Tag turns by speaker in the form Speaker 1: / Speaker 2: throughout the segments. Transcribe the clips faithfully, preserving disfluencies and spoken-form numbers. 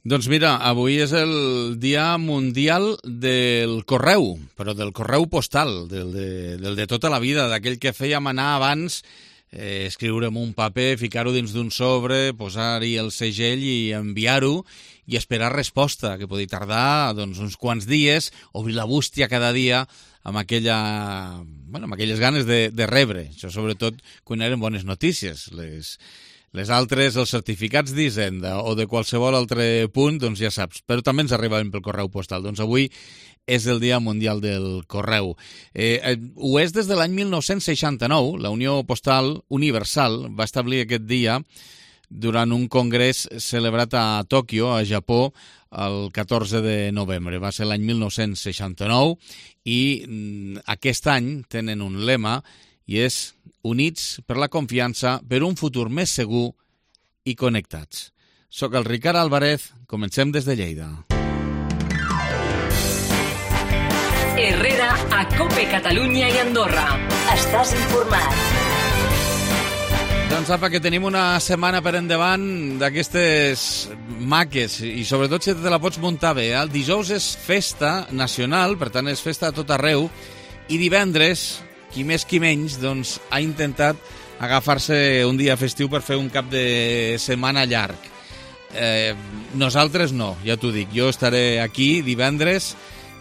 Speaker 1: Doncs mira, avui és el Dia Mundial del Correu, però del correu postal, del de, del de tota la vida, d'aquell que fèiem anar abans, eh, escriure en un paper, ficar-ho dins d'un sobre, posar-hi el segell i enviar-ho i esperar resposta, que podia tardar doncs, uns quants dies, obrir la bústia cada dia amb, aquella, bueno, amb aquelles ganes de, de rebre. Això sobretot quan eren bones notícies, les... Les altres, els certificats d'Hisenda o de qualsevol altre punt, doncs ja saps, però també ens arribaven pel correu postal. Doncs avui és el Dia Mundial del Correu. Eh, eh, ho és des de l'any mil nou-cents seixanta-nou. La Unió Postal Universal va establir aquest dia durant un congrés celebrat a Tòquio, a Japó, el catorze de novembre. Va ser l'any mil nou-cents seixanta-nou i mm, aquest any tenen un lema i és Units per la confiança, per un futur més segur i connectats. Soc el Ricard Álvarez, comencem des de Lleida.
Speaker 2: Herrera, a COPE Catalunya i Andorra. Estàs informat.
Speaker 1: Doncs apa, que tenim una setmana per endavant d'aquestes maques i sobretot si te la pots muntar bé. El dijous és festa nacional, per tant és festa a tot arreu, i divendres... qui més qui menys, doncs, ha intentat agafar-se un dia festiu per fer un cap de setmana llarg. Eh, nosaltres no, ja t'ho dic. Jo estaré aquí divendres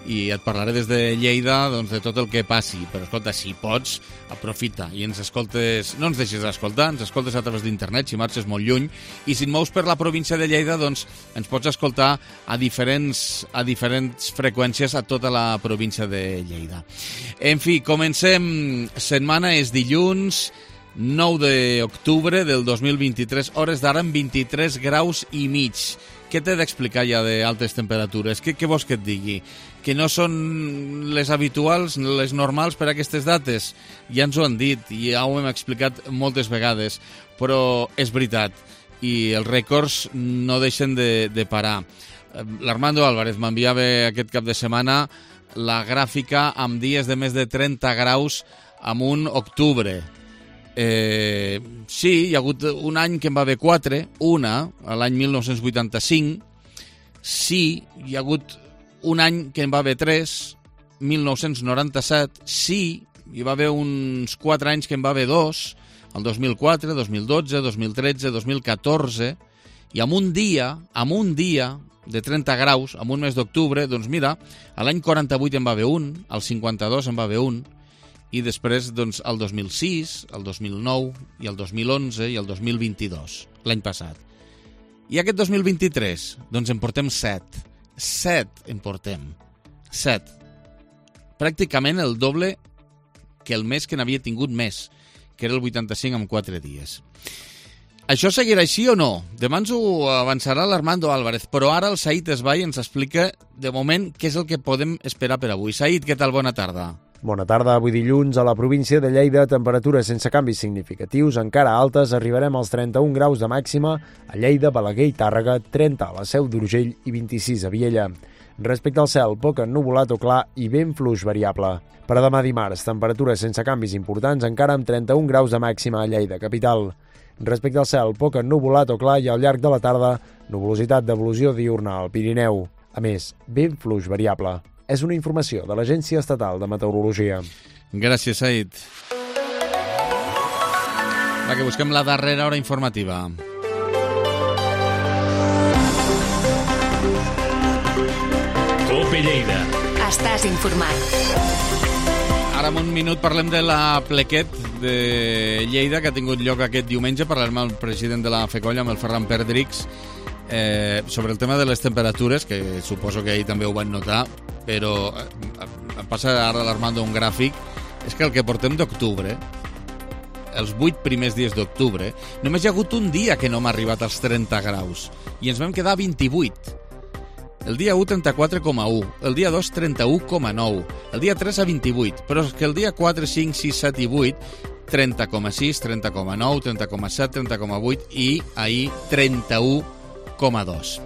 Speaker 1: i et parlaré des de Lleida doncs, de tot el que passi. Però, escolta, si pots, aprofita i ens escoltes... No ens deixes escoltar, ens escoltes a través d'internet, si marxes molt lluny. I si et mous per la província de Lleida, doncs ens pots escoltar a diferents, a diferents freqüències a tota la província de Lleida. En fi, comencem. Setmana és dilluns, nou d'octubre del dos mil vint-i-tres, hores d'ara amb vint-i-tres graus i mig. Què t'he d'explicar ja d'altes temperatures? Què, què vols que et digui? Que no són les habituals, les normals per a aquestes dates? Ja ens ho han dit i ja ho hem explicat moltes vegades, però és veritat i els rècords no deixen de, de parar. L'Armando Álvarez m'enviava aquest cap de setmana la gràfica amb dies de més de trenta graus en un octubre. Eh, sí, hi ha hagut un any que en va haver quatre, una, l'any mil nou-cents vuitanta-cinc. Sí, hi ha hagut un any que en va haver tres, mil nou-cents noranta-set. Sí, hi va haver uns quatre anys que en va haver dos, el dos mil quatre, dos mil dotze, dos mil tretze, dos mil catorze, i amb un dia, amb un dia de trenta graus, amb un mes d'octubre, doncs mira, l'any quaranta-vuit en va haver un, el cinquanta-dos en va haver un, i després doncs, el dos mil sis, el dos mil nou, i el dos mil onze i el dos mil vint-i-dos, l'any passat. I aquest dos mil vint-i-tres, doncs en portem set. Set en portem. Set. Pràcticament el doble que el mes que n'havia tingut més, que era el vuitanta-cinc amb quatre dies. Això seguirà així o no? Demà ens ho avançarà l'Armando Álvarez, però ara el Said Esbai ens explica, de moment, què és el que podem esperar per avui. Said, què tal? Bona tarda.
Speaker 3: Bona tarda. Avui dilluns a la província de Lleida, temperatures sense canvis significatius, encara altes, arribarem als trenta-un graus de màxima a Lleida, Balaguer i Tàrrega, trenta a la Seu d'Urgell i vint-i-sis a Viella. Respecte al cel, poc ennuvolat o clar i vent fluix variable. Per a demà dimarts, temperatures sense canvis importants, encara amb trenta-un graus de màxima a Lleida, capital. Respecte al cel, poc ennuvolat o clar i al llarg de la tarda, nuvolositat d'evolució diurna al Pirineu. A més, vent fluix variable. És una informació de l'Agència Estatal de Meteorologia.
Speaker 1: Gràcies, Said. Va, que busquem la darrera hora informativa.
Speaker 4: COPE Lleida.
Speaker 2: Estàs informat.
Speaker 1: Ara en un minut parlem de la plequet de Lleida que ha tingut lloc aquest diumenge. Parlarem amb el president de la FECOLLA, amb el Ferran Perdrix, eh, sobre el tema de les temperatures, que suposo que ahir també ho van notar, però eh, passa ara l'Armando un gràfic. És que el que portem d'octubre, els vuit primers dies d'octubre, només hi ha hagut un dia que no hem arribat als trenta graus i ens vam quedar a vint-i-vuit. El dia u, trenta-quatre coma u, el dia dos, trenta-u coma nou, el dia tres a vint-i-vuit, però és que el dia quatre, cinc, sis, set i vuit, trenta coma sis, trenta coma nou, trenta coma set, trenta coma vuit i ahir trenta-u coma dos.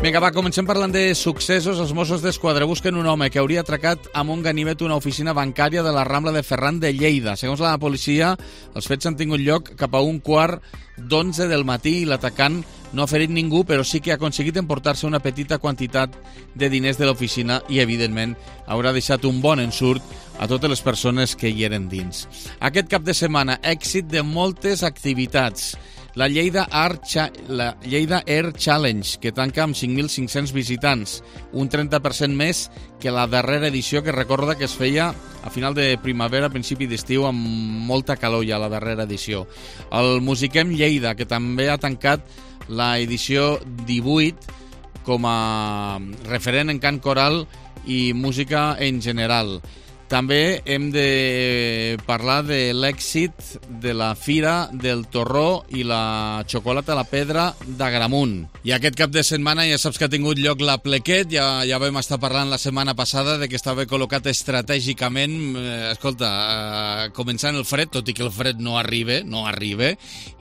Speaker 1: Vinga, va, comencem parlant de successos. Els Mossos d'Esquadra busquen un home que hauria atracat amb un ganivet una oficina bancària de la Rambla de Ferran de Lleida. Segons la policia, els fets han tingut lloc cap a un quart d'onze del matí i l'atacant no ha ferit ningú, però sí que ha aconseguit emportar-se una petita quantitat de diners de l'oficina i, evidentment, haurà deixat un bon ensurt a totes les persones que hi eren dins. Aquest cap de setmana, èxit de moltes activitats. La Lleida, Art Cha- la Lleida Air Challenge, que tanca amb cinc mil cinc-cents visitants, un trenta per cent més que la darrera edició, que recorda que es feia a final de primavera, a principi d'estiu, amb molta calor ja, la darrera edició. El Musiquem Lleida, que també ha tancat la edició divuit com a referent en cant coral i música en general. També hem de parlar de l'èxit de la Fira del Torró i la Xocolata a la Pedra d'Agramunt. I aquest cap de setmana ja saps que ha tingut lloc la Plequet, ja, ja vam estar parlant la setmana passada de que estava col·locat estratègicament, eh, escolta, eh, començant el fred, tot i que el fred no arriba, no arriba,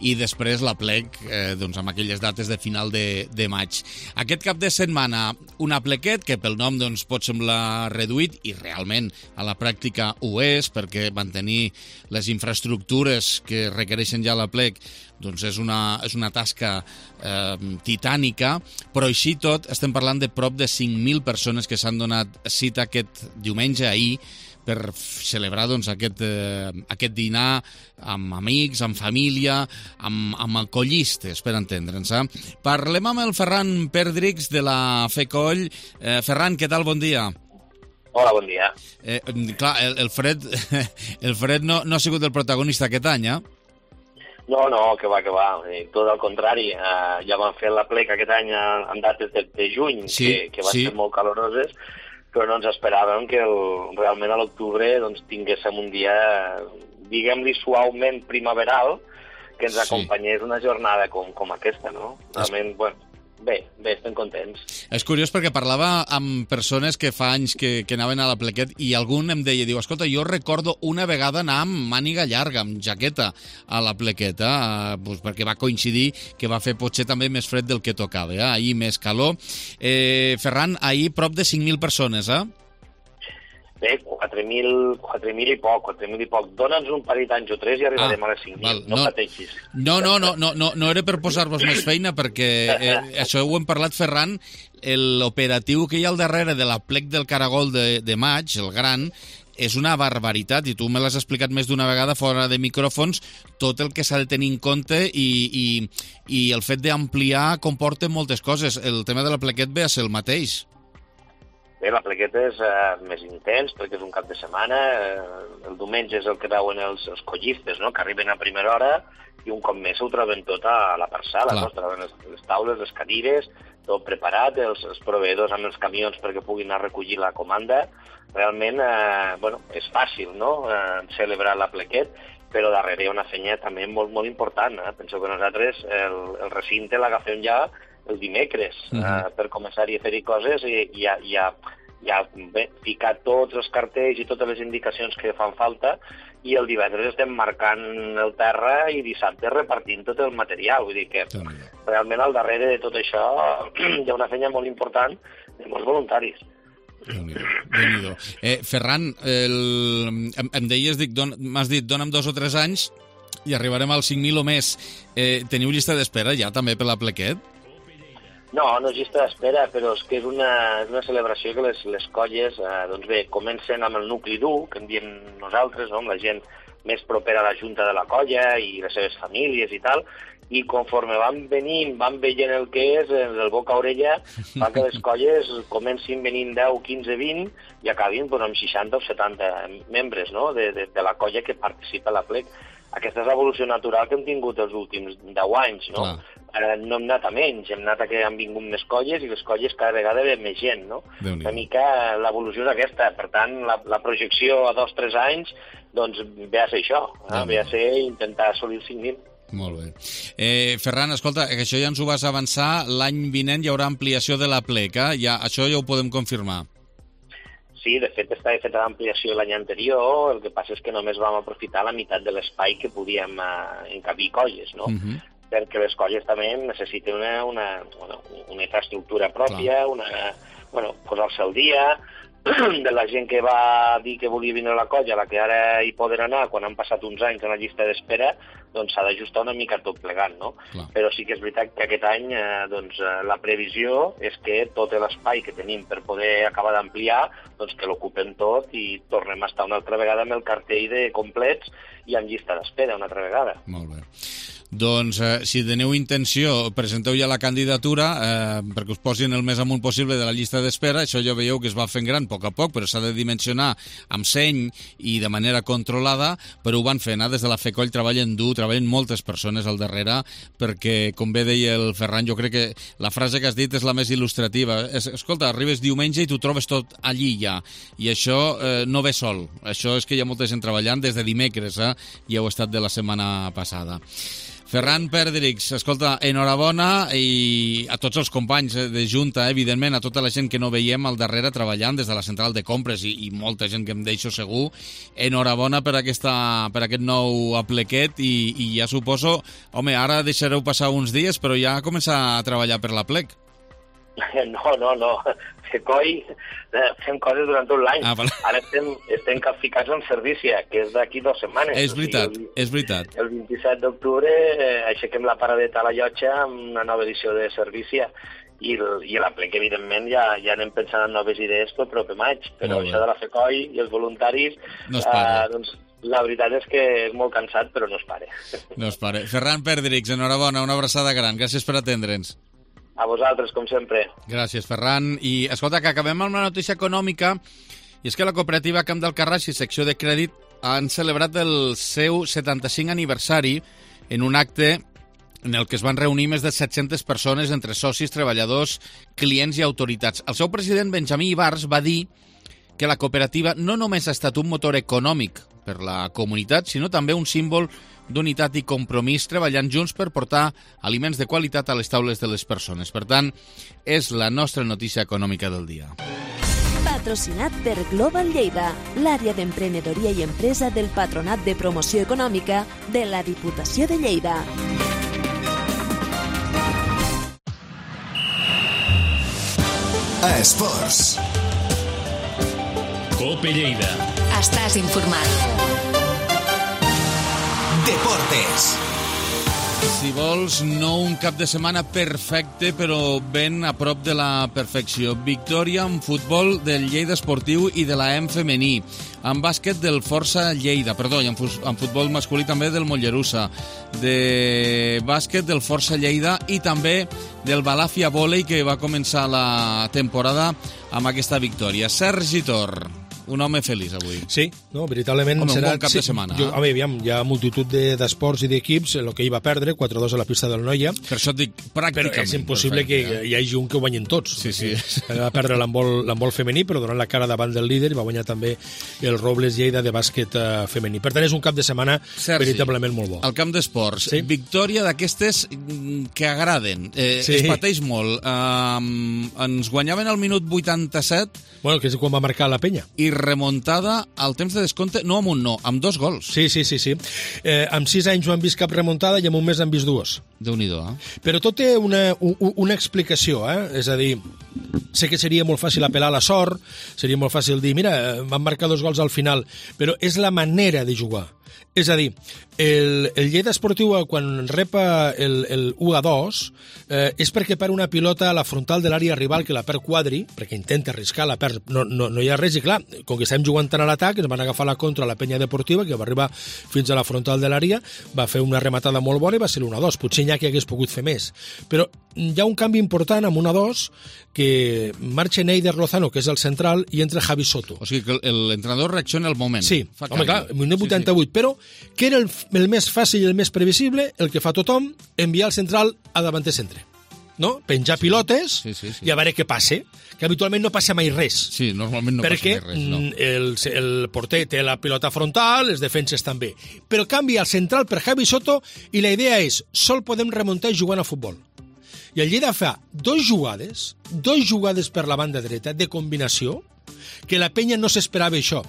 Speaker 1: i després la Plec, eh, doncs amb aquelles dates de final de, de maig. Aquest cap de setmana, una Plequet que pel nom doncs, pot semblar reduït, i realment a la pràctica ho és, perquè mantenir les infraestructures que requereixen ja la Plec doncs és una, és una tasca eh, titànica, però així tot estem parlant de prop de cinc mil persones que s'han donat cita aquest diumenge, ahir, per celebrar doncs, aquest, eh, aquest dinar amb amics, amb família, amb, amb collistes, per entendre'ns. Eh? Parlem amb el Ferran Perdrix de la FECOLL. Eh, Ferran, què tal? Bon dia.
Speaker 5: Hola, bon dia.
Speaker 1: Eh, clar, el, el fred, el fred no, no ha sigut el protagonista aquest any, eh?
Speaker 5: No, no, que va, que va. Eh, tot al contrari. Eh, ja vam fer la Plec aquest any en dates de, de juny,
Speaker 1: sí,
Speaker 5: que, que van
Speaker 1: sí.
Speaker 5: ser molt caloroses, però no ens esperàvem que el, realment a l'octubre doncs, tinguéssim un dia, diguem-li, suaument primaveral, que ens
Speaker 1: sí.
Speaker 5: acompanyés una jornada com, com aquesta, no? Realment, bueno... Bé, bé, estem contents.
Speaker 1: És curiós perquè parlava amb persones que fa anys que, que anaven a la Plequet i algun em deia, diu, escolta, jo recordo una vegada anar amb màniga llarga, amb jaqueta a la Plequeta, eh, doncs perquè va coincidir que va fer potser també més fred del que tocava, eh? Ahir més calor. Eh, Ferran, ahir prop de cinc mil persones, eh?
Speaker 5: Bé, quatre mil i poc, quatre mil i poc. Dona'ns un parell d'anys o tres i arribarem ah, a les cinc mil, no, no pateixis.
Speaker 1: No, no, no, no, no, no era per posar-vos més feina, perquè eh, això ho hem parlat, Ferran, l'operatiu que hi ha al darrere de la Plec del Caragol de, de maig, el gran, és una barbaritat, i tu me l'has explicat més d'una vegada fora de micròfons, tot el que s'ha de tenir en compte i, i, i el fet d'ampliar comporta moltes coses. El tema de la Plequet ve a ser el mateix.
Speaker 5: Bé, la Plequeta és eh, més intens perquè és un cap de setmana. Eh, el diumenge és el que veuen els, els collistes, no?, que arriben a primera hora i un cop més ho troben tot a la parcel·la, no? Troben les, les taules, les cadires, tot preparat, els, els proveïdors amb els camions perquè puguin anar a recollir la comanda. Realment, eh, bueno, és fàcil, no?, eh, celebrar la Plequet, però darrere hi ha una feina també molt, molt important. Eh? Penso que nosaltres el, el recinte l'agafem ja el dimecres, uh -huh. eh, per començar-hi a fer-hi coses i ja, ja, ja bé, ficar tots els cartells i totes les indicacions que fan falta, i el divendres estem marcant el terra i dissabte repartint tot el material. Vull dir que realment al darrere de tot això hi ha una feina molt important de molts voluntaris.
Speaker 1: Déu-n'hi-do, Déu-n'hi-do. Eh, Ferran, el... em, em deies, dic, don... m'has dit, dona'm dos o tres anys i arribarem als cinc mil o més. Eh, teniu llista d'espera ja també per la Plequet?
Speaker 5: No, no és llista d'espera, però és que és una, és una celebració que les, les colles, eh, doncs bé, comencen amb el nucli dur, que en diem nosaltres, no?, amb la gent més propera a la junta de la colla i les seves famílies i tal, i conforme van venint, van veient el que és, el boca a orella, fa que les colles comencin venint deu, quinze, vint i acabin doncs, amb seixanta o setanta membres, no?, de, de, de la colla que participa a la Plec. Aquesta és l'evolució natural que hem tingut els últims deu anys, no? Clar. Ara no hem anat a menys, hem anat a que han vingut més colles i les colles cada vegada ve més gent, no? Una mica l'evolució és aquesta, per tant, la, la projecció a dos o tres anys, doncs ve a ser això, eh? Ve a ser intentar assolir els cinc mil.
Speaker 1: Molt bé. Eh, Ferran, escolta, que això ja ens ho vas avançar, l'any vinent hi haurà ampliació de la Plec, eh? Ja, això ja ho podem confirmar.
Speaker 5: Sí, de fet estava feta l'ampliació l'any anterior, el que passa és que només vam aprofitar la meitat de l'espai que podíem eh, encabir colles, no? Uh-huh. perquè les colles també necessiten una, una, una, una infraestructura pròpia, una, bueno, posar-se al dia, de la gent que va dir que volia vindre a la colla, la que ara hi poden anar, quan han passat uns anys en la llista d'espera, doncs s'ha d'ajustar una mica tot plegant, no? Clar. Però sí que és veritat que aquest any eh, doncs, la previsió és que tot l'espai que tenim per poder acabar d'ampliar, doncs que l'ocupem tot i tornem a estar una altra vegada amb el cartell de complets i amb llista d'espera una altra vegada.
Speaker 1: Molt bé. Doncs, eh, si teniu intenció, presenteu ja la candidatura eh, perquè us posin el més amunt possible de la llista d'espera. Això ja veieu que es va fent gran a poc a poc, però s'ha de dimensionar amb seny i de manera controlada, però ho van fent. Eh? Des de la FECOLL treballen dur, treballen moltes persones al darrere, perquè, com bé deia el Ferran, jo crec que la frase que has dit és la més il·lustrativa. Es, escolta, arribes diumenge i tu trobes tot allí ja, i això eh, no ve sol. Això és que hi ha molta gent treballant des de dimecres, eh? Ja ho ha estat de la setmana passada. Ferran Perdrix, escolta, enhorabona i a tots els companys de Junta, evidentment, a tota la gent que no veiem al darrere treballant des de la central de compres i, i molta gent que em deixo segur, enhorabona per, aquesta, per aquest nou aplequet i, i ja suposo, home, ara deixareu passar uns dies, però ja començar a treballar per l'aplec.
Speaker 5: No, no, no. FECOI fem coses durant tot l'any. Ah, vale. Ara estem, estem capficats en Servícia, que és d'aquí dues setmanes.
Speaker 1: És veritat, o sigui, el, és veritat.
Speaker 5: El vint-i-set d'octubre eh, aixequem la paradeta a la llotja amb una nova edició de Servícia i, i l'aplec, evidentment, ja, ja anem pensant en noves idees pel proper maig, però això de la FECOI i els voluntaris,
Speaker 1: no es para.
Speaker 5: Eh, doncs, la veritat és que és molt cansat, però no es pare.
Speaker 1: No es pare. Ferran Perdrix, enhorabona, una abraçada gran. Gràcies per atendre'ns.
Speaker 5: A vosaltres, com sempre.
Speaker 1: Gràcies, Ferran. I, escolta, que acabem amb una notícia econòmica, i és que la cooperativa Camp del Carràs i secció de crèdit han celebrat el seu setanta-cinc aniversari en un acte en el que es van reunir més de set-centes persones entre socis, treballadors, clients i autoritats. El seu president, Benjamí Ibars, va dir que la cooperativa no només ha estat un motor econòmic per la comunitat, sinó també un símbol d'unitat i compromís treballant junts per portar aliments de qualitat a les taules de les persones. Per tant, és la nostra notícia econòmica del dia.
Speaker 6: Patrocinat per Global Lleida, l'àrea d'emprenedoria i empresa del Patronat de Promoció Econòmica de la Diputació de Lleida.
Speaker 7: Esports.
Speaker 4: Cope Lleida.
Speaker 2: Estàs informat.
Speaker 7: Deportes.
Speaker 1: Si vols, no un cap de setmana perfecte, però ben a prop de la perfecció. Victòria en futbol del Lleida Esportiu i de la E M femení. En bàsquet del Força Lleida, perdó, i en, en futbol masculí també del Mollerussa. De bàsquet del Força Lleida i també del Balàfia Vòlei, que va començar la temporada amb aquesta victòria. Sergi Tor, un home feliç avui.
Speaker 8: Sí, no, veritablement
Speaker 1: home,
Speaker 8: serà...
Speaker 1: un bon cap
Speaker 8: sí,
Speaker 1: de setmana.
Speaker 8: Jo,
Speaker 1: eh?
Speaker 8: home, aviam, hi ha multitud de, d'esports i d'equips, el que hi va perdre, quatre dos a la pista del Noia.
Speaker 1: Per això et dic, pràcticament.
Speaker 8: Però és impossible
Speaker 1: perfecte,
Speaker 8: que eh? hi hagi un que ho guanyin tots.
Speaker 1: Sí, sí.
Speaker 8: Va perdre l'handbol, l'handbol femení, però donant la cara davant del líder, i va guanyar també el Robles Lleida de bàsquet uh, femení. Per tant, és un cap de setmana Sergi, veritablement molt bo.
Speaker 1: Al camp d'esports,
Speaker 8: sí?
Speaker 1: Victòria d'aquestes que agraden. Eh, sí. Es pateix molt. Um, ens guanyaven al minut vuitanta-set.
Speaker 8: Bueno, que és quan va marcar la penya.
Speaker 1: I remuntada al temps de descompte, no amb un no, amb dos gols.
Speaker 8: Sí, sí, sí. sí. Eh, amb sis anys no han vist cap remuntada i en un mes han vist dues.
Speaker 1: Déu-n'hi-do, eh?
Speaker 8: Però tot té una, una explicació, eh? És a dir, sé que seria molt fàcil apel·lar a la sort, seria molt fàcil dir, mira, van marcar dos gols al final, però és la manera de jugar. És a dir, el, el Lleida Esportiu, quan repa el, el u a dos, eh, és perquè perd una pilota a la frontal de l'àrea rival que la perd Quadri, perquè intenta arriscar, la perd, no, no, no hi ha res, i clar, com que estem jugant tant a l'atac, ens van agafar la contra a la penya deportiva, que va arribar fins a la frontal de l'àrea, va fer una rematada molt bona i va ser l'u a dos. Potser n'hi ha que hagués pogut fer més. Però hi ha un canvi important amb un a dos, que marxa Neider Lozano, que és el central, i entra Javi Soto.
Speaker 1: O sigui que l'entrenador reacciona al moment.
Speaker 8: Sí, fa home, clar, minut vuitanta-vuit, sí, sí. Però que era el, el més fàcil i el més previsible, el que fa tothom, enviar el central a davanter centre. No? Penjar sí. pilotes
Speaker 1: sí, sí, sí.
Speaker 8: i a veure què passa, que habitualment no passa mai res.
Speaker 1: Sí, normalment no
Speaker 8: perquè
Speaker 1: passa mai res, no.
Speaker 8: el, el porter té la pilota frontal, les defenses també. Però canvia el central per Javi Soto i la idea és, sol podem remuntar jugant a futbol. I el Lleida fa dos jugades, dos jugades per la banda dreta de combinació, que la penya no s'esperava això,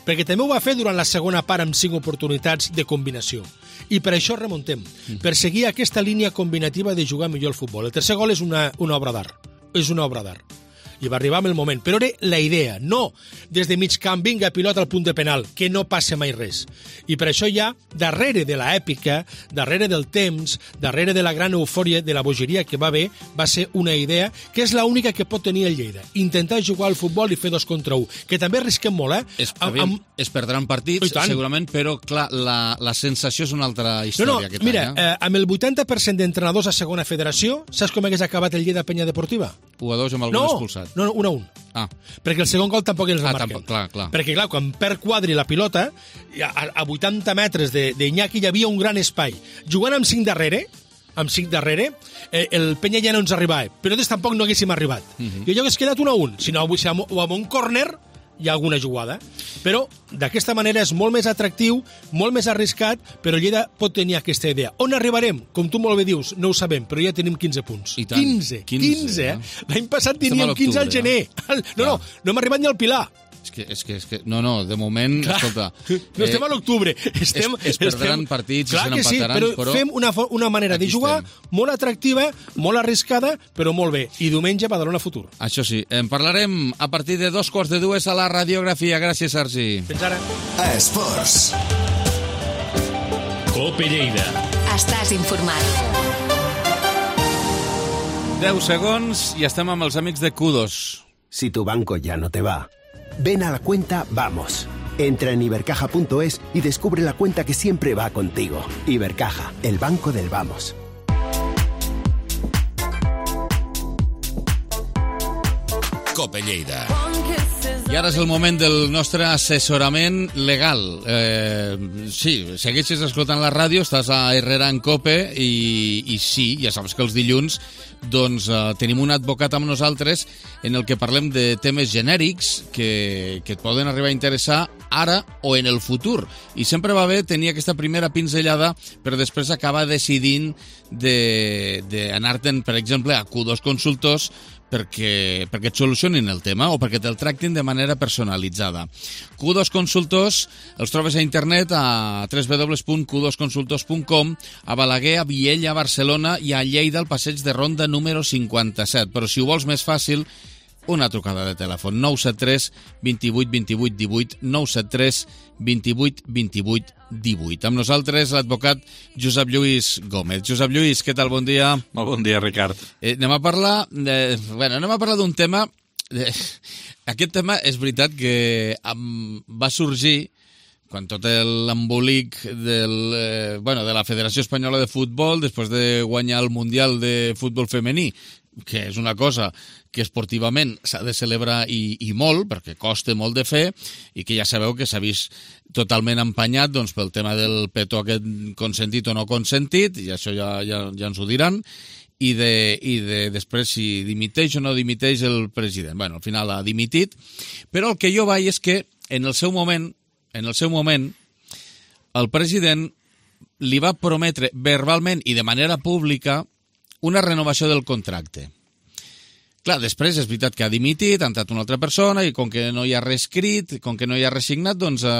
Speaker 8: perquè també ho va fer durant la segona part amb cinc oportunitats de combinació. I per això remuntem, mm. per seguir aquesta línia combinativa de jugar millor al futbol. El tercer gol és una, una obra d'art, és una obra d'art. I va arribar amb el moment, però era la idea, no des de mig camp, vinga, pilota al punt de penal, que no passa mai res. I per això ja, darrere de l'èpica, darrere del temps, darrere de la gran eufòria, de la bogeria que va haver, va ser una idea que és l'única que pot tenir el Lleida. Intentar jugar al futbol i fer dos contra un, que també arrisquem molt, eh?
Speaker 1: Es, aviam, amb... es perdran partits, segurament, però, clar, la, la sensació és una altra història.
Speaker 8: No, no,
Speaker 1: aquest
Speaker 8: mira,
Speaker 1: any, eh?
Speaker 8: eh, amb el vuitanta per cent d'entrenadors a segona federació, saps com hagués acabat el Lleida Penya Deportiva?
Speaker 1: u a dos amb algun
Speaker 8: no,
Speaker 1: expulsat.
Speaker 8: No, no, un a un.
Speaker 1: Ah.
Speaker 8: Perquè el segon gol tampoc els
Speaker 1: ah,
Speaker 8: remarquen.
Speaker 1: Tampoc, clar, clar.
Speaker 8: Perquè, clar, quan perd Quadri la pilota, a, a vuitanta metres d'Iñaki hi havia un gran espai. Jugant amb cinc darrere, amb cinc darrere, eh, el Penya ja no ens arribava, però nosaltres tampoc no haguéssim arribat. Uh -huh. I allò hagués quedat un a un. Si no, si amb, o amb un córner hi ha alguna jugada. Però d'aquesta manera és molt més atractiu, molt més arriscat, però Lleida pot tenir aquesta idea. On arribarem? Com tu molt bé dius, no ho sabem, però ja tenim quinze punts.
Speaker 1: I tant.
Speaker 8: quinze, quinze, quinze eh? L'any passat teníem quinze al gener.
Speaker 1: Eh?
Speaker 8: No, no, no hem arribat ni al Pilar.
Speaker 1: És que, és que, és que, no, no, de moment, clar, escolta...
Speaker 8: No estem a l'octubre. Estem,
Speaker 1: es, es perdran estem, partits,
Speaker 8: clar
Speaker 1: se
Speaker 8: que sí,
Speaker 1: n'empataran,
Speaker 8: però,
Speaker 1: però
Speaker 8: fem una, una manera de jugar estem. molt atractiva, molt arriscada, però molt bé. I diumenge Badalona Futur.
Speaker 1: Això sí, en parlarem a partir de dos quarts de dues a la radiografia. Gràcies, Sergi.
Speaker 8: Fins ara.
Speaker 7: A Esports.
Speaker 4: Cope Lleida.
Speaker 2: Estàs informat.
Speaker 1: deu segons i estem amb els amics de Kudos.
Speaker 9: Si tu banco ya no te va, ven a la cuenta Vamos. Entra en ibercaja punto es y descubre la cuenta que siempre va contigo. Ibercaja, el banco del Vamos.
Speaker 7: Cope Lleida.
Speaker 1: I ara és el moment del nostre assessorament legal. Eh, sí, segueixes escoltant la ràdio, estàs a Herrera en Cope i, i sí, ja saps que els dilluns doncs, eh, tenim un advocat amb nosaltres en el que parlem de temes genèrics que, que et poden arribar a interessar ara o en el futur. I sempre va bé tenir aquesta primera pinzellada per després acabar decidint d'anar-te'n, per exemple, a Q dos Consultors perquè, perquè et solucionin el tema o perquè te'l tractin de manera personalitzada. Q dos Consultors els trobes a internet a w w w punt q dos consultors punt com, a Balaguer, a Viella, a Barcelona i a Lleida, al passeig de Ronda número cinquanta-set. Però si ho vols més fàcil, una trucada de telèfon, nou set tres, vint vuit, vint vuit, divuit, nou set tres, vint vuit, vint vuit, divuit. Amb nosaltres l'advocat Josep Lluís Gómez. Josep Lluís, què tal? Bon dia.
Speaker 10: Molt bon dia, Ricard.
Speaker 1: Eh, anem a parlar de, bueno, anem a parlar d'un tema... De, aquest tema és veritat que um, va sorgir quan tot l'embolic del, eh, bueno, de la Federació Espanyola de Futbol després de guanyar el Mundial de Futbol Femení, que és una cosa que esportivament s'ha de celebrar i, i molt, perquè costa molt de fer, i que ja sabeu que s'ha vist totalment empanyat doncs, pel tema del petó aquest consentit o no consentit, i això ja, ja, ja ens ho diran, i de, i de després si dimiteix o no dimiteix el president. Bueno, al final ha dimitit, però el que jo vaig és que en el seu moment, en el seu moment, el president li va prometre verbalment i de manera pública una renovació del contracte. Clar, després és veritat que ha dimitit, ha entrat una altra persona i com que no hi ha res escrit, com que no hi ha res signat, doncs eh,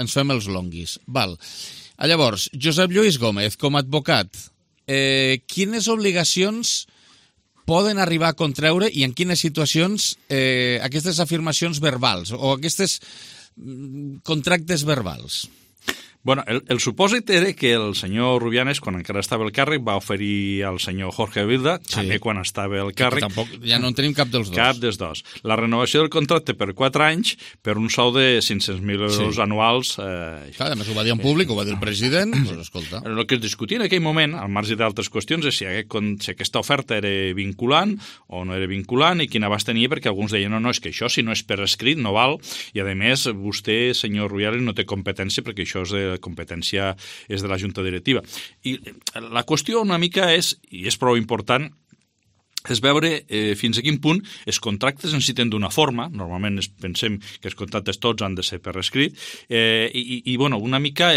Speaker 1: ens fem els longuis. Val. Llavors, Josep Lluís Gómez, com a advocat, eh, quines obligacions poden arribar a contreure i en quines situacions eh, aquestes afirmacions verbals o aquestes contractes verbals?
Speaker 10: Bueno, el, el supòsit era que el senyor Rubianes, quan encara estava al càrrec, va oferir al senyor Jorge Vilda, sí, també quan estava al càrrec...
Speaker 1: Tampoc, ja no en tenim cap dels dos.
Speaker 10: Cap dels dos. La renovació del contracte per quatre anys per un sou de cinc-cents mil euros sí. anuals. Eh,
Speaker 1: Clar, a més ho va dir en públic, ho va dir el president, doncs escolta.
Speaker 10: El que es discutia en aquell moment, al marge d'altres qüestions, és si, aquest, si aquesta oferta era vinculant o no era vinculant i quin abast tenia, perquè alguns deien, no, no, és que això si no és per escrit no val, i a més vostè, senyor Rubianes, no té competència perquè això és de competència és de la Junta Directiva. I la qüestió una mica és, i és prou important, és veure eh, fins a quin punt els contractes necessiten d'una forma, normalment es, pensem que els contractes tots han de ser per escrit, eh, i, i bueno, una mica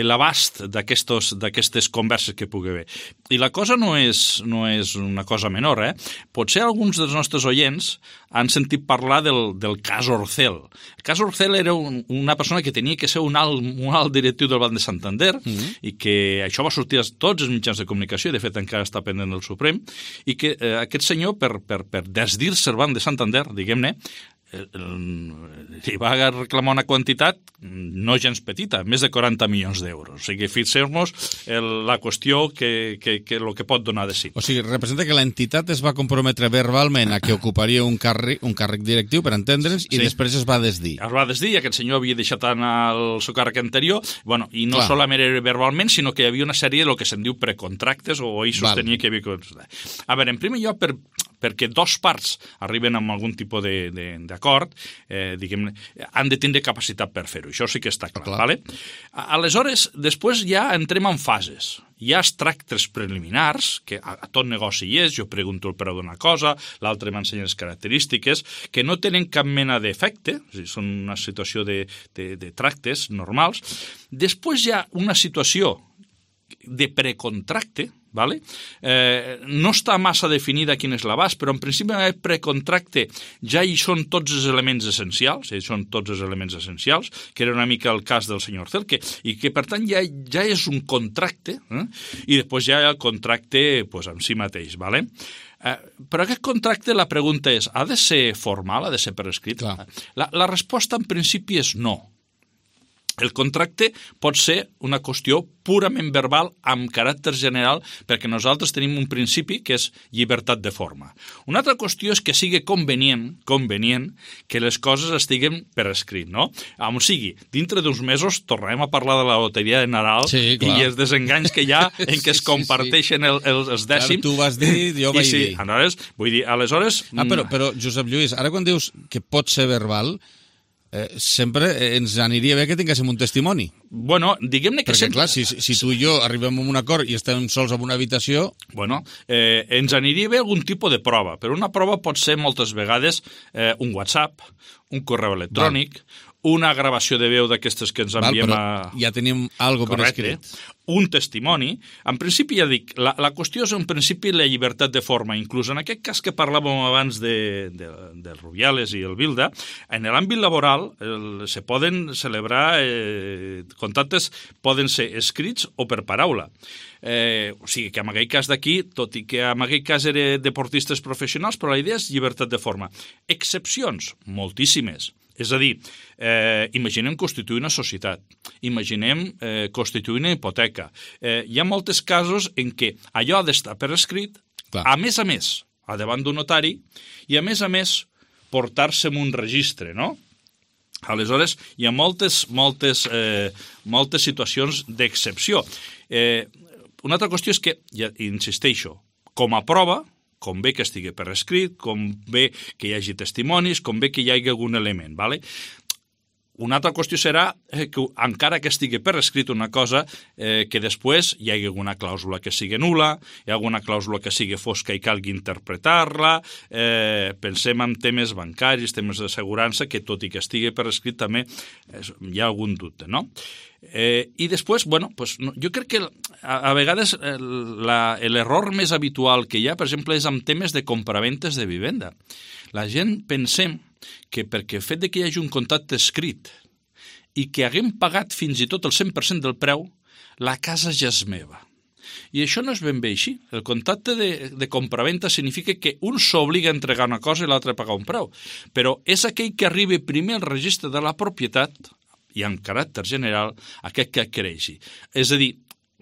Speaker 10: l'abast d'aquestes converses que pugui haver. I la cosa no és, no és una cosa menor, eh? Potser alguns dels nostres oients han sentit parlar del, del cas Orcel. El cas Orcel era un, una persona que tenia que ser un alt, un alt directiu del Banc de Santander mm-hmm. i que això va sortir a tots els mitjans de comunicació, i de fet encara està pendent del Suprem, i que eh, aquest senyor, per, per, per desdir-se el Banc de Santander, diguem-ne, li va reclamar una quantitat no gens petita, més de quaranta milions d'euros. O sigui, fixem-nos la qüestió que, que, que el que pot donar de si.
Speaker 1: O sigui, representa que l'entitat es va comprometre verbalment a que ocuparia un càrrec, un càrrec directiu, per entendre'ns, i sí. després es va desdir.
Speaker 10: Es va desdir, aquest senyor havia deixat anar el seu càrrec anterior, bueno, i no Clar. solament era verbalment, sinó que hi havia una sèrie de lo que se'n diu precontractes, o ell sostenia que hi havia... A veure, en primer lloc, per... perquè dos parts arriben amb algun tipus d'acord, eh, diguem, han de tindre capacitat per fer-ho. Això sí que està clar. clar. Vale? Aleshores, després ja entrem en fases. Hi ha els tractes preliminars, que a, a tot negoci hi és, jo pregunto el preu d'una cosa, l'altre m'ensenya les característiques, que no tenen cap mena d'efecte, són una situació de, de, de tractes normals. Després hi ha una situació de precontracte, vale? eh, no està massa definida quin és l'abast, però en principi el precontracte ja hi són tots els elements essencials, hi són tots els elements essencials, que era una mica el cas del senyor Celque, i que per tant ja, ja és un contracte, eh? I després ja hi ha el contracte pues, en si mateix, vale? Eh, però aquest contracte, la pregunta és, ha de ser formal, ha de ser per escrit? La, la resposta en principi és no. El contracte pot ser una qüestió purament verbal amb caràcter general perquè nosaltres tenim un principi que és llibertat de forma. Una altra qüestió és que sigui convenient, convenient que les coses estiguen per escrit, no? On sigui, dintre d'uns mesos tornarem a parlar de la loteria de Nadal sí, i els desenganys que hi ha en què es comparteixen sí, sí. El, el, els dècims.
Speaker 1: Clar, tu vas dir, jo vaig
Speaker 10: sí,
Speaker 1: dir.
Speaker 10: Aleshores, vull dir, aleshores...
Speaker 1: Ah, però, però, Josep Lluís, ara quan dius que pot ser verbal... Eh, sempre ens aniria bé que tinguéssim un testimoni.
Speaker 10: Bueno, diguem-ne que...
Speaker 1: Perquè,
Speaker 10: sempre...
Speaker 1: clar, si, si tu i jo arribem a un acord i estem sols en una habitació...
Speaker 10: Bueno, eh, ens aniria bé algun tipus de prova, però una prova pot ser moltes vegades eh, un WhatsApp, un correu electrònic, Val. una gravació de veu d'aquestes que ens enviem Val,
Speaker 1: a... ja tenim algo per escrit.
Speaker 10: Un testimoni. En principi, ja dic, la, la qüestió és en principi la llibertat de forma. Inclús en aquest cas que parlàvem abans de, de, de Rubiales i el Bilda, en l'àmbit laboral el, se poden celebrar eh, contactes, poden ser escrits o per paraula. Eh, o sigui que en aquell cas d'aquí, tot i que en aquell cas eren deportistes professionals, però la idea és llibertat de forma. Excepcions, moltíssimes. És a dir, eh, imaginem constituir una societat, imaginem eh, constituir una hipoteca. Eh, hi ha molts casos en què allò ha d'estar per escrit, Clar. a més a més, a davant d'un notari, i a més a més portar-se en un registre, no? Aleshores, hi ha moltes, moltes, eh, moltes situacions d'excepció. Eh, una altra qüestió és que, ja insisteixo, com a prova, com bé que estigui per escrit, com bé que hi hagi testimonis, com bé que hi hagi algun element, ¿vale? Una altra qüestió serà que, encara que estigui per escrit una cosa, eh, que després hi hagi alguna clàusula que sigui nul·la, hi ha alguna clàusula que sigui fosca i calgui interpretar-la, eh, pensem en temes bancaris, temes d'assegurança, que tot i que estigui per escrit també eh, hi ha algun dubte, no? Eh, I després, bueno, pues, no, jo crec que a, a vegades l'error més habitual que hi ha, per exemple, és amb temes de compraventes de vivenda. La gent pensem que perquè el fet de que hi hagi un contracte escrit i que haguem pagat fins i tot el cent per cent del preu, la casa ja és meva. I això no és ben bé així. El contracte de, de compraventa significa que un s'obliga a entregar una cosa i l'altre a pagar un preu. Però és aquell que arribi primer al registre de la propietat i en caràcter general aquest que adquireixi. És a dir,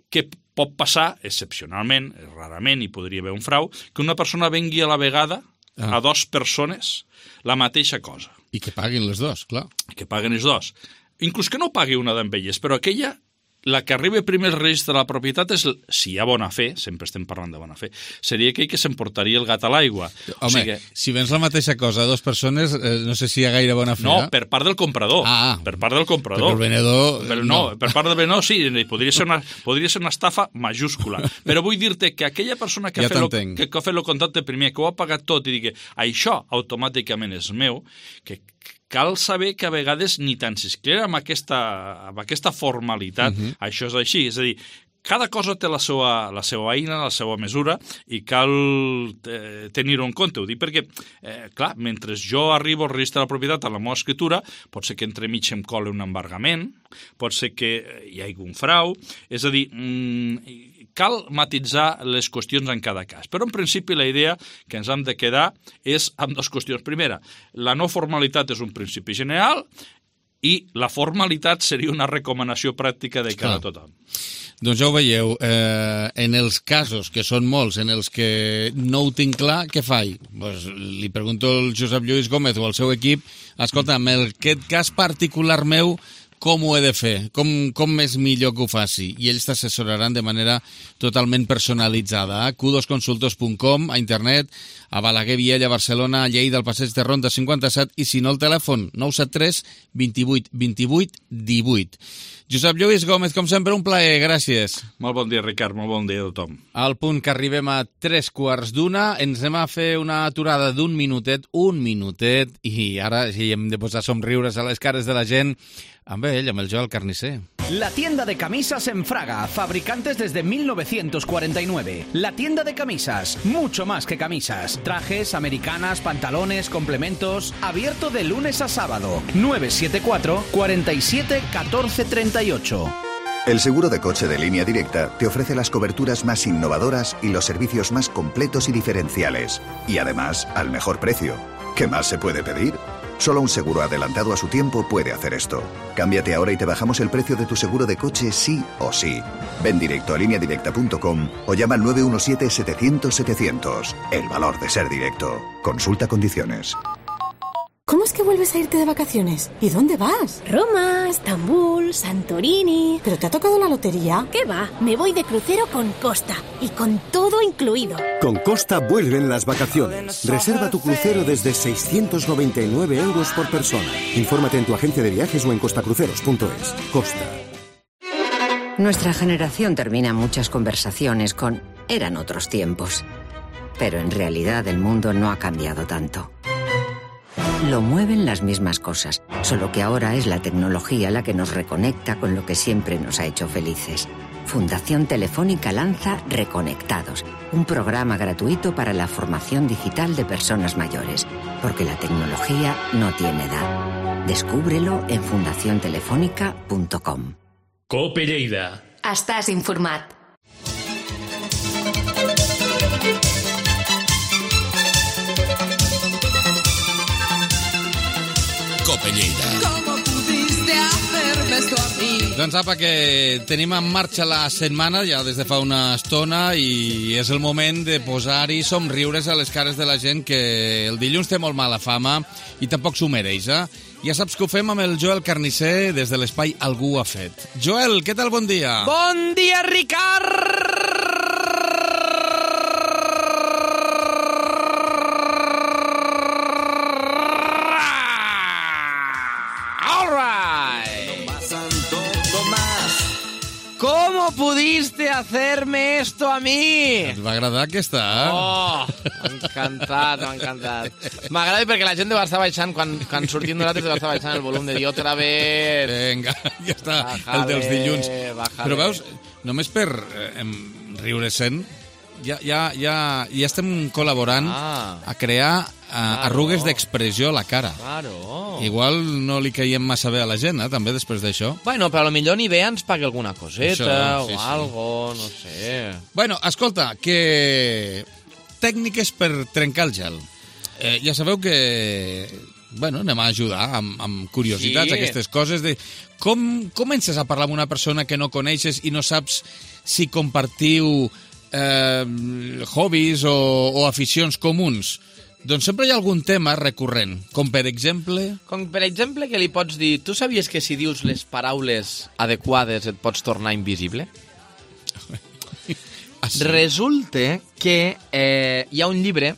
Speaker 10: que pot passar, excepcionalment, rarament, hi podria haver un frau, que una persona vengui a la vegada ah. a dues persones la mateixa cosa.
Speaker 1: I que paguin les dues, clar.
Speaker 10: Que paguen els dos. Inclús que no pagui una d'elles, però aquella, la que arriba primer al registre de la propietat és, si hi ha bona fe, sempre estem parlant de bona fe, seria aquell que s'emportaria el gat a l'aigua.
Speaker 1: Home, o sigui, si vens la mateixa cosa a dues persones, eh, no sé si hi ha gaire bona fe.
Speaker 10: No, per part del comprador.
Speaker 1: Ah,
Speaker 10: per part del comprador.
Speaker 1: Per el venedor...
Speaker 10: Però no, no, per part del venedor sí, podria ser una, podria ser una estafa majúscula. Però vull dir-te que aquella persona que, ja ha, fet lo, que, que ha fet el contracte primer, que ho ha pagat tot i digui, això automàticament és meu, que cal saber que a vegades ni tan siquiera amb aquesta, amb aquesta formalitat uh-huh. això és així. És a dir, cada cosa té la seva, la seva eina, la seva mesura, i cal eh, tenir-ho en compte. Ho dic perquè, eh, clar, mentre jo arribo al registre de la propietat a la meva escritura, pot ser que entremig em cole un embargament, pot ser que hi hagi un frau, és a dir, mmm, cal matitzar les qüestions en cada cas. Però, en principi, la idea que ens hem de quedar és amb dues qüestions. Primera, la no formalitat és un principi general i la formalitat seria una recomanació pràctica de cara a tothom.
Speaker 1: Doncs ja ho veieu, eh, en els casos, que són molts, en els que no ho tinc clar, què faig? Pues li pregunto al Josep Lluís Gómez o al seu equip, escolta, en aquest cas particular meu, com ho he de fer? Com, com és millor que ho faci? I ells t'assessoraran de manera totalment personalitzada. A q dos consultos punt com, a internet, a Balaguer, Viella, Barcelona, a Lleida, al passeig de Ronda cinquanta-set, i si no, el telèfon nou set tres vint-i-vuit vint-i-vuit divuit. Josep Lluís Gómez, com sempre, un plaer, gràcies.
Speaker 10: Molt bon dia, Ricard, molt bon dia a tothom.
Speaker 1: Al punt que arribem a tres quarts d'una, ens anem a fer una aturada d'un minutet, un minutet, i ara sí, hem de posar somriures a les cares de la gent, amb ell, amb el Joel Carnicer.
Speaker 11: La tienda de camisas en Fraga, fabricantes desde mil novecientos cuarenta y nueve. La tienda de camisas, mucho más que camisas. Trajes, americanas, pantalones, complementos. Abierto de lunes a sábado. nueve siete cuatro, cuarenta y siete, catorce treinta y ocho.
Speaker 12: El seguro de coche de Línea Directa te ofrece las coberturas más innovadoras y los servicios más completos y diferenciales. Y además, al mejor precio. ¿Qué más se puede pedir? Solo un seguro adelantado a su tiempo puede hacer esto. Cámbiate ahora y te bajamos el precio de tu seguro de coche sí o sí. Ven directo a línea directa punto com o llama al nueve uno siete, setecientos, setecientos. El valor de ser directo. Consulta condiciones.
Speaker 13: ¿Cómo es que vuelves a irte de vacaciones? ¿Y dónde vas?
Speaker 14: Roma, Estambul, Santorini...
Speaker 13: ¿Pero te ha tocado la lotería?
Speaker 14: ¿Qué va? Me voy de crucero con Costa y con todo incluido.
Speaker 15: Con Costa vuelven las vacaciones. Reserva tu crucero desde seiscientos noventa y nueve euros por persona. Infórmate en tu agencia de viajes o en costacruceros punto es. Costa.
Speaker 16: Nuestra generación termina muchas conversaciones con «eran otros tiempos». Pero en realidad el mundo no ha cambiado tanto. Lo mueven las mismas cosas, solo que ahora es la tecnología la que nos reconecta con lo que siempre nos ha hecho felices. Fundación Telefónica lanza Reconectados, un programa gratuito para la formación digital de personas mayores, porque la tecnología no tiene edad. Descúbrelo en fundación telefónica punto com.
Speaker 4: Cope Lleida.
Speaker 2: Estàs informat.
Speaker 7: Cope Lleida.
Speaker 1: Doncs apa, que tenim en marxa la setmana ja des de fa una estona i és el moment de posar-hi somriures a les cares de la gent, que el dilluns té molt mala fama i tampoc s'ho mereix, eh? Ja saps que ho fem amb el Joel Carnicer des de l'espai Algú ha fet. Joel, què tal? Bon dia.
Speaker 17: Bon dia, Ricard! ¿Cómo pudiste hacerme esto a mi?
Speaker 1: Et va agradar aquesta, eh?
Speaker 17: Oh, m'ha encantat, m'ha encantat. M'agrada perquè la gent deu estar baixant, quan, quan sortim nosaltres deu estar baixant el volum de dir otra vez.
Speaker 1: Vinga, ja està,
Speaker 17: bájale,
Speaker 1: el dels dilluns.
Speaker 17: Bájale.
Speaker 1: Però veus, només per eh, riure sent, ja, ja, ja, ja estem col·laborant ah, a crear eh, claro. arrugues d'expressió a la cara.
Speaker 17: Claro.
Speaker 1: Igual no li caiem massa bé a la gent, eh, també, després d'això.
Speaker 17: Bueno, però potser ni bé ens pagui alguna coseta
Speaker 1: Això, sí,
Speaker 17: o
Speaker 1: sí.
Speaker 17: algo, no sé.
Speaker 1: Bueno, escolta, que tècniques per trencar el gel. Eh, ja sabeu que... Bueno, anem a ajudar amb, amb curiositats,
Speaker 17: Sí.
Speaker 1: aquestes coses de... Com comences a parlar amb una persona que no coneixes i no saps si compartiu eh, hobbies o, o aficions comuns? Doncs sempre hi ha algun tema recurrent, com per exemple...
Speaker 17: Com per exemple que li pots dir, tu sabies que si dius les paraules adequades et pots tornar invisible?
Speaker 1: Ah, sí?
Speaker 17: Resulta que eh, hi ha un llibre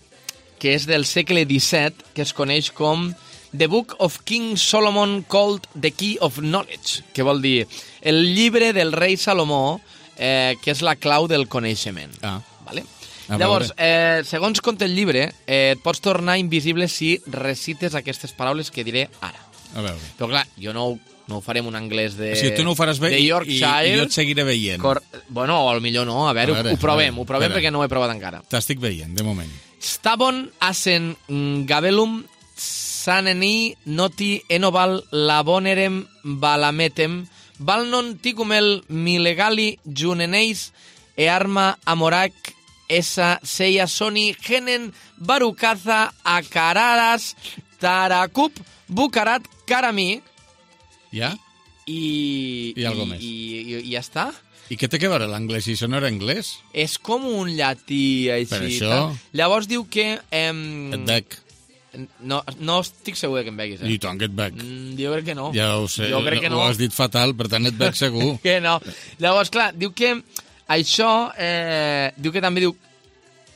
Speaker 17: que és del segle disset que es coneix com The Book of King Solomon called The Key of Knowledge, que vol dir el llibre del rei Salomó, eh, que és la clau del coneixement.
Speaker 1: Ah.
Speaker 17: Vale?
Speaker 1: A
Speaker 17: Llavors,
Speaker 1: veure.
Speaker 17: eh, segons conta el llibre, eh, et pots tornar invisible si recites aquestes paraules que diré ara.
Speaker 1: A veure.
Speaker 17: Però clar, jo no, ho- no ho faré en un anglès de,
Speaker 1: O sigui, tu no ho faràs bé
Speaker 17: de
Speaker 1: i, i,
Speaker 17: Yorkshire.
Speaker 1: i jo et seguiré veient.
Speaker 17: Cor Bueno, o millor no, a veure, a veure ho provem, ho provem perquè no ho he provat encara.
Speaker 1: T'estic veient, de moment.
Speaker 17: Stabon asen gabelum saneni noti enoval labonerem balametem balnon ticumel milegali juneneis e arma amorac esa seia soni genen barucaza acararas taracup bucarat carami.
Speaker 1: Ja?
Speaker 17: I...
Speaker 1: I algo més.
Speaker 17: I, i, i ja està.
Speaker 1: I què té que veure l'anglès? Si això no era anglès?
Speaker 17: És com un llatí, així.
Speaker 1: Per això...
Speaker 17: Llavors diu que... Eh,
Speaker 1: et bec.
Speaker 17: No, no estic segur que em beguis, eh?
Speaker 1: I tant que et bec.
Speaker 17: Mm, jo crec que no.
Speaker 1: Ja ho sé,
Speaker 17: jo crec que no.
Speaker 1: Ho has dit fatal, per tant et bec segur.
Speaker 17: Que no. Llavors, clar, diu que això... Eh, diu que també diu...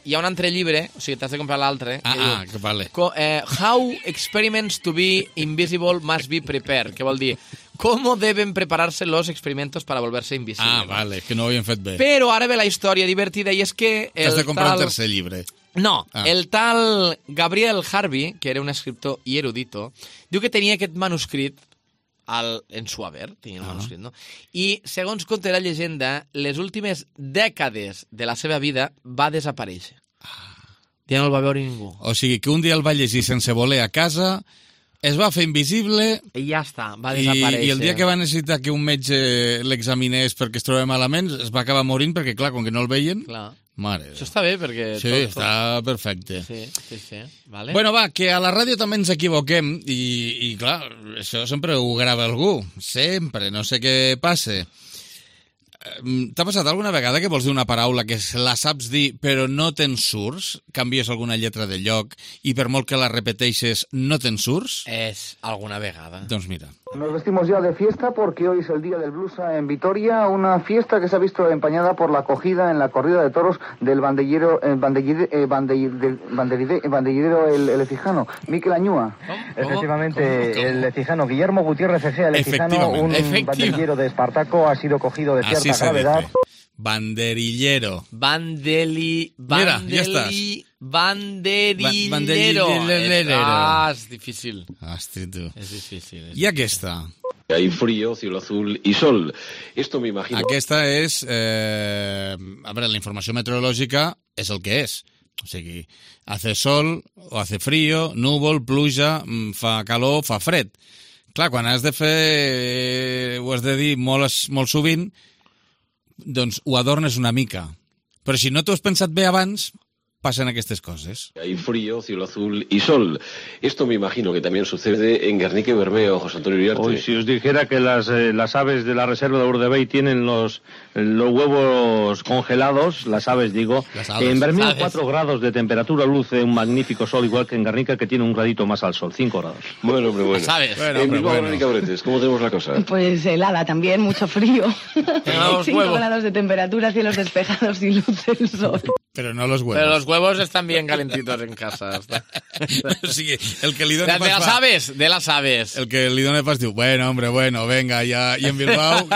Speaker 17: Hi ha un altre llibre, o sigui, t'has de comprar l'altre.
Speaker 1: Ah,
Speaker 17: que diu,
Speaker 1: ah, que vale.
Speaker 17: Co, eh, How experiments to be invisible must be prepared, que vol dir cómo deben prepararse los experimentos para volverse invisibles.
Speaker 1: Ah, vale, que no ho havien fet bé.
Speaker 17: Però ara ve la història divertida i és que...
Speaker 1: T'has de comprar
Speaker 17: tal...
Speaker 1: un tercer llibre.
Speaker 17: No,
Speaker 1: ah.
Speaker 17: el tal Gabriel Harvey, que era un escriptor i erudito, diu que tenia aquest manuscrit al, en su haver, tenia el manuscrit, no? I, segons conta la llegenda, les últimes dècades de la seva vida va desaparèixer. Ja no el va veure ningú.
Speaker 1: O sigui, que un dia el va llegir sense voler a casa, es va fer invisible...
Speaker 17: I ja està, va desaparèixer.
Speaker 1: I, i el dia que va necessitar que un metge l'examinés perquè es trobava malament, es va acabar morint perquè, clar, com que no el veien...
Speaker 17: Clar.
Speaker 1: Mare.
Speaker 17: Això està bé, perquè...
Speaker 1: Sí, tot, està tot... perfecte.
Speaker 17: Sí, sí, sí. Vale.
Speaker 1: Bueno, va, que a la ràdio també ens equivoquem i, i clar, això sempre ho grava algú. Sempre, no sé què passe. T'ha passat alguna vegada que vols dir una paraula que la saps dir però no te'n surts? Canvies alguna lletra de lloc i per molt que la repeteixes no te'n surts?
Speaker 17: És alguna vegada.
Speaker 1: Doncs mira.
Speaker 18: Nos vestimos ya de fiesta porque hoy es el día del blusa en Vitoria, una fiesta que se ha visto empañada por la acogida en la corrida de toros del bandellero, eh, bandellide, eh, bandellide, bandellide, bandellidero el, el Ecijano, Miquel Añúa.
Speaker 19: ¿Cómo? Efectivamente, ¿Cómo? ¿Cómo? El Ecijano, Guillermo Gutiérrez Ejea, el Ecijano, un banderillero de Espartaco, ha sido cogido de cierta
Speaker 1: Así
Speaker 19: gravedad.
Speaker 1: Dice. Banderillero.
Speaker 17: Bandeli... Bandeli...
Speaker 1: Mira, ya estás.
Speaker 17: Banderillero.
Speaker 1: Ba banderillero.
Speaker 17: Ah, és difícil.
Speaker 1: Hosti, tu.
Speaker 17: És difícil. És
Speaker 1: I aquesta?
Speaker 20: Hay frío, cielo azul y sol. Esto me imagino...
Speaker 1: Aquesta és... Eh, a veure, la informació meteorològica és el que és. O sigui, hace sol o hace frío, núvol, pluja, fa calor, fa fred. Clar, quan has de fer... ho has de dir molt, molt sovint, doncs ho adornes una mica. Però si no t'ho has pensat bé abans, passen aquestes coses.
Speaker 20: Hay frío, cielo azul y sol. Esto me imagino que también sucede en Guernica y Bermeo, José Antonio Uriarte.
Speaker 21: Hoy, si os dijera que las, eh, las aves de la reserva de Urdebey tienen los, los huevos congelados, las aves digo,
Speaker 1: las aves,
Speaker 21: en Bermeo
Speaker 1: aves.
Speaker 21: cuatro grados de temperatura, luce un magnífico sol, igual que en Guernica, que tiene un gradito más al sol, cinco grados.
Speaker 20: Bueno, hombre, bueno.
Speaker 17: ¿Sabes?
Speaker 1: Bueno,
Speaker 20: en
Speaker 1: hombre,
Speaker 20: Bilbao,
Speaker 1: bueno.
Speaker 20: Guernica, Bretes, ¿cómo tenemos la cosa?
Speaker 22: Pues helada también, mucho frío. cinco
Speaker 17: huevos.
Speaker 22: grados de temperatura, cielos despejados y luce el sol.
Speaker 1: Pero no los huevos.
Speaker 17: Pero los huevos están bien calentitos en casa.
Speaker 1: O sigui, el que li dona
Speaker 17: De,
Speaker 1: pas
Speaker 17: de las
Speaker 1: fa...
Speaker 17: aves, de las aves.
Speaker 1: El que li dona pas diu, bueno, hombre, bueno, venga, ja... I en Bilbao,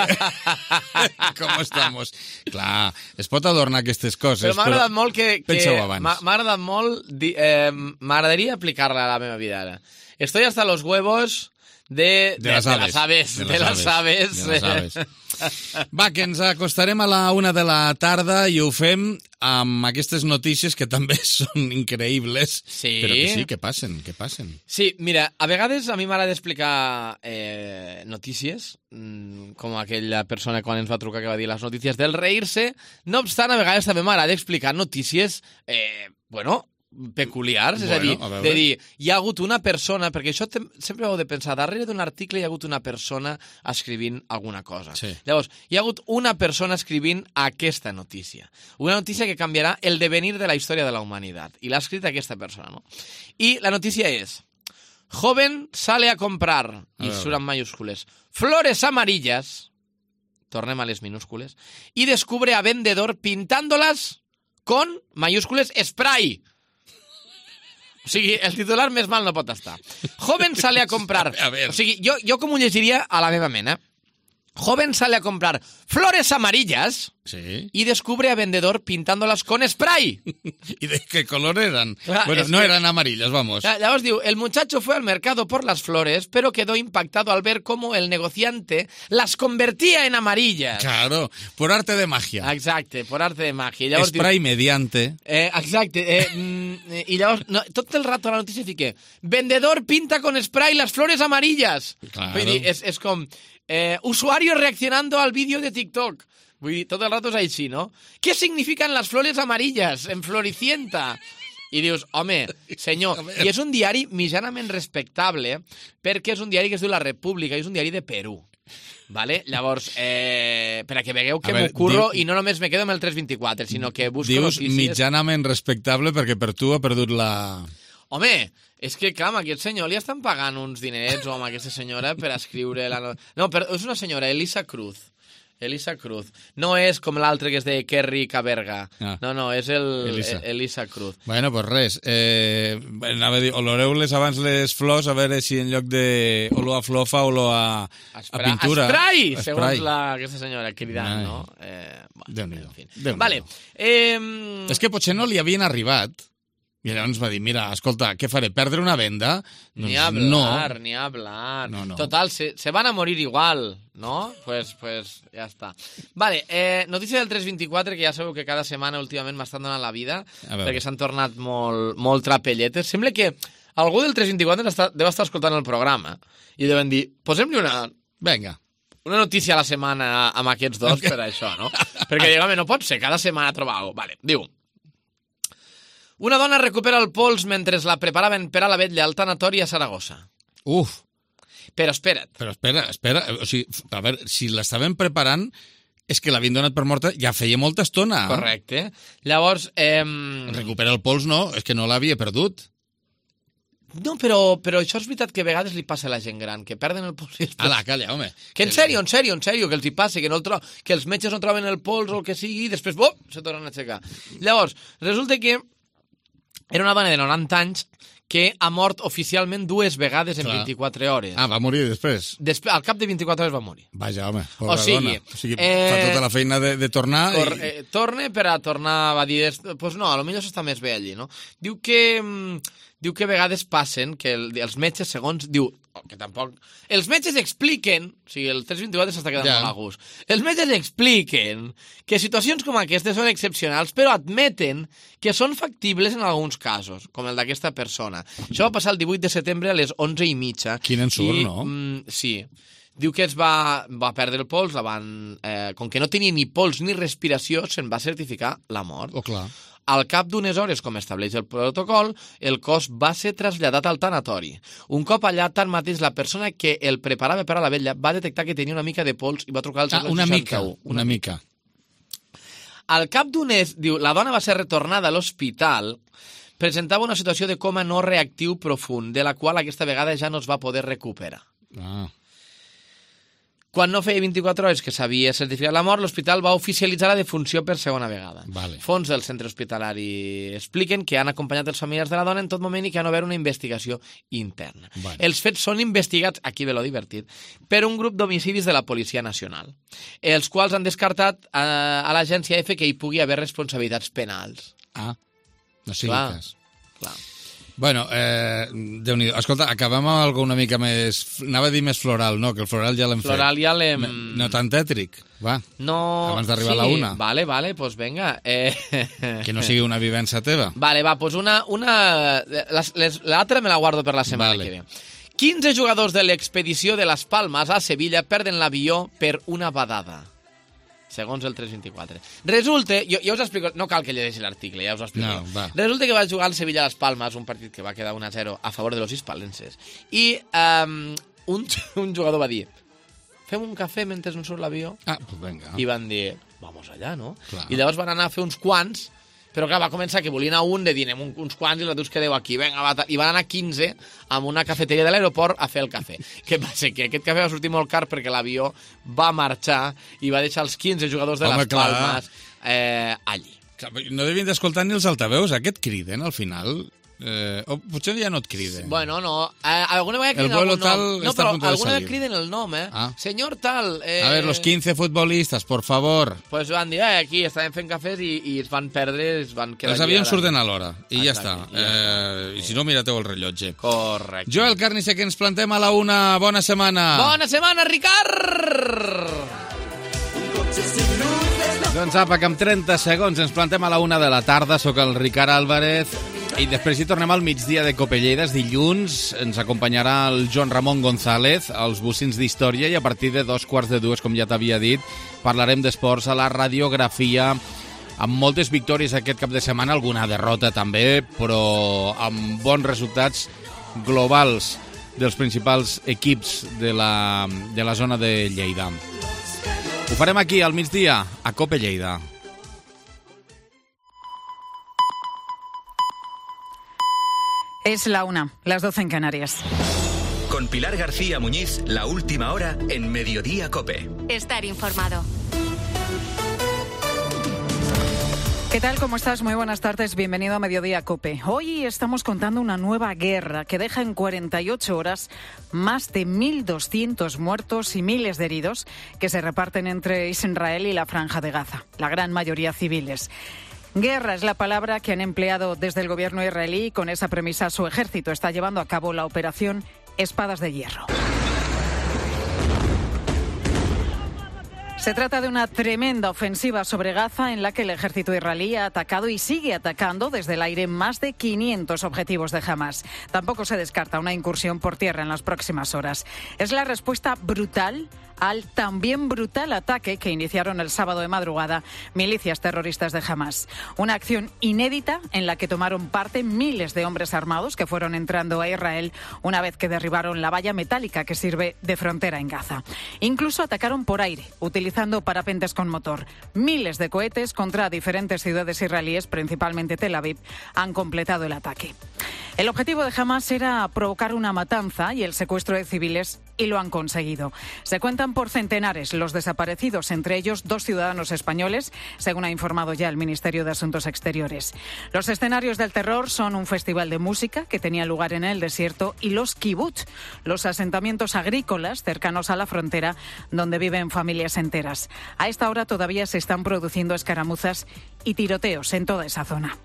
Speaker 1: com estamos? Clar, es pot adornar aquestes coses,
Speaker 17: Però m'ha agradat
Speaker 1: però
Speaker 17: molt que... que
Speaker 1: pensa-ho abans.
Speaker 17: m'ha m'ha agradat molt... di- Eh, M'agradaria aplicar-la a la meva vida ara. Estoy hasta los huevos de...
Speaker 1: De las aves.
Speaker 17: aves. De las aves.
Speaker 1: De les aves. Va, que ens acostarem a la una de la tarda i ho fem amb aquestes notícies que també són increïbles.
Speaker 17: Sí.
Speaker 1: Però que sí, que passen, que passen.
Speaker 17: Sí, mira, a vegades a mi m'agrada explicar eh, notícies, mm, com aquella persona quan ens va trucar que va dir les notícies del reírse. No obstant, a vegades també m'agrada explicar notícies, eh, bueno, peculiars, és
Speaker 1: Bueno,
Speaker 17: a dir,
Speaker 1: a veure.
Speaker 17: de dir, hi ha hagut una persona, perquè això te, sempre heu de pensar, darrere d'un article hi ha hagut una persona escrivint alguna cosa.
Speaker 1: Sí.
Speaker 17: Llavors, hi ha hagut una persona escrivint aquesta notícia. Una notícia que canviarà el devenir de la història de la humanitat. I l'ha escrit aquesta persona, no? I la notícia és, joven sale a comprar, i
Speaker 1: veure.
Speaker 17: surt en mayúscules, flores amarillas, tornem a les minúscules, y descubre a vendedor pintándolas con, mayúscules, spray. O sigui, el titular més mal no pot estar. Joven sale a comprar.
Speaker 1: A ver.
Speaker 17: O sigui, jo, jo com ho llegiria a la meva mena. Joven sale a comprar flores amarillas
Speaker 1: sí.
Speaker 17: y descubre a vendedor pintándolas con spray.
Speaker 1: ¿Y de qué color eran?
Speaker 17: Clar,
Speaker 1: bueno, no
Speaker 17: que...
Speaker 1: eran amarillas, vamos.
Speaker 17: Ya, ya os digo, el muchacho fue al mercado por las flores, pero quedó impactado al ver cómo el negociante las convertía en amarillas.
Speaker 1: Claro, por arte de magia.
Speaker 17: Exacte, por arte de magia. Llavors
Speaker 1: spray
Speaker 17: diu...
Speaker 1: mediante.
Speaker 17: Eh, exacte. Eh, mm, I llavors, no, tot el rato a la notícia fique vendedor pinta con spray las flores amarillas.
Speaker 1: Claro.
Speaker 17: Vull dir, és, és com... Eh, usuario reaccionando al vídeo de TikTok. Vull dir, tot el rato és així, no? ¿Qué significan las flores amarillas en Floricienta? I dius, home, senyor, i és un diari mitjanament respectable perquè és un diari que es diu La República i és un diari de Perú. Vale? Llavors, eh, per a que vegueu que m'ho curro diu... i no només me quedo amb el tres vint-i-quatre, sinó que busco
Speaker 1: dius
Speaker 17: notícies...
Speaker 1: Dius mitjanament respectable perquè per tu ha perdut la...
Speaker 17: Home, és que, clar, a aquest senyor li estan pagant uns dinerets o amb aquesta senyora per escriure... La... No, però és una senyora, Elisa Cruz. Elisa Cruz. No és com l'altre que és de Kerry Caberga. Ah. No, no, és el Elisa, Elisa Cruz.
Speaker 1: Bueno, pues res. Eh, anava a dir, oloreu-les abans les flors a veure si en lloc de olor a flofa, olor a, a pintura...
Speaker 17: Esprai! Segons la, aquesta senyora, cridant, Ai. no? Eh, bueno,
Speaker 1: Déu-n'hi-do.
Speaker 17: en fi.
Speaker 1: Déu-n'hi-do.
Speaker 17: Vale. Eh...
Speaker 1: És que potser no li havien arribat... I llavors va dir, mira, escolta, què faré, perdre una venda? Doncs
Speaker 17: ni hablar,
Speaker 1: no.
Speaker 17: ni hablar.
Speaker 1: No, no.
Speaker 17: Total, se, se van a morir igual, ¿no? Pues, pues ja està. Vale, eh, notícia del tres vint-i-quatre, que ja sabeu que cada setmana últimament m'estan donant la vida, perquè s'han tornat molt, molt trapelletes. Sembla que algú del tres vint-i-quatre està, deu estar escoltant el programa i deuen dir, posem-li una...
Speaker 1: Vinga.
Speaker 17: Una notícia a la setmana amb aquests dos per això, no? Perquè, diguem, no pot ser, cada setmana trobar alguna cosa. Vale, diu... Una dona recupera el pols mentre la preparaven per a la vetlla al tanatori a Saragossa.
Speaker 1: Uf!
Speaker 17: Però espera't.
Speaker 1: Però espera, espera. O sigui, a veure, si l'estaven preparant, és que l'havien donat per morta ja feia molta estona.
Speaker 17: Correcte. Llavors... Eh...
Speaker 1: Recupera el pols, no, és que no l'havia perdut.
Speaker 17: No, però, però això és veritat que a vegades li passa a la gent gran, que perden el pols. Després...
Speaker 1: Ala, calla, home.
Speaker 17: Que en sèrio, en sèrio, en sèrio, que els hi passa, que, no el tro... que els metges no troben el pols o el que sigui, i després, oh, se tornen a aixecar. Llavors, resulta que era una dona de noranta anys que ha mort oficialment dues vegades en Clar. vint-i-quatre hores.
Speaker 1: Ah, va morir després?
Speaker 17: Després, al cap de vint-i-quatre hores va morir.
Speaker 1: Vaja, home, pobra
Speaker 17: o sigui,
Speaker 1: dona. O sigui, eh... fa tota la feina de, de tornar...
Speaker 17: Tor
Speaker 1: i...
Speaker 17: eh, torne per a tornar a dir... Doncs pues no, potser s'està més bé allí, no? Diu que... Diu que a vegades passen que el, els metges, segons... Diu que tampoc... Els metges expliquen... O sigui, el tres vint-i-quatre s'està quedant ja. molt a gust. Els metges expliquen que situacions com aquestes són excepcionals, però admeten que són factibles en alguns casos, com el d'aquesta persona. Això va passar el divuit de setembre a les onze i mitja.
Speaker 1: Quin ensurt,
Speaker 17: i,
Speaker 1: no?
Speaker 17: Mm, sí. Diu que es va, va perdre el pols, la van, eh, com que no tenia ni pols ni respiració, se'n va certificar la mort.
Speaker 1: Oh, clar.
Speaker 17: Al cap d'unes hores, com estableix el protocol, el cos va ser traslladat al tanatori. Un cop allà, tanmateix, la persona que el preparava per a la vetlla va detectar que tenia una mica de pols i va trucar al
Speaker 1: ah, una mica, una, una mica.
Speaker 17: Al cap d'unes, diu, la dona va ser retornada a l'hospital, presentava una situació de coma no reactiu profund, de la qual aquesta vegada ja no es va poder recuperar.
Speaker 1: Ah.
Speaker 17: Quan no feia vint-i-quatre hores que s'havia certificat la mort, l'hospital va oficialitzar la defunció per segona vegada.
Speaker 1: Vale.
Speaker 17: Fons del centre hospitalari expliquen que han acompanyat els familiars de la dona en tot moment i que han obert una investigació interna.
Speaker 1: Vale.
Speaker 17: Els fets són investigats, aquí ve lo divertit, per un grup d'homicidis de la Policia Nacional, els quals han descartat a, a l'agència F que hi pugui haver responsabilitats penals.
Speaker 1: Ah, no sigui
Speaker 17: clar,
Speaker 1: cas.
Speaker 17: Clar.
Speaker 1: Bueno, eh, Déu-n'hi-do. Escolta, acabem amb algo una mica més... Anava a dir més floral, no, que el floral ja l'hem fet.
Speaker 17: Floral ja l'hem...
Speaker 1: No tan tètric, va.
Speaker 17: No...
Speaker 1: Abans d'arribar
Speaker 17: sí,
Speaker 1: a la una.
Speaker 17: Vale, vale, pues venga. Eh...
Speaker 1: Que no sigui una vivència teva.
Speaker 17: Vale, va, pues una... una... L'altra me la guardo per la setmana
Speaker 1: vale.
Speaker 17: que ve. quinze jugadors de l'expedició de les Palmes a Sevilla perden l'avió per una badada. Segons el tres vint-i-quatre. Resulta, jo, jo us explico, no cal que llegeixi l'article, ja us ho explico.
Speaker 1: No,
Speaker 17: Resulta que va jugar al Sevilla a les Palmes, un partit que va quedar un a zero a favor de los hispalenses. I um, un, un jugador va dir, fem un cafè mentre no surt l'avió?
Speaker 1: Ah, pues venga.
Speaker 17: I van dir, vamos allà, no?
Speaker 1: Clar.
Speaker 17: I llavors van anar a fer uns quants, però clar, va començar que volien a un, de dir, anem un, uns quants i els altres quedeu aquí, venga, va, i van anar quinze amb una cafeteria de l'aeroport a fer el cafè. Què passa? Que aquest cafè va sortir molt car perquè l'avió va marxar i va deixar els quinze jugadors de
Speaker 1: Home,
Speaker 17: les
Speaker 1: clar.
Speaker 17: Palmes eh, allí.
Speaker 1: No devien d'escoltar ni els altaveus, aquest criden al final. Eh, o potser ja no et criden.
Speaker 17: Bueno, no. Eh, alguna vegada criden
Speaker 1: el vuelo
Speaker 17: algun
Speaker 1: tal
Speaker 17: nom. No,
Speaker 1: està
Speaker 17: però
Speaker 1: a punt de
Speaker 17: alguna
Speaker 1: salir.
Speaker 17: vegada criden el nom, eh?
Speaker 1: Ah.
Speaker 17: Senyor tal... Eh...
Speaker 1: A ver, los quince futbolistas, por favor.
Speaker 17: Pues van dir, eh, aquí estàvem fent cafès i, i es van perdre, es van quedar...
Speaker 1: Els avions
Speaker 17: allà.
Speaker 1: surten a l'hora, i ja està.
Speaker 17: Exacte, ja
Speaker 1: Eh, I si no, mirateu el rellotge.
Speaker 17: Correcte.
Speaker 1: Joel Carnicer, que ens plantem a la una. Bona setmana.
Speaker 17: Bona setmana, Ricard!
Speaker 1: Doncs apa, que en trenta segons ens plantem a la una de la tarda. Soc el Ricard Álvarez i després hi tornem al migdia de Copelleida. Dilluns ens acompanyarà el Joan Ramon González als Bocins d'Història i a partir de dos quarts de dues, com ja t'havia dit, parlarem d'esports a la radiografia, amb moltes victòries aquest cap de setmana, alguna derrota també, però amb bons resultats globals dels principals equips de la, de la zona de Lleida. Ho farem aquí, al migdia, a Cope Lleida.
Speaker 3: Es la una, las doce en Canarias.
Speaker 5: Con Pilar García Muñiz, la última hora en Mediodía Cope.
Speaker 2: Estar informado.
Speaker 3: ¿Qué tal? ¿Cómo estás? Muy buenas tardes. Bienvenido a Mediodía Cope. Hoy estamos contando una nueva guerra que deja en cuarenta y ocho horas más de mil doscientos muertos y miles de heridos que se reparten entre Israel y la Franja de Gaza, la gran mayoría civiles. Guerra es la palabra que han empleado desde el gobierno israelí y con esa premisa su ejército está llevando a cabo la operación Espadas de Hierro. Se trata de una tremenda ofensiva sobre Gaza en la que el ejército israelí ha atacado y sigue atacando desde el aire más de quinientos objetivos de Hamás. Tampoco se descarta una incursión por tierra en las próximas horas. Es la respuesta brutal al también brutal ataque que iniciaron el sábado de madrugada milicias terroristas de Hamás. Una acción inédita en la que tomaron parte miles de hombres armados que fueron entrando a Israel una vez que derribaron la valla metálica que sirve de frontera en Gaza. Incluso atacaron por aire, utilizando parapentes con motor. Miles de cohetes contra diferentes ciudades israelíes, principalmente Tel Aviv, han completado el ataque. El objetivo de Hamás era provocar una matanza y el secuestro de civiles, y lo han conseguido. Se cuentan por centenares los desaparecidos, entre ellos dos ciudadanos españoles, según ha informado ya el Ministerio de Asuntos Exteriores. Los escenarios del terror son un festival de música que tenía lugar en el desierto y los kibbutz, los asentamientos agrícolas cercanos a la frontera donde viven familias enteras. A esta hora todavía se están produciendo escaramuzas y tiroteos en toda esa zona.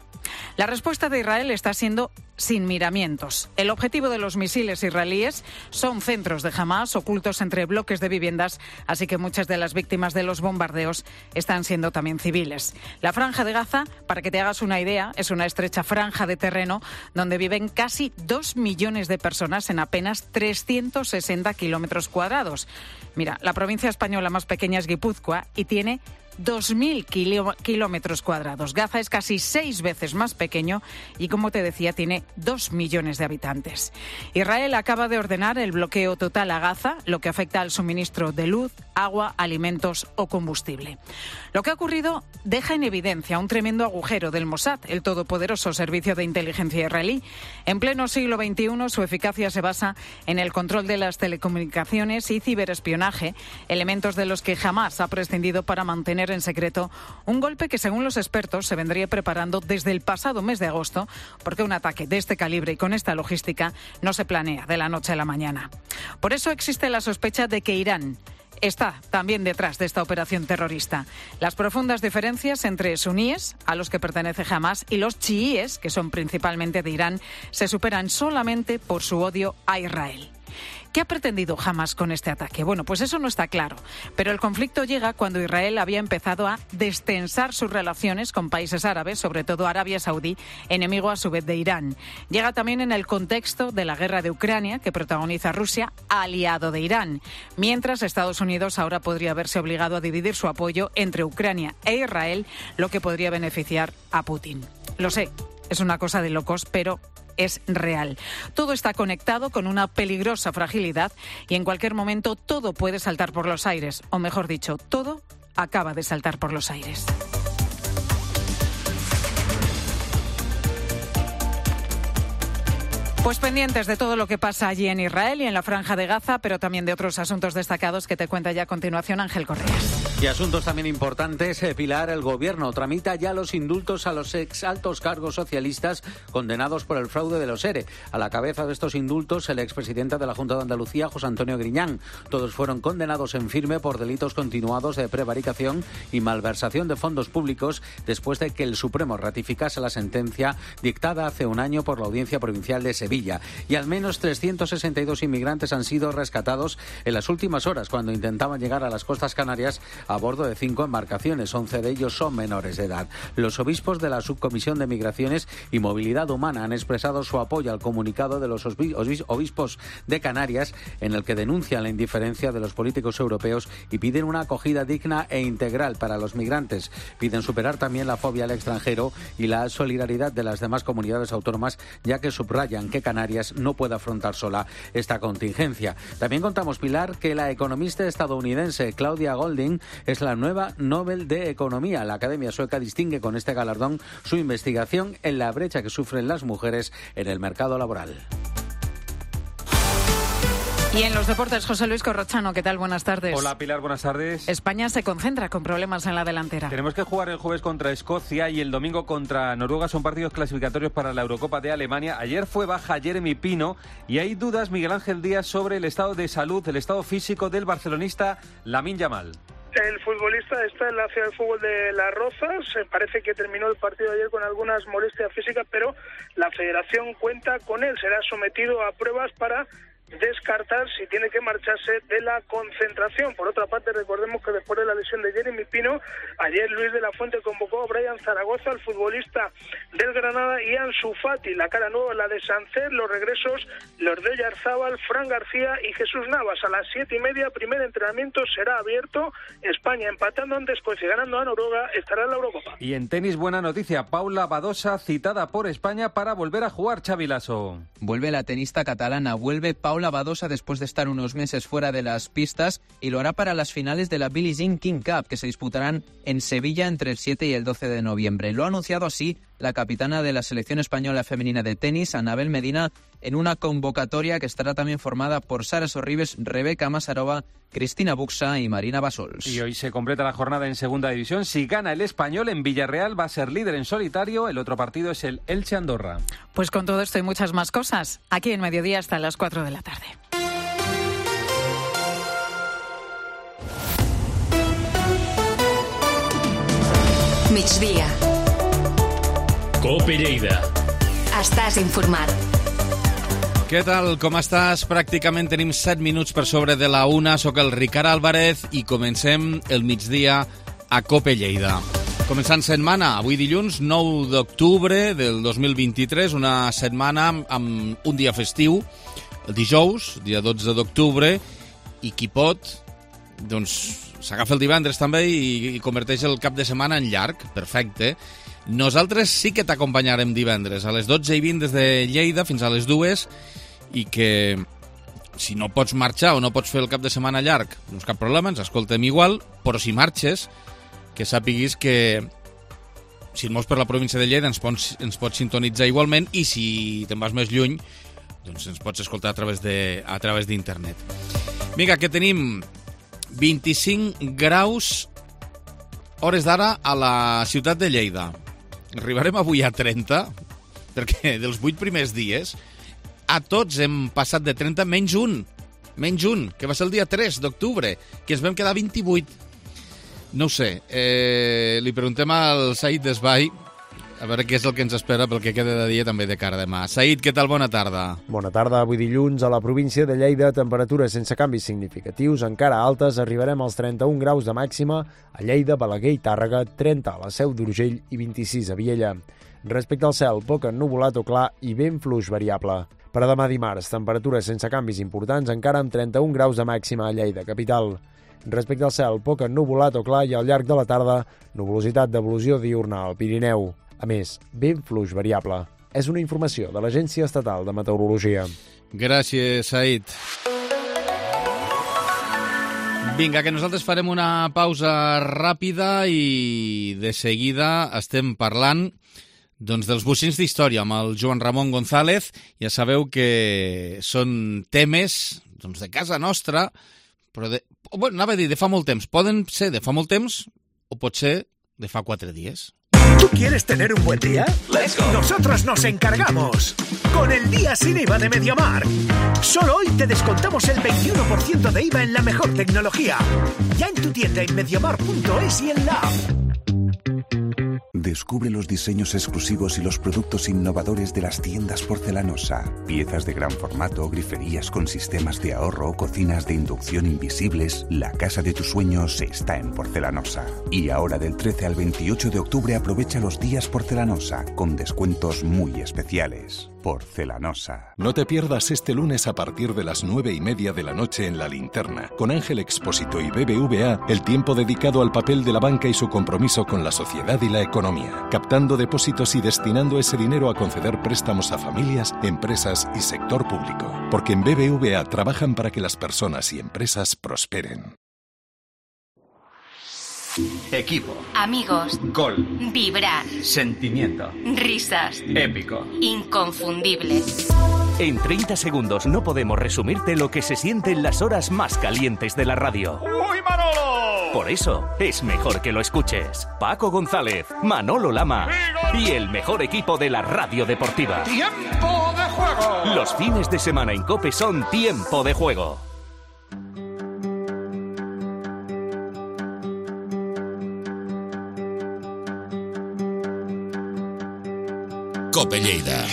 Speaker 3: La respuesta de Israel está siendo sin miramientos. El objetivo de los misiles israelíes son centros de Hamás ocultos entre bloques de viviendas, así que muchas de las víctimas de los bombardeos están siendo también civiles. La Franja de Gaza, para que te hagas una idea, es una estrecha franja de terreno donde viven casi dos millones de personas en apenas trescientos sesenta kilómetros cuadrados. Mira, la provincia española más pequeña es Guipúzcoa y tiene dos mil kilómetros cuadrados. Gaza es casi seis veces más pequeño y, como te decía, tiene dos millones de habitantes. Israel acaba de ordenar el bloqueo total a Gaza, lo que afecta al suministro de luz, agua, alimentos o combustible. Lo que ha ocurrido deja en evidencia un tremendo agujero del Mossad, el todopoderoso servicio de inteligencia israelí. En pleno siglo veintiuno, su eficacia se basa en el control de las telecomunicaciones y ciberespionaje, elementos de los que jamás ha prescindido para mantener en secreto un golpe que, según los expertos, se vendría preparando desde el pasado mes de agosto, porque un ataque de este calibre y con esta logística no se planea de la noche a la mañana. Por eso existe la sospecha de que Irán está también detrás de esta operación terrorista. Las profundas diferencias entre suníes, a los que pertenece Hamás, y los chiíes, que son principalmente de Irán, se superan solamente por su odio a Israel. ¿Qué ha pretendido Hamás con este ataque? Bueno, pues eso no está claro, pero el conflicto llega cuando Israel había empezado a destensar sus relaciones con países árabes, sobre todo Arabia Saudí, enemigo a su vez de Irán. Llega también en el contexto de la guerra de Ucrania, que protagoniza Rusia, aliado de Irán, mientras Estados Unidos ahora podría verse obligado a dividir su apoyo entre Ucrania e Israel, lo que podría beneficiar a Putin. Lo sé, es una cosa de locos, pero es real. Todo está conectado con una peligrosa fragilidad y en cualquier momento todo puede saltar por los aires, o mejor dicho, todo acaba de saltar por los aires. Pues pendientes de todo lo que pasa allí en Israel y en la Franja de Gaza, pero también de otros asuntos destacados que te cuenta ya a continuación Ángel Correas.
Speaker 6: Y asuntos también importantes, eh, Pilar, el Gobierno tramita ya los indultos a los ex altos cargos socialistas condenados por el fraude de los ERE. A la cabeza de estos indultos, el expresidente de la Junta de Andalucía, José Antonio Griñán. Todos fueron condenados en firme por delitos continuados de prevaricación y malversación de fondos públicos después de que el Supremo ratificase la sentencia dictada hace un año por la Audiencia Provincial de Sevilla. Y al menos trescientos sesenta y dos inmigrantes han sido rescatados en las últimas horas cuando intentaban llegar a las costas canarias a bordo de cinco embarcaciones. once de ellos son menores de edad. Los obispos de la Subcomisión de Migraciones y Movilidad Humana han expresado su apoyo al comunicado de los obispos de Canarias, en el que denuncian la indiferencia de los políticos europeos y piden una acogida digna e integral para los migrantes. Piden superar también la fobia al extranjero y la solidaridad de las demás comunidades autónomas, ya que subrayan que Canarias no puede afrontar sola esta contingencia. También contamos, Pilar, que la economista estadounidense Claudia Golding es la nueva Nobel de Economía. La Academia Sueca distingue con este galardón su investigación en la brecha que sufren las mujeres en el mercado laboral.
Speaker 3: Y en los deportes, José Luis Corrochano, ¿qué tal? Buenas tardes.
Speaker 8: Hola, Pilar, buenas tardes.
Speaker 3: España se concentra con problemas en la delantera.
Speaker 8: Tenemos que jugar el jueves contra Escocia y el domingo contra Noruega. Son partidos clasificatorios para la Eurocopa de Alemania. Ayer fue baja Jeremy Pino y hay dudas, Miguel Ángel Díaz, sobre el estado de salud, el estado físico del barcelonista Lamine Yamal.
Speaker 23: El futbolista está en la ciudad del fútbol de Las Rozas. Parece que terminó el partido ayer con algunas molestias físicas, pero la federación cuenta con él. Será sometido a pruebas para descartar si tiene que marcharse de la concentración. Por otra parte, recordemos que después de la lesión de Jeremy Pino, ayer Luis de la Fuente convocó a Brian Zaragoza, el futbolista del Granada, y Ansu Fati. La cara nueva, la de Sánchez, los regresos, los de Oyarzábal, Fran García y Jesús Navas. A las siete y media, primer entrenamiento será abierto. España empatando ante Escocia y ganando a Noruega, estará en la Eurocopa.
Speaker 8: Y en tenis, buena noticia, Paula Badosa citada por España para volver a jugar, Xavi Lasso.
Speaker 24: Vuelve la tenista catalana, vuelve Paula Paula Badosa después de estar unos meses fuera de las pistas y lo hará para las finales de la Billie Jean King Cup, que se disputarán en Sevilla entre el siete y el doce de noviembre. Lo ha anunciado así la capitana de la selección española femenina de tenis, Anabel Medina, en una convocatoria que estará también formada por Sara Sorribes, Rebeca Masarova, Cristina Buxa y Marina Basols.
Speaker 8: Y hoy se completa la jornada en segunda división. Si gana el Español en Villarreal, va a ser líder en solitario. El otro partido es el Elche Andorra.
Speaker 3: Pues con todo esto y muchas más cosas, aquí en Mediodía hasta las cuatro de la tarde.
Speaker 2: Migdia.
Speaker 4: Cope Lleida.
Speaker 2: Estàs informat.
Speaker 1: Què tal? Com estàs? Pràcticament tenim set minuts per sobre de la una. Soc el Ricard Álvarez i comencem el migdia a Cope Lleida. Començant setmana, avui dilluns, nou d'octubre del dos mil vint-i-tres, una setmana amb un dia festiu, el dijous, dia dotze d'octubre, i qui pot, doncs s'agafa el divendres també i, i converteix el cap de setmana en llarg. Perfecte. Nosaltres sí que t'acompanyarem divendres a les dotze i vint des de Lleida fins a les dues, i que si no pots marxar o no pots fer el cap de setmana llarg, doncs cap problema, ens escoltem igual, però si marxes, que sàpiguis que si et mous per la província de Lleida ens pots, ens pots sintonitzar igualment, i si te'n vas més lluny, doncs ens pots escoltar a través de, a través d'internet. Vinga, que tenim vint-i-cinc graus hores d'ara a la ciutat de Lleida. Arribarem avui a trenta, perquè dels vuit primers dies a tots hem passat de trenta menys un, menys un, que va ser el dia tres d'octubre, que ens vam quedar vint-i-vuit. No ho sé, eh, li preguntem al Said Desvall a veure què és el que ens espera pel que queda de dia també de cara a demà. Said, què tal? Bona tarda.
Speaker 25: Bona tarda. Avui dilluns a la província de Lleida, temperatures sense canvis significatius, encara altes, arribarem als trenta-un graus de màxima a Lleida, Balaguer i Tàrrega, trenta a la Seu d'Urgell i vint-i-sis a Viella. Respecte al cel, poc ennuvolat o clar i vent fluix variable. Per a demà dimarts, temperatures sense canvis importants, encara amb trenta-un graus de màxima a Lleida, capital. Respecte al cel, poc ennuvolat o clar i al llarg de la tarda, nuvolositat d'evolució diurna al Pirineu. A més, vent fluix variable. És una informació de l'Agència Estatal de Meteorologia.
Speaker 1: Gràcies, Said. Vinga, que nosaltres farem una pausa ràpida i de seguida estem parlant doncs, dels bocins d'història amb el Joan Ramon González. Ja sabeu que són temes doncs, de casa nostra, Però de, bueno, anava a dir de fa molt temps. Poden ser de fa molt temps o pot ser de fa quatre dies.
Speaker 9: ¿Tú quieres tener un buen día? Let's go. Nosotros nos encargamos. Con el día sin I V A de MediaMarkt. Solo hoy te descontamos el veintiuno por ciento de I V A en la mejor tecnología. Ya en tu tienda en mediamarkt punto es y en la app.
Speaker 10: Descubre los diseños exclusivos y los productos innovadores de las tiendas Porcelanosa. Piezas de gran formato, griferías con sistemas de ahorro, cocinas de inducción invisibles. La casa de tus sueños está en Porcelanosa. Y ahora del trece al veintiocho de octubre aprovecha los días Porcelanosa con descuentos muy especiales. Porcelanosa.
Speaker 11: No te pierdas este lunes a partir de las nueve y media de la noche en La Linterna, con Ángel Expósito y B B V A, el tiempo dedicado al papel de la banca y su compromiso con la sociedad y la economía, captando depósitos y destinando ese dinero a conceder préstamos a familias, empresas y sector público. Porque en B B V A trabajan para que las personas y empresas prosperen.
Speaker 5: Equipo.
Speaker 2: Amigos.
Speaker 5: Gol.
Speaker 2: Vibrar.
Speaker 5: Sentimiento.
Speaker 2: Risas.
Speaker 5: Épico.
Speaker 2: Inconfundible.
Speaker 12: En treinta segundos no podemos resumirte lo que se siente en las horas más calientes de la radio.
Speaker 9: ¡Uy, Manolo!
Speaker 12: Por eso, es mejor que lo escuches. Paco González, Manolo Lama y el mejor equipo de la radio deportiva.
Speaker 9: ¡Tiempo de juego!
Speaker 12: Los fines de semana en COPE son Tiempo de Juego.
Speaker 7: Cope Lleida.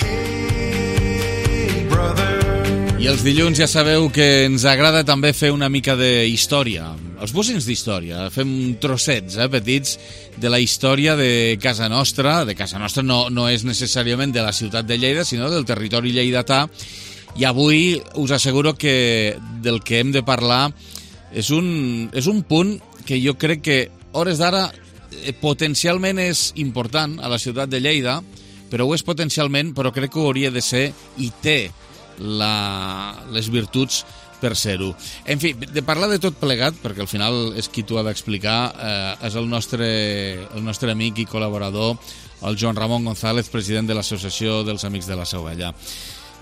Speaker 1: I els dilluns ja sabeu que ens agrada també fer una mica de història. Els bocins d'història. Fem trossets, eh, petits, de la història de casa nostra. De casa nostra no, no és necessàriament de la ciutat de Lleida, sinó del territori lleidatà. I avui us asseguro que del que hem de parlar és un, és un punt que jo crec que, hores d'ara, eh, potencialment és important a la ciutat de Lleida, però ho és potencialment, però crec que ho hauria de ser i té la, les virtuts per ser-ho. En fi, de parlar de tot plegat, perquè al final és qui t'ho ha d'explicar, eh, és el nostre, el nostre amic i col·laborador, el Joan Ramon González, president de l'Associació dels Amics de la Seu Vella.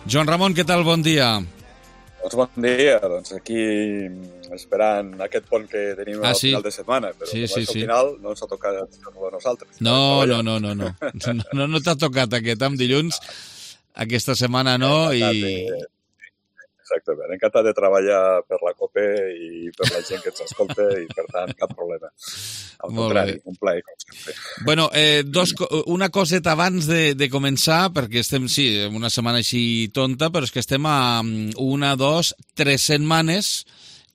Speaker 1: Joan Ramon, què tal? Bon dia.
Speaker 13: Doncs bon dia, doncs aquí esperant aquest pont que tenim
Speaker 1: ah,
Speaker 13: al
Speaker 1: sí?
Speaker 13: final de setmana, però
Speaker 1: sí,
Speaker 13: sí,
Speaker 1: sí,
Speaker 13: al
Speaker 1: sí.
Speaker 13: final no ens ha tocat a nosaltres.
Speaker 1: No, no, no, no, no, no, no t'ha tocat aquest amb dilluns, aquesta setmana no, i...
Speaker 13: Exactament, encantat de treballar per la COPE i per la gent que ens escolta i per tant cap problema. Al contrari, un plaer, com sempre.
Speaker 1: Bueno, eh, dos, una coseta abans de, de començar, perquè estem, sí, una setmana així tonta, però és que estem a una, dos, tres setmanes,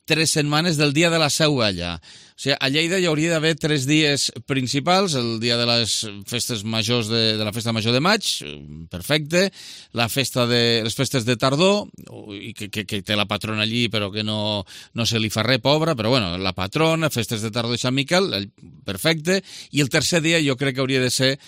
Speaker 1: tres setmanes del dia de la Seu Vella. O sigui, a Lleida hi hauria d'haver tres dies principals, el dia de les festes majors de, de la festa major de maig, perfecte, la festa de les festes de tardor, i que, que, que té la patrona allí però que no, no se li fa res, pobra, però bueno, la patrona, festes de tardor de Sant Miquel, perfecte, i el tercer dia jo crec que hauria de ser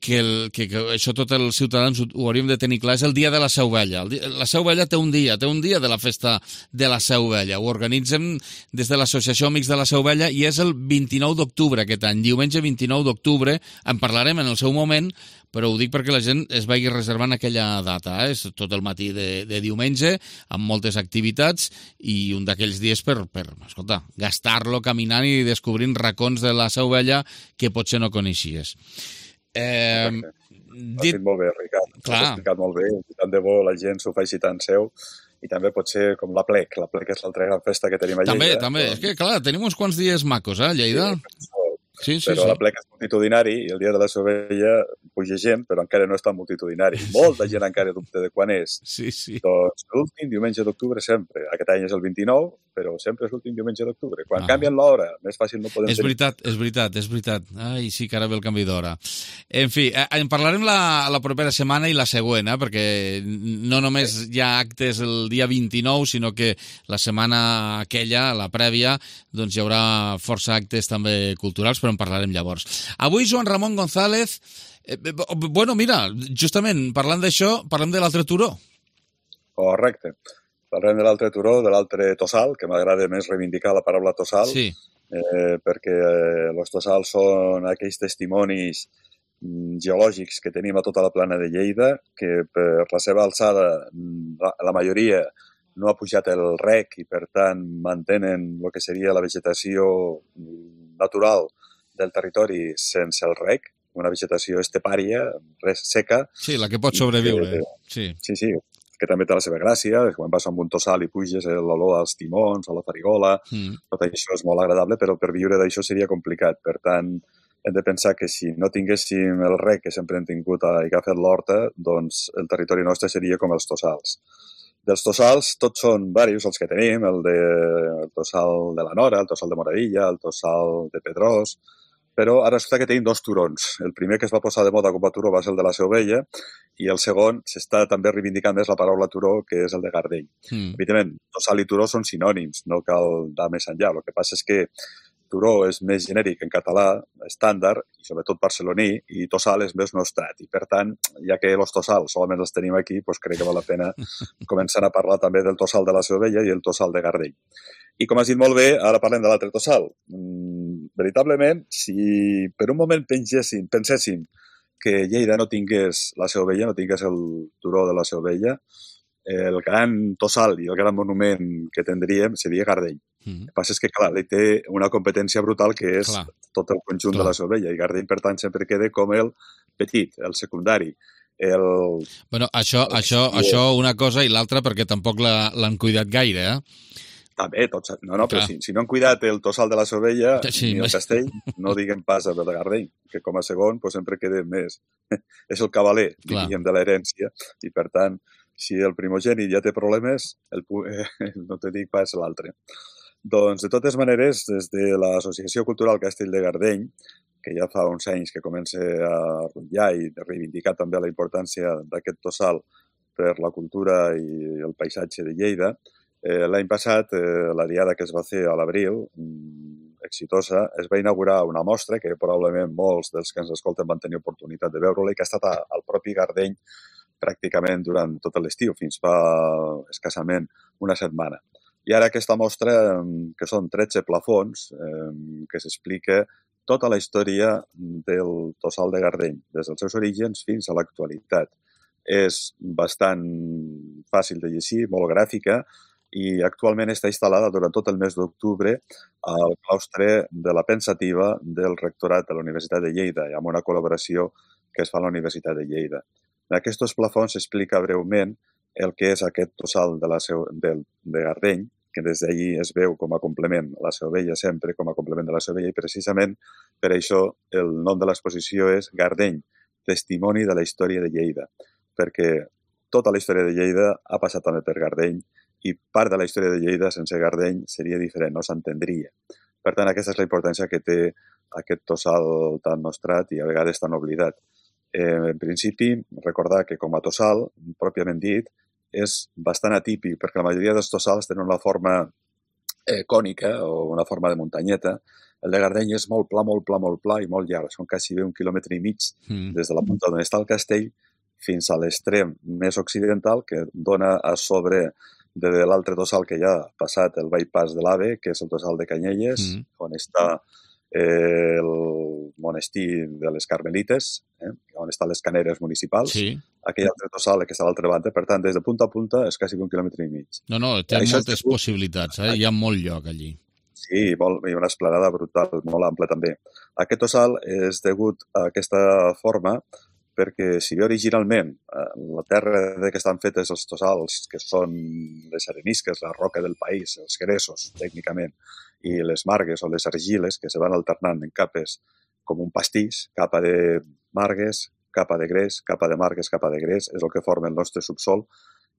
Speaker 1: que, el, que, que això tots els ciutadans ho, ho hauríem de tenir clar, és el dia de la Seu Vella. La Seu Vella té un dia, té un dia de la festa de la Seu Vella. Ho organitzem des de l'Associació Amics de la Seu Vella i és el vint-i-nou d'octubre aquest any, diumenge vint-i-nou d'octubre. En parlarem en el seu moment, però ho dic perquè la gent es vagi reservant aquella data. Eh? És tot el matí de, de diumenge, amb moltes activitats, i un d'aquells dies per, per escolta, gastar-lo caminant i descobrint racons de la Seu Vella que potser no coneixies. Eh,
Speaker 13: dit... Has dit molt bé, Ricard. Clar. Has explicat molt bé. I tant de bo la gent s'ho faci tant seu. I també pot ser com la Plec. La Plec és l'altra gran festa que tenim a Lleida.
Speaker 1: També, també. Però... És que, clar, tenim uns quants dies macos, eh, a Lleida.
Speaker 13: Sí, sí,
Speaker 1: però
Speaker 13: sí. La Plec és multitudinari i el dia de la Seu Vella puja gent, però encara no és tan multitudinari. Molta gent encara dubta de quan és.
Speaker 1: Sí, sí.
Speaker 13: Doncs l'últim diumenge d'octubre sempre. Aquest any és el vint-i-nou, però sempre és l'últim diumenge d'octubre. Quan ah. canvien l'hora, més fàcil no podem
Speaker 1: és tenir. És veritat, és veritat, és veritat. Ai, sí que ara ve el canvi d'hora. En fi, en parlarem la, la propera setmana i la següent, eh? Perquè no només hi ha actes el dia vint-i-nou, sinó que la setmana aquella, la prèvia, doncs hi haurà força actes també culturals, però en parlarem llavors. Avui, Joan Ramon González, eh, bueno, mira, justament parlant d'això, parlem de l'altre turó.
Speaker 13: Correcte. Parlem de l'altre turó, de l'altre tossal, que m'agrada més reivindicar la paraula tossal,
Speaker 1: sí.
Speaker 13: eh, perquè eh, els tossals són aquells testimonis mm, geològics que tenim a tota la plana de Lleida, que per la seva alçada, la, la majoria no ha pujat el rec i, per tant, mantenen el que seria la vegetació natural del territori sense el rec, una vegetació estepària, res seca.
Speaker 1: Sí, la que pot sobreviure.
Speaker 13: Que,
Speaker 1: sí,
Speaker 13: sí, sí, que també té la seva gràcia. Quan vas amb un tossal i puges l'olor als timons, a la farigola, mm. tot això és molt agradable, però per viure d'això seria complicat. Per tant, hem de pensar que si no tinguéssim el rec que sempre hem tingut i que ha fet l'horta, doncs el territori nostre seria com els tossals. Dels tossals, tots són diversos els que tenim, el, de, el tossal de la Nora, el tossal de Moradilla, el tossal de Pedrós, però ara resulta que tenim dos turons. El primer que es va posar de moda com a turó va ser el de la Seu Vella i el segon s'està també reivindicant més la paraula turó, que és el de Gardeny. Mm. Evidentment, tossal i turó són sinònims, no cal anar més enllà. El que passa és que turó és més genèric en català, estàndard, i sobretot barceloní, i tossal és més nostrat. I, per tant, ja que els tossals solament els tenim aquí, doncs crec que val la pena començar a parlar també del tossal de la Seu Vella i el tossal de Gardeny. I com has dit molt bé, ara parlem de l'altre tossal. Mm, veritablement, si per un moment penséssim, penséssim que Lleida no tingués la Seu Vella, no tingués el turó de la Seu Vella, el gran tossal i el gran monument que tindríem seria Gardeny. Mm. El que passa és que, clar, ell té una competència brutal que és clar. Tot el conjunt clar. De la Seu Vella, i Gardeny, per tant, sempre queda com el petit, el secundari. El...
Speaker 1: Bueno, això, el... això, el... això una cosa i l'altra perquè tampoc l'han cuidat gaire, eh?
Speaker 13: També, tots, no, no, però si, si no han cuidat el tossal de la Seu Vella sí, ni el castell, no diguem pas el de Gardeny, que com a segon pues, sempre queda més. És el cavaler, diguem, de l'herència, i per tant, si el primogènit ja té problemes, el, eh, no te dic pas l'altre. Doncs, de totes maneres, des de l'Associació Cultural Castell de Gardeny, que ja fa uns anys que comença a rotllar i a reivindicar també la importància d'aquest tossal per la cultura i el paisatge de Lleida, Eh, l'any passat, eh, la diada que es va fer a l'abril, mm, exitosa, es va inaugurar una mostra que probablement molts dels que ens escolten van tenir oportunitat de veure-la i que ha estat al propi Gardeny pràcticament durant tot l'estiu, fins fa escassament una setmana. I ara aquesta mostra, que són tretze plafons, eh, que s'explica tota la història del tossal de Gardeny, des dels seus orígens fins a l'actualitat. És bastant fàcil de llegir, molt gràfica, i actualment està instal·lada durant tot el mes d'octubre al claustre de la Pensativa del Rectorat de la Universitat de Lleida, amb una col·laboració que es fa a la Universitat de Lleida. En aquests plafons s'explica breument el que és aquest tossal de, la seu, de, de Gardeny, que des d'allí es veu com a complement a la Seu Vella, sempre com a complement de la Seu Vella, i precisament per això el nom de l'exposició és Gardeny, testimoni de la història de Lleida, perquè tota la història de Lleida ha passat també per Gardeny, i part de la història de Lleida sense Gardeny seria diferent, no s'entendria. Per tant, aquesta és la importància que té aquest tossal tan nostrat i a vegades tan oblidat. Eh, en principi, recordar que com a tossal, pròpiament dit, és bastant atípic, perquè la majoria dels tossals tenen una forma eh, cònica o una forma de muntanyeta. El de Gardeny és molt pla, molt pla, molt pla i molt llarg. Són quasi bé un quilòmetre i mig mm. des de la punta on està el castell fins a l'extrem més occidental, que dona a sobre de l'altre tossal que ja ha passat el bypass de l'Ave, que és el tossal de Canyelles, mm. on està eh, el monestir de les Carmelites, eh, on estan les caneres municipals. Sí. Aquell altre tossal que està a l'altra banda. Per tant, des de punta a punta és quasi un quilòmetre i mig.
Speaker 1: No, no, té Això moltes és... possibilitats. Eh? Hi ha molt lloc allí.
Speaker 13: Sí, molt, hi ha una esplanada brutal, molt ampla també. Aquest tossal és degut a aquesta forma perquè si bé originalment la terra de què estan fetes els tossals, que són les arenisques, la roca del país, els gresos, tècnicament, i les margues o les argiles, que se van alternant en capes com un pastís, capa de margues, capa de gres, capa de margues, capa de gres, és el que forma el nostre subsol,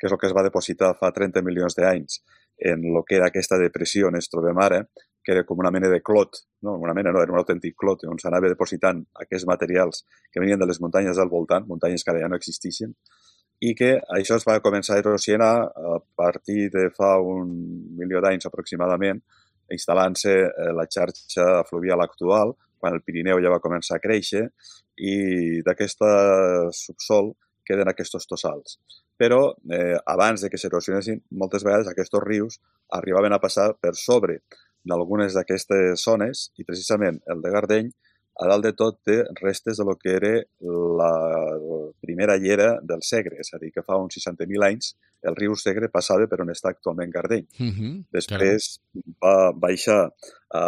Speaker 13: que és el que es va depositar fa trenta milions d'anys en el que era aquesta depressió on ens trobem ara, que era com una mena de clot, no, una mena no, era un autèntic clot, on s'anava depositant aquests materials que venien de les muntanyes al voltant, muntanyes que ara ja no existeixen, i que això es va començar a erosionar a partir de fa un milió d'anys aproximadament, instal·lant-se la xarxa fluvial actual, quan el Pirineu ja va començar a créixer, i d'aquest subsol queden aquests tossals. Però eh, abans de que s'erosionessin, moltes vegades aquests rius arribaven a passar per sobre d'algunes d'aquestes zones i precisament el de Gardeny a dalt de tot té restes de lo que era la primera llera del Segre, és a dir, que fa uns seixanta mil anys el riu Segre passava per on està actualment Gardeny.
Speaker 1: Uh-huh.
Speaker 13: Després va baixar a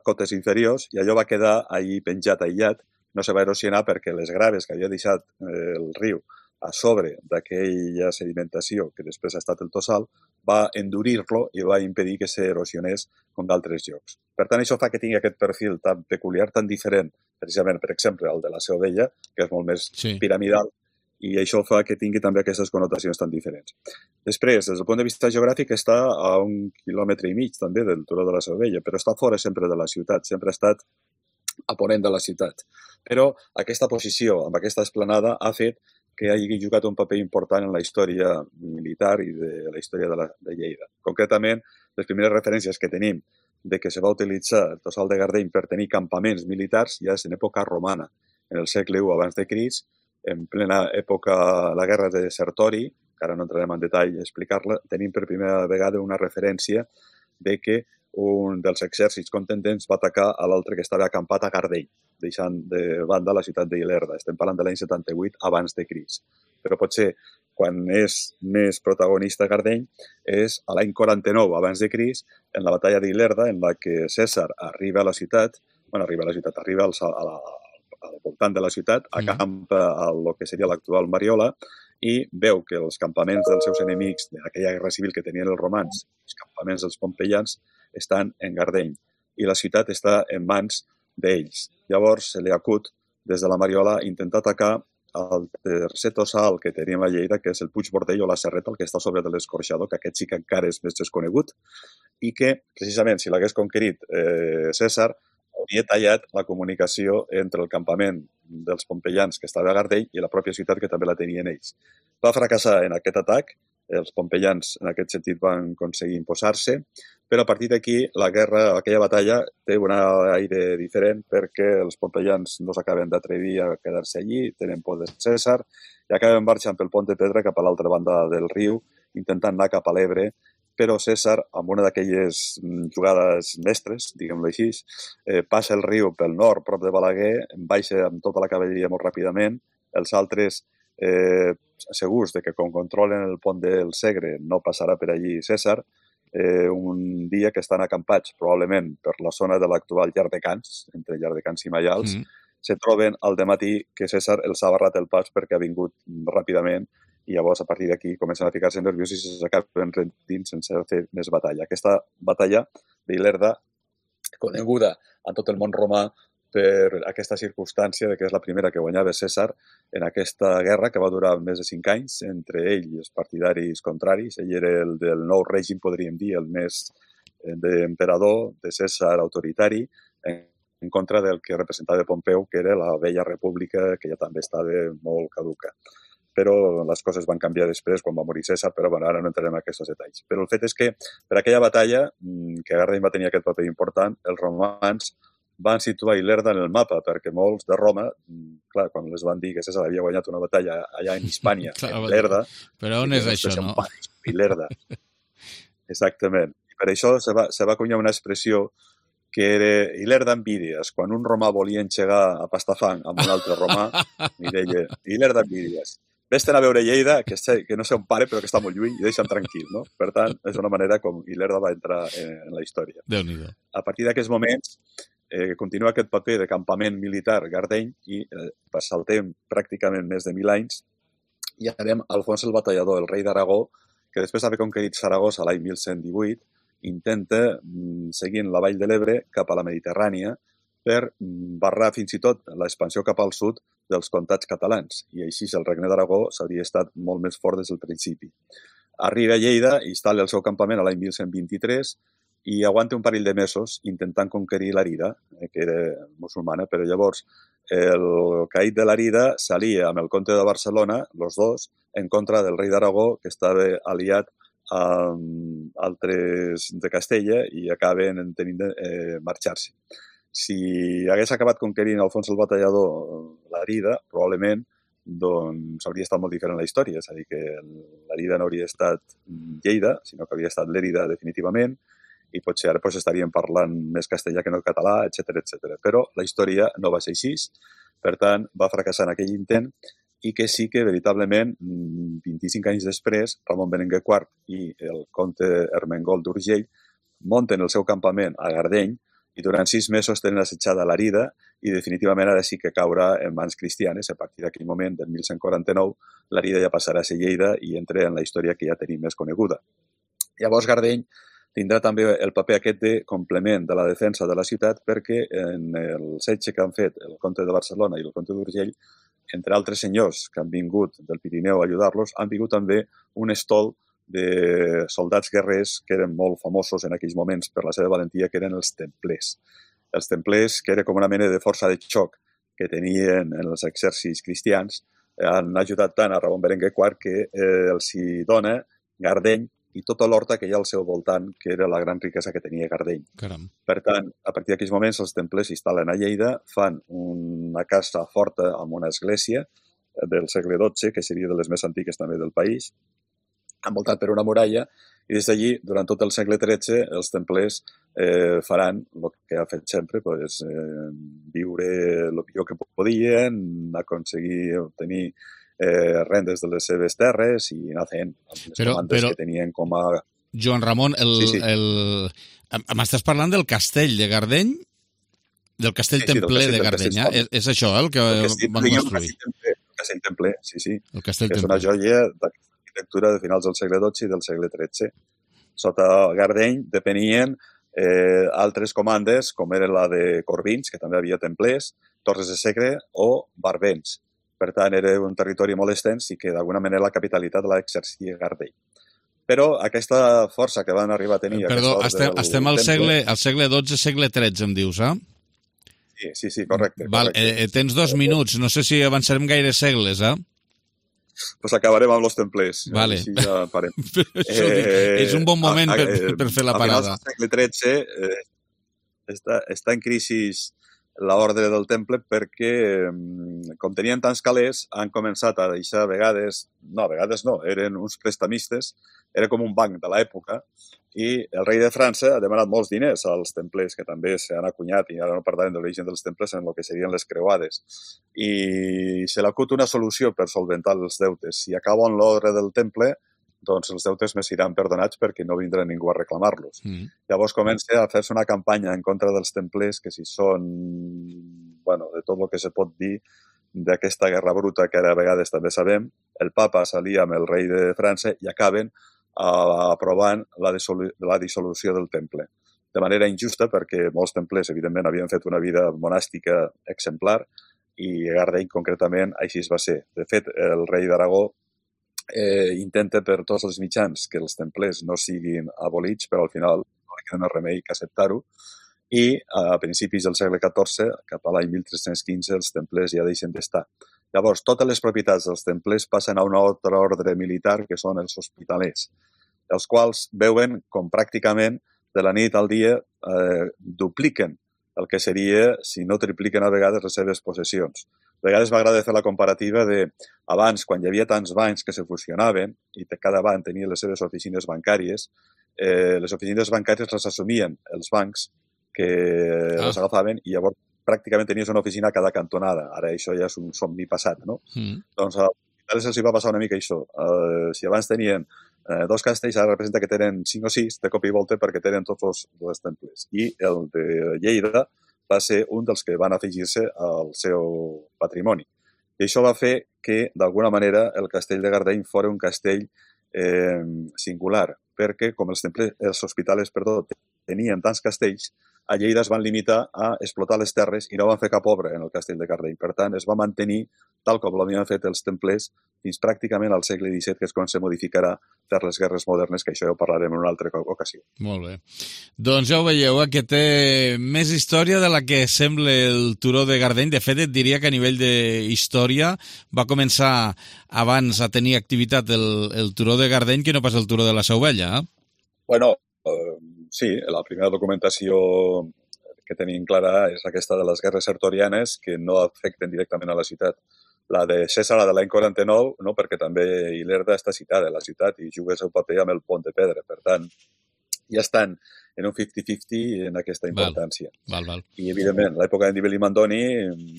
Speaker 13: cotes inferiors i allò va quedar allí penjat, aïllat, no se va erosionar perquè les graves que havia deixat el riu a sobre d'aquella sedimentació que després ha estat el tossal va endurir-lo i va impedir que s'erosionés com d'altres llocs. Per tant, això fa que tingui aquest perfil tan peculiar, tan diferent, precisament, per exemple, el de la Seu Vella, que és molt més sí. piramidal, i això fa que tingui també aquestes connotacions tan diferents. Després, des del punt de vista geogràfic, està a un quilòmetre i mig també del turó de la Seu Vella, però està fora sempre de la ciutat, sempre ha estat a ponent de la ciutat. Però aquesta posició, amb aquesta esplanada, ha fet que hagi jugat un paper important en la història militar i de la història de, la, de Lleida. Concretament, les primeres referències que tenim de que se va utilitzar el tossal de Gardeny per tenir campaments militars ja és en època romana, en el segle u abans de Crist, en plena època, la guerra de Sertori, que ara no entrarem en detall a explicar-la, tenim per primera vegada una referència de que un dels exèrcits contendents va atacar a l'altre que estava acampat a Gardeny, deixant de banda la ciutat d'Ilerda. Estem parlant de l'any setanta-vuit abans de Crist. Però potser quan és més protagonista Gardeny és a l'any quaranta-nou abans de Crist, en la batalla d'Ilerda, en la que Cèsar arriba a la ciutat, bueno, arriba a la ciutat, arriba al, a la, al voltant de la ciutat, acampa a lo que seria l'actual Mariola i veu que els campaments dels seus enemics d'aquella guerra civil que tenien els romans, els campaments dels pompeians, estan en Gardeny i la ciutat està en mans d'ells. Llavors se li acut des de la Mariola intentar atacar el tercer tossal que teníem a Lleida, que és el Puig Bordell o la Serreta, el que està sobre de l'Escorxador, que aquest sí que encara és més desconegut, i que, precisament, si l'hagués conquerit eh, Cèsar, hauria tallat la comunicació entre el campament dels pompeians que estava a Gardeny i la pròpia ciutat que també la tenien ells. Va fracassar en aquest atac, els pompeians en aquest sentit van aconseguir imposar-se, però a partir d'aquí la guerra, aquella batalla, té un aire diferent perquè els pompeians no s'acaben d'atrevir a quedar-se allí, tenen por de Cèsar i acaben marxant pel pont de pedra cap a l'altra banda del riu, intentant anar cap a l'Ebre, però Cèsar, amb una d'aquelles jugades mestres, diguem-ho així, eh, passa el riu pel nord, prop de Balaguer, baixa amb tota la cavalleria molt ràpidament, els altres eh, segurs de que com controlen el pont del Segre no passarà per allí Cèsar, eh, un dia que estan acampats probablement per la zona de l'actual Llardecans, entre Llardecans i Maials, mm. se troben al dematí que Cèsar els ha barrat el pas perquè ha vingut ràpidament i llavors a partir d'aquí comencen a ficar-se nerviosos i s'acaben rendint sense fer més batalla. Aquesta batalla d'Ilerda, coneguda a tot el món romà per aquesta circumstància de que és la primera que guanyava Cèsar en aquesta guerra que va durar més de cinc anys entre ell i els partidaris contraris. Ell era el del nou règim, podríem dir, el més d'emperador, de Cèsar autoritari, en contra del que representava Pompeu, que era la vella república, que ja també estava molt caduca. Però les coses van canviar després quan va morir Cèsar, però bueno, ara no entrarem en aquests detalls. Però el fet és que per aquella batalla, que Gardeny va tenir aquest paper important, els romans van situar Ilerda en el mapa, perquè molts de Roma, clar, quan les van dir que Cèsar havia guanyat una batalla allà en Hispània, en Ilerda...
Speaker 1: Però on és això, no?
Speaker 13: Ilerda. Exactament. I per això se va, se va acunyar una expressió que era Ilerda envidies. Quan un romà volia enxegar a pastafang amb un altre romà, i deia Ilerda envidies. Vés-te'n a veure Lleida, que, sé, que no sé on pare, però que està molt lluny, i deixa'm tranquil, no? Per tant, és una manera com Ilerda va entrar en la història.
Speaker 1: Déu-n'hi-do.
Speaker 13: A partir d'aquests moments, eh, continua aquest paper de campament militar Gardeny i eh, saltem pràcticament més de mil anys i anem a Alfons el Batallador, el rei d'Aragó, que després d'haver conquerit Saragossa l'any mil cent divuit, intenta, seguint la vall de l'Ebre, cap a la Mediterrània, per barrar fins i tot l'expansió cap al sud dels comtats catalans. I així el regne d'Aragó s'hauria estat molt més fort des del principi. Arriba a Lleida, instal·la el seu campament a l'any mil cent vint-i-tres i aguanta un parell de mesos intentant conquerir l'Arida, que era musulmana, però llavors el caïd de l'Arida s'alia amb el comte de Barcelona, els dos, en contra del rei d'Aragó, que estava aliat amb altres de Castella i acaben tenint de eh, marxar-se. Si hagués acabat conquerint Alfons el Batallador l'Arida, probablement doncs hauria estat molt diferent la història, és a dir, que l'Arida no hauria estat Lleida, sinó que hauria estat l'Èrida definitivament, i potser ara pues, estaríem parlant més castellà que no català, etcètera, etcètera. Però la història no va ser així, per tant, va fracassar en aquell intent i que sí que, veritablement, vint-i-cinc anys després, Ramon Berenguer quart i el comte Ermengol d'Urgell munten el seu campament a Gardeny i durant sis mesos tenen assetjada l'Arida i definitivament ara sí que caurà en mans cristianes. A partir d'aquell moment, del mil cent quaranta-nou, l'Arida ja passarà a ser Lleida i entra en la història que ja tenim més coneguda. Llavors, Gardeny tindrà també el paper aquest de complement de la defensa de la ciutat perquè en el setge que han fet el comte de Barcelona i el comte d'Urgell, entre altres senyors que han vingut del Pirineu a ajudar-los, han vingut també un estol de soldats guerrers que eren molt famosos en aquells moments per la seva valentia, que eren els templers. Els templers, que era com una mena de força de xoc que tenien en els exèrcits cristians, han ajudat tant a Ramon Berenguer quart que eh, els hi dona Gardeny i tota l'horta que hi ha al seu voltant, que era la gran riquesa que tenia Gardeny.
Speaker 1: Caram.
Speaker 13: Per tant, a partir d'aquells moments, els templers s'instal·len a Lleida, fan una casa forta amb una església del segle dotze, que seria de les més antigues també del país, envoltat per una muralla, i des d'allí, durant tot el segle tretze, els templers eh, faran el que ha fet sempre, pues, eh, viure el millor que podien, aconseguir obtenir eh, rendes de les seves terres i anar fent les
Speaker 1: però,
Speaker 13: comandes
Speaker 1: però,
Speaker 13: que tenien com a...
Speaker 1: Joan Ramon, el,
Speaker 13: sí, sí.
Speaker 1: el... m'estàs parlant del castell de Gardeny? Del castell sí, sí, templer castell, de Gardeny, eh? És, és això eh, el que el castell, van construir?
Speaker 13: El castell templer, sí, sí.
Speaker 1: El castell
Speaker 13: és
Speaker 1: templer.
Speaker 13: Una joia d'arquitectura de finals del segle dotze i del segle tretze. Sota Gardeny depenien eh, altres comandes, com era la de Corbins, que també havia templers, Torres de Segre o Barbens. Per tant, era un territori molt extens i que d'alguna manera la capitalitat l'exercia Gardeny. Però aquesta força que van arribar a tenir...
Speaker 1: Perdó, estem, estem al, segle, al segle dotze, segle tretze, em dius, eh?
Speaker 13: Sí, sí, sí, correcte.
Speaker 1: Val,
Speaker 13: correcte.
Speaker 1: Eh, tens dos minuts, no sé si avançarem gaire segles, eh?
Speaker 13: Pues acabarem amb els templers.
Speaker 1: Vale.
Speaker 13: Així ja parem.
Speaker 1: eh, és un bon moment per, per fer la parada.
Speaker 13: Al segle tretze eh, està, està en crisi l'ordre del temple perquè, com tenien tants calés, han començat a deixar a vegades, no, a vegades no, eren uns prestamistes, era com un banc de l'època, i el rei de França ha demanat molts diners als templers, que també s'han acunyat, i ara no parlarem de l'origen dels templers en el que serien les creuades. I se l'acut una solució per solventar els deutes. Si acaben l'ordre del temple, doncs els deutes més seran perdonats perquè no vindrà ningú a reclamar-los. Mm. Llavors comença a fer-se una campanya en contra dels templers que si són, bueno, de tot el que se pot dir d'aquesta guerra bruta que ara a vegades també sabem, el papa s'alia amb el rei de França i acaben uh, aprovant la, dissolu la dissolució del temple. De manera injusta perquè molts templers, evidentment, havien fet una vida monàstica exemplar i a Gardeny, concretament, així es va ser. De fet, el rei d'Aragó Eh, intenta per tots els mitjans que els templers no siguin abolits, però al final no li queda més remei que acceptar-ho. I a principis del segle catorze, cap a l'any mil tres-cents quinze, els templers ja deixen d'estar. Llavors, totes les propietats dels templers passen a un altre ordre militar, que són els hospitalers, els quals veuen com pràcticament de la nit al dia eh, dupliquen el que seria, si no tripliquen a vegades, les seves possessions. A vegades m'agrada fer la comparativa de abans, quan hi havia tants bancs que se fusionaven i cada banc tenia les seves oficines bancàries, eh, les oficines bancàries les assumien els bancs que ah. les agafaven i llavors pràcticament tenies una oficina a cada cantonada. Ara això ja és un somni passat, no? Mm. Doncs a els els hi va passar una mica això. Uh, si abans tenien uh, dos castells, ara representa que tenen cinc o sis de cop i volta perquè tenen tots els, els temples. I el de Lleida va ser un dels que van afegir-se al seu patrimoni. I això va fer que, d'alguna manera, el castell de Gardeny fos un castell eh, singular, perquè, com els, temples, els hospitals perdó, tenien tants castells, a Lleida es van limitar a explotar les terres i no van fer cap obra en el castell de Gardeny. Per tant, es va mantenir tal com l'havien fet els templers fins pràcticament al segle disset, que és quan se modificarà per les guerres modernes, que això ja ho parlarem en una altra ocasió.
Speaker 1: Molt bé. Doncs ja ho veieu, eh, que té més història de la que sembla el turó de Gardeny. De fet, et diria que a nivell d'història va començar abans a tenir activitat el, el turó de Gardeny que no pas el turó de la Seu Vella. Eh?
Speaker 13: Bueno, eh, sí, la primera documentació que tenim clara és aquesta de les guerres sertorianes que no afecten directament a la ciutat. La de Cèsar, la de l'any quaranta-nou, no, perquè també Ilerda està citada a la ciutat i juga el seu paper amb el pont de pedra. Per tant, ja estan en un cinquanta-cinquanta en aquesta importància.
Speaker 1: Val, val, val.
Speaker 13: I, evidentment, l'època de Nibali i Mandoni,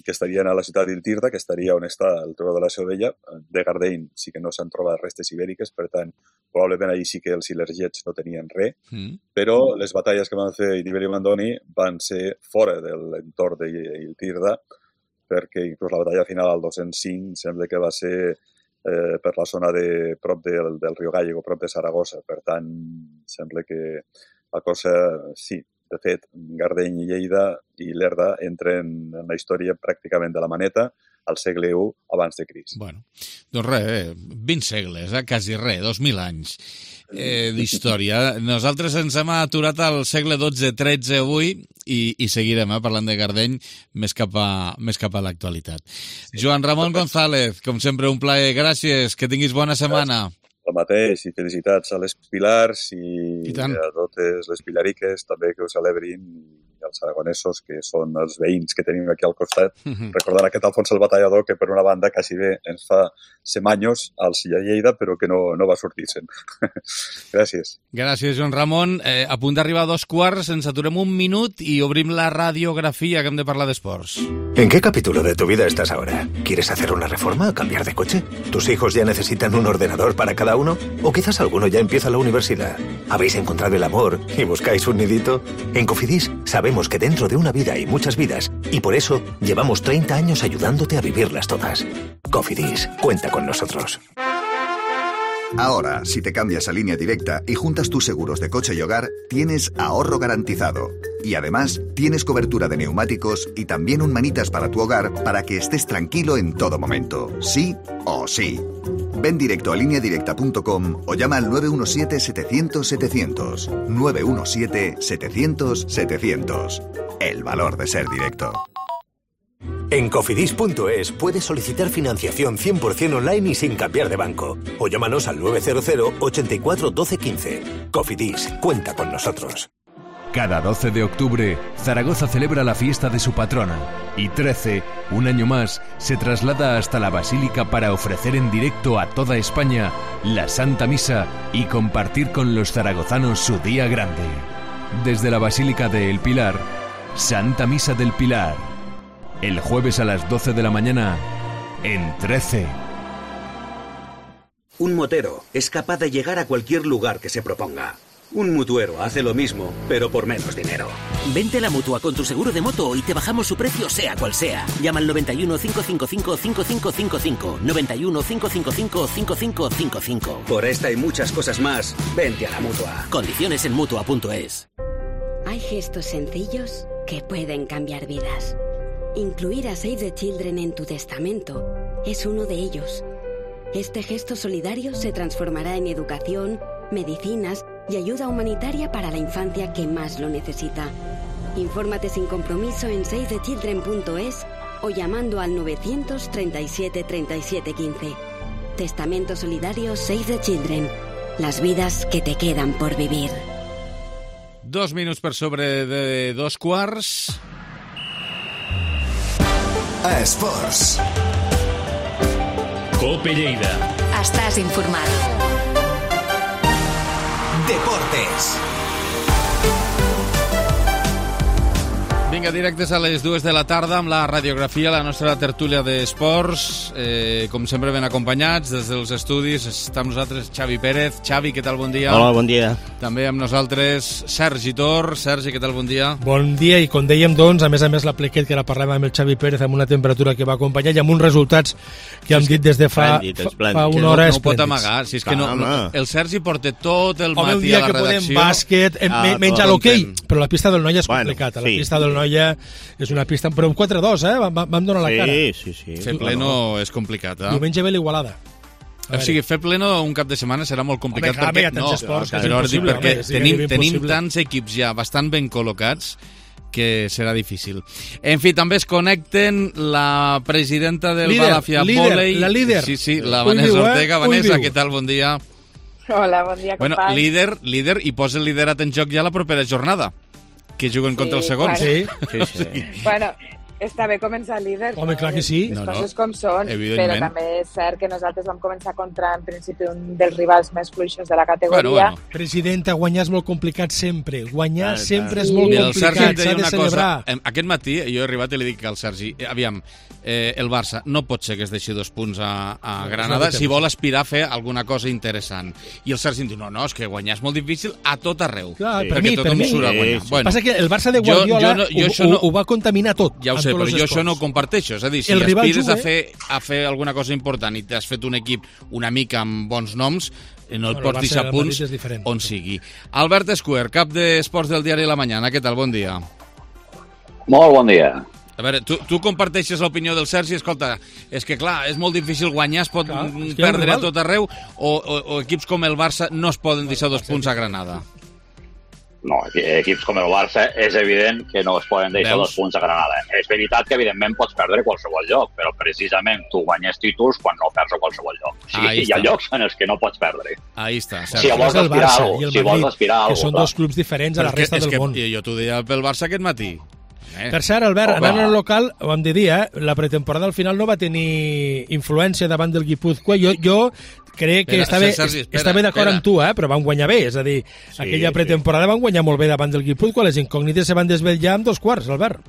Speaker 13: que estarien a la ciutat d'Iltirda, que estaria on està el turó de la Seu Vella, de Gardeny sí que no s'han trobat restes ibèriques, per tant, probablement allí sí que els ilergets no tenien res, mm. però les batalles que van fer Nibali i Mandoni van ser fora de l'entorn d'Iltirda, perquè inclús la batalla final al dos-cents cinc sembla que va ser eh, per la zona de prop del, del riu Gallego, prop de Saragossa. Per tant, sembla que la cosa, sí, de fet, Gardeny i Lleida i Lerda entren en la història pràcticament de la maneta al segle u abans de Crist.
Speaker 1: Bueno, doncs res, vint segles, eh? Quasi res, dos mil anys eh, d'història. Nosaltres ens hem aturat al segle dotze tretze avui i, i seguirem eh, parlant de Gardeny més cap a, més cap a l'actualitat. Sí. Joan Ramon González, com sempre, un plaer. Gràcies, que tinguis bona setmana.
Speaker 13: El mateix, i felicitats a les Pilars i, I a totes les pilariques també que ho celebrin, i als aragonesos, que són els veïns que tenim aquí al costat. Mm-hmm. Recordant aquest Alfons el Batallador, que per una banda quasi bé ens fa semanyos al Silla Lleida, però que no, no va sortir-se'n. Gràcies.
Speaker 1: Gràcies, Joan Ramon. Eh, a punt d'arribar a dos quarts, ens aturem un minut i obrim la radiografia, que hem de parlar d'esports.
Speaker 14: ¿En qué capítulo de tu vida estás ahora? ¿Quieres hacer una reforma o cambiar de coche? ¿Tus hijos ya necesitan un ordenador para cada uno? ¿O quizás alguno ya empieza la universidad? ¿Habéis encontrado el amor y buscáis un nidito? En Cofidis sabemos que dentro de una vida hay muchas vidas y por eso llevamos treinta años ayudándote a vivirlas todas. Cofidis, cuenta con nosotros.
Speaker 15: Ahora, si te cambias a Línea Directa y juntas tus seguros de coche y hogar, tienes ahorro garantizado. Y además, tienes cobertura de neumáticos y también un manitas para tu hogar para que estés tranquilo en todo momento. Sí o sí. Ven directo a línea directa punto com o llama al nueve uno siete setecientos setecientos. nueve uno siete setecientos setecientos. El valor de ser directo.
Speaker 14: En cofidis punto es puedes solicitar financiación cien por ciento online y sin cambiar de banco. O llámanos al nueve cero cero ochenta y cuatro doce quince. Cofidis, cuenta con nosotros.
Speaker 16: Cada doce de octubre, Zaragoza celebra la fiesta de su patrona. Y trece, un año más, se traslada hasta la Basílica para ofrecer en directo a toda España la Santa Misa y compartir con los zaragozanos su día grande. Desde la Basílica de El Pilar, Santa Misa del Pilar. El jueves a las doce de la mañana, en trece.
Speaker 18: Un motero es capaz de llegar a cualquier lugar que se proponga. Un mutuero hace lo mismo, pero por menos dinero.
Speaker 19: Vente a la Mutua con tu seguro de moto y te bajamos su precio sea cual sea. Llama al noventa y uno, cinco cinco cinco, cinco cinco cinco cinco. noventa y uno, cinco cinco cinco, cinco cinco cinco cinco.
Speaker 18: Por esta y muchas cosas más, vente a la Mutua.
Speaker 19: Condiciones en Mutua punto es.
Speaker 26: Hay gestos sencillos que pueden cambiar vidas. Incluir a Save the Children en tu testamento es uno de ellos. Este gesto solidario se transformará en educación, medicinas y ayuda humanitaria para la infancia que más lo necesita. Infórmate sin compromiso en save the children punto es o llamando al novecientos treinta y siete treinta y siete quince. Testamento solidario Save the Children. Las vidas que te quedan por vivir.
Speaker 1: Dos minuts per sobre de dos quarts.
Speaker 15: A Esports.
Speaker 4: Cope Lleida.
Speaker 2: Estàs informat.
Speaker 15: Deportes.
Speaker 1: Vinga, directes a les dues de la tarda amb la radiografia, la nostra tertúlia d'esports. Eh, com sempre ben acompanyats des dels estudis. Està amb nosaltres Xavi Pérez. Xavi, què tal? Bon dia.
Speaker 27: Hola, bon dia.
Speaker 1: També amb nosaltres Sergi Tor. Sergi, què tal? Bon dia.
Speaker 28: Bon dia, i com dèiem, doncs, a més a més la plequet que ara parlàvem amb el Xavi Pérez amb una temperatura que va acompanyar i amb uns resultats que hem dit des de fa, fa, fa una hora
Speaker 1: esplèndids. No, no pot amagar, si és que no, no, el Sergi porta tot el
Speaker 28: Home,
Speaker 1: matí a la redacció.
Speaker 28: Un dia que podem bàsquet, ah, menys a l'hoquei, però la pista del Noia és bueno, complicat. Sí. La pista del Noia és una pista, però un quatre dos, eh? Vam, vam donar la
Speaker 27: sí,
Speaker 28: cara.
Speaker 27: Sí, sí, sí.
Speaker 1: Fer pleno no. és complicat, eh?
Speaker 28: Diumenge ve l'Igualada.
Speaker 1: O sigui, fer pleno un cap de setmana serà molt complicat.
Speaker 28: Home, perquè, no, esports, no,
Speaker 1: però dic perquè home, tenim, tenim tants equips ja bastant ben col·locats que serà difícil. En fi, també es connecten la presidenta del líder, Balafia Volei.
Speaker 28: La líder.
Speaker 1: Sí, sí, la Vanessa viu, Ortega. Eh? Vanessa, què tal? Bon dia.
Speaker 29: Hola, bon dia,
Speaker 1: bueno,
Speaker 29: company.
Speaker 1: Líder, líder, i posa el liderat en joc ja la propera jornada, que juguen sí, contra els segons.
Speaker 29: Bueno.
Speaker 1: Sí.
Speaker 29: sí, sí. Bueno, està bé començar líder.
Speaker 28: Home, clar que sí.
Speaker 29: Les
Speaker 1: No, no,
Speaker 29: coses com són,
Speaker 1: evidentment.
Speaker 29: però també és cert que nosaltres vam començar contra, en principi, un dels rivals més fluixos de la categoria.
Speaker 1: Bueno, bueno.
Speaker 28: Presidenta, guanyar és molt complicat sempre. Guanyar
Speaker 1: Clar,
Speaker 28: sempre
Speaker 1: clar.
Speaker 28: és molt
Speaker 1: Mira, el Sergi em
Speaker 28: complicat,
Speaker 1: deia
Speaker 28: s'ha de
Speaker 1: una
Speaker 28: celebrar.
Speaker 1: cosa. Em- Aquest matí jo he arribat i li dic al Sergi, eh, aviam, eh, el Barça no pot ser que es deixi dos punts a, a
Speaker 28: No,
Speaker 1: Granada
Speaker 28: no,
Speaker 1: si vol aspirar a fer alguna cosa interessant. I el Sergi em diu, no, no, és que guanyar és molt difícil a tot arreu.
Speaker 28: Clar, per
Speaker 1: perquè
Speaker 28: mi, per
Speaker 1: tothom
Speaker 28: mi.
Speaker 1: surt a guanyar.
Speaker 28: Sí, sí. Passa que el Barça de Guardiola
Speaker 1: jo, jo, no, jo
Speaker 28: ho,
Speaker 1: això no,
Speaker 28: ho, ho va contaminar tot.
Speaker 1: ja ho
Speaker 28: en
Speaker 1: sé,
Speaker 28: tots
Speaker 1: però
Speaker 28: els
Speaker 1: jo això
Speaker 28: esports.
Speaker 1: no ho comparteixo. És a dir, si
Speaker 28: El rival
Speaker 1: aspires a
Speaker 28: juga,
Speaker 1: fer, a fer alguna cosa important i t'has fet un equip una mica amb bons noms, eh, no et
Speaker 28: Bueno, el
Speaker 1: pots
Speaker 28: Barça
Speaker 1: deixar
Speaker 28: del
Speaker 1: punts
Speaker 28: Madrid és diferent.
Speaker 1: on sigui. Albert Escuer, cap d'Esports del diari La Mañana. Què tal? Bon dia.
Speaker 6: Molt bon dia.
Speaker 1: A veure, tu, tu comparteixes l'opinió del Sergi? Escolta, és que clar, és molt difícil guanyar, es pot
Speaker 28: Clar,
Speaker 1: mm,
Speaker 28: és que hi ha un
Speaker 1: perdre a
Speaker 28: rival.
Speaker 1: tot arreu, o, o, o equips com el Barça no es poden deixar dos punts a Granada.
Speaker 6: No, equips com el Barça és evident que no es poden deixar
Speaker 1: Veus?
Speaker 6: dos punts a Granada. És veritat que evidentment pots perdre a qualsevol lloc, però precisament tu guanyes títols quan no perds a qualsevol lloc. O sigui,
Speaker 1: Ahí
Speaker 6: hi ha
Speaker 1: està.
Speaker 6: llocs en els que no pots perdre.
Speaker 1: Ahí està.
Speaker 6: Si vols
Speaker 28: el
Speaker 6: aspirar a
Speaker 28: Barça
Speaker 6: alguna
Speaker 28: i el
Speaker 6: si vols
Speaker 28: Madrid,
Speaker 6: aspirar a
Speaker 28: que
Speaker 6: alguna
Speaker 28: són
Speaker 6: cosa,
Speaker 28: dos clubs diferents a la
Speaker 1: Però és que-
Speaker 28: resta
Speaker 1: és
Speaker 28: del
Speaker 1: que
Speaker 28: món.
Speaker 1: Jo t'ho deia pel Barça aquest matí. Eh?
Speaker 28: Per cert, Albert,
Speaker 1: Home.
Speaker 28: anant al local, ho hem de dir, eh? La pretemporada al final no va tenir influència davant del Guipúzcoa. Jo, jo crec que
Speaker 1: Espera,
Speaker 28: està bé,
Speaker 1: Sergi, espera,
Speaker 28: està bé d'acord
Speaker 1: espera.
Speaker 28: amb tu, eh? Però van guanyar bé, és a dir,
Speaker 1: Sí,
Speaker 28: aquella
Speaker 1: sí.
Speaker 28: pretemporada van guanyar molt bé davant del Guipúzcoa, les incògnites se van desvetllar en dos quarts, Albert.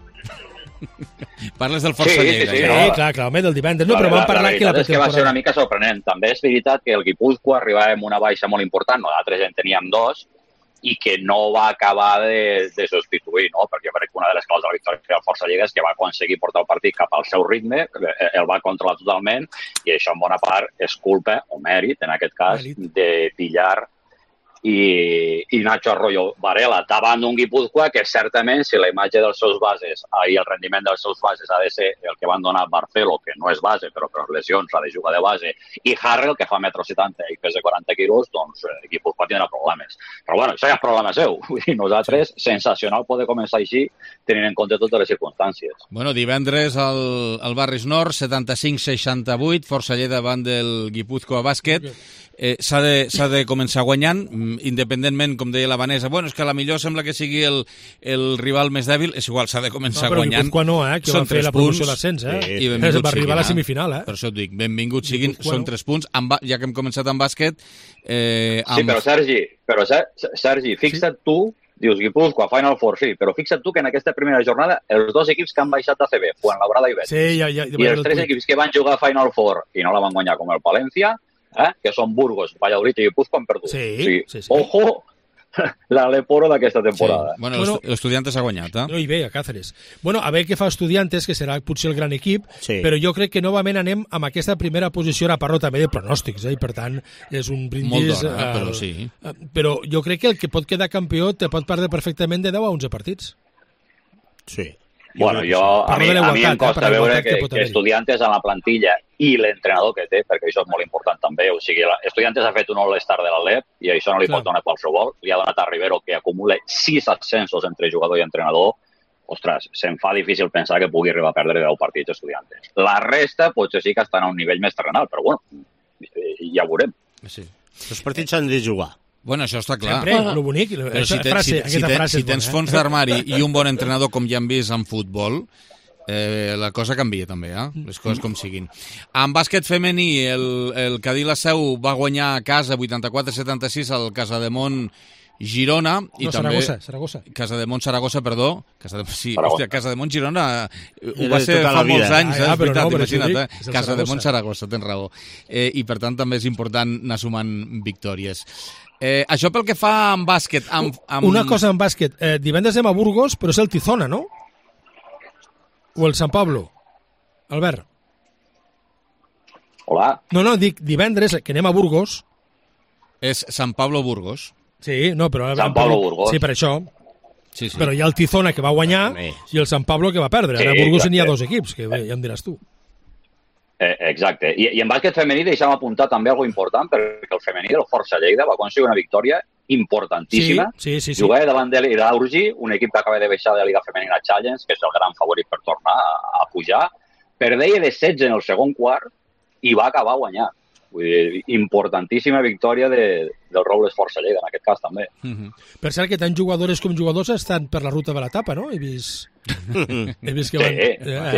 Speaker 1: Parles del Força
Speaker 6: Sí, sí,
Speaker 1: Lleida.
Speaker 6: sí,
Speaker 28: Sí,
Speaker 6: no.
Speaker 28: clar, clar, home, del divendres, no,
Speaker 6: La-
Speaker 28: però
Speaker 6: la-
Speaker 28: vam parlar
Speaker 6: la
Speaker 28: que la
Speaker 6: veritat és que va ser una
Speaker 28: pretemporada...
Speaker 6: mica sorprenent. També és veritat que el Guipúzcoa arribava amb una baixa molt important, nosaltres en teníem dos, i que no va acabar de, de substituir, no? Perquè jo crec que una de les claus de la victòria del Força Lleida és que va aconseguir portar el partit cap al seu ritme, el va controlar totalment, i això en bona part és culpa, o mèrit, en aquest cas, de Pillar i, i Nacho Arroyo Varela, davant d'un Guipúzcoa que certament, si la imatge dels seus bases i el rendiment dels seus bases ha de ser el que van donar Barcelo, que no és base, però per les lesions ha de jugar de base, i Harrell, que fa metro setanta i pesa quaranta quilos, doncs eh, Guipúzcoa tindrà problemes. Però bueno, això ja és problema seu. Vull dir, nosaltres, sensacional poder començar així, tenint en compte totes les circumstàncies.
Speaker 1: Bueno, divendres al, al Barris Nord, setanta-cinc seixanta-vuit, Força Lleida davant del Guipúzcoa Bàsquet. Eh, s'ha de, s'ha de començar guanyant, independentment, com deia la Vanessa, bueno, és que a la millor sembla que sigui el, el rival més dèbil, és igual, s'ha de començar
Speaker 28: No, però
Speaker 1: guanyant.
Speaker 28: Guipúzcoa no, eh, que
Speaker 1: Són
Speaker 28: va fer
Speaker 1: tres
Speaker 28: la promoció
Speaker 1: punts,
Speaker 28: d'ascens, eh?
Speaker 1: i benvinguts
Speaker 28: Va arribar
Speaker 1: siguin,
Speaker 28: a la semifinal, eh?
Speaker 1: Per això et dic, benvinguts siguin,
Speaker 28: Guipúzcoa
Speaker 1: són
Speaker 28: no.
Speaker 1: tres punts, amb, ja que hem començat amb bàsquet... Eh, amb...
Speaker 6: Sí, però Sergi, però Sergi, fixa't sí. tu, dius Guipúzcoa, Final Four, sí, però fixa't tu que en aquesta primera jornada els dos equips que han baixat a C B, Fuenlabrada i Betis,
Speaker 28: sí, ja, ja, ja
Speaker 6: i els tres equips que van jugar a Final Four i no la van guanyar, com el Palència, eh, que són Burgos, Valladolid i Guipúzcoa, han perdut.
Speaker 28: Sí,
Speaker 6: o sigui,
Speaker 28: sí, sí.
Speaker 6: Ojo, l'Aleporo d'aquesta temporada.
Speaker 1: Sí. Bueno,
Speaker 28: Bueno,
Speaker 1: l'Estudiantes ha guanyat, eh?
Speaker 28: No hi ve, a Cáceres. Bueno, a veure què fa Estudiantes, que serà potser el gran equip,
Speaker 8: Sí.
Speaker 28: però jo crec que novament anem amb aquesta primera posició, ara parlo també de pronòstics, eh? I per tant és un brindis...
Speaker 1: Molt d'hora,
Speaker 28: eh,
Speaker 1: però sí.
Speaker 28: eh, Però jo crec que el que pot quedar campió te pot perdre perfectament de deu a onze partits.
Speaker 8: Sí.
Speaker 6: Bueno, jo, a
Speaker 28: Parlo
Speaker 6: mi,
Speaker 28: de
Speaker 6: a mi em
Speaker 28: l'igualtat, eh,
Speaker 6: costa
Speaker 28: per la
Speaker 6: veure
Speaker 28: igualtat
Speaker 6: que,
Speaker 28: que pot
Speaker 6: que
Speaker 28: haver-hi.
Speaker 6: Estudiantes en la plantilla i l'entrenador que té, perquè això és molt important també, o sigui, la- Estudiantes ha fet un all-star de l'Alep i això no li
Speaker 28: Clar.
Speaker 6: pot donar qualsevol. Li ha donat a Rivero que acumula sis ascensos entre jugador i entrenador. Ostres, se'm fa difícil pensar que pugui arribar a perdre deu partits Estudiantes. La resta potser sí que estan a un nivell més terrenal, però bueno, eh, ja ho veurem.
Speaker 1: Sí.
Speaker 8: Els partits s'han de jugar.
Speaker 1: Bueno, això està clar.
Speaker 28: Sempre, lo bonic,
Speaker 1: Però
Speaker 28: aquesta
Speaker 1: si, te,
Speaker 28: frase,
Speaker 1: si, si,
Speaker 28: aquesta
Speaker 1: te,
Speaker 28: frase
Speaker 1: si
Speaker 28: és
Speaker 1: tens
Speaker 28: bona,
Speaker 1: fons
Speaker 28: eh?
Speaker 1: d'armari i un bon entrenador com ja hem vist en futbol, eh, la cosa canvia també, eh? Les coses com siguin. En bàsquet femení, el, el Cadí la Seu va guanyar a casa vuitanta-quatre setanta-sis al Casademont Girona i
Speaker 28: No,
Speaker 1: també...
Speaker 28: Saragossa, Saragossa.
Speaker 1: Casademont Saragossa, perdó. Casa de... Sí,
Speaker 6: Saragossa.
Speaker 1: hòstia, Casademont Girona eh, ho
Speaker 8: Era
Speaker 1: va
Speaker 8: de
Speaker 1: ser
Speaker 8: tota
Speaker 1: fa
Speaker 8: la vida.
Speaker 1: molts anys,
Speaker 28: Ah,
Speaker 1: eh?
Speaker 28: ja,
Speaker 1: És
Speaker 28: però
Speaker 1: veritat,
Speaker 28: no, però
Speaker 1: imagina't,
Speaker 28: això
Speaker 1: eh?
Speaker 28: dic, és el
Speaker 1: Casademont
Speaker 28: Saragossa.
Speaker 1: Saragossa, tens raó. Eh, I per tant també és important anar sumant victòries. Eh, això pel que fa en bàsquet... Amb, amb...
Speaker 28: Una cosa en bàsquet, eh, divendres anem a Burgos, però és el Tizona, no? O el San Pablo? Albert.
Speaker 6: Hola.
Speaker 28: No, no, dic divendres, que anem a Burgos.
Speaker 1: És San Pablo Burgos.
Speaker 28: Sí, no, però...
Speaker 6: San Pablo Burgos.
Speaker 28: Sí, per això.
Speaker 1: Sí, sí.
Speaker 28: Però hi ha el Tizona que va guanyar
Speaker 8: Home.
Speaker 28: i el San Pablo que va perdre.
Speaker 6: Sí,
Speaker 28: Ara a Burgos n'hi ha
Speaker 6: exacte.
Speaker 28: dos equips, que bé, ja em diràs tu.
Speaker 6: Eh, exacte. I, I en bàsquet femení deixa'm apuntar també alguna important, perquè el femení del Força Lleida va aconseguir una victòria importantíssima.
Speaker 28: Sí, sí, sí, sí.
Speaker 6: Jugava davant de l'Iraurgi, un equip que acaba de baixar de la Liga Femenina Challenge, que és el gran favorit per tornar a, a pujar. Perdeia de setze en el segon quart i va acabar guanyant. Vull dir, importantíssima victòria de, del Robles Força Lleida, en aquest cas també.
Speaker 1: Uh -huh.
Speaker 28: Per cert que tant jugadores com jugadors estan per la ruta de l'etapa, no? He vist... He vist que van...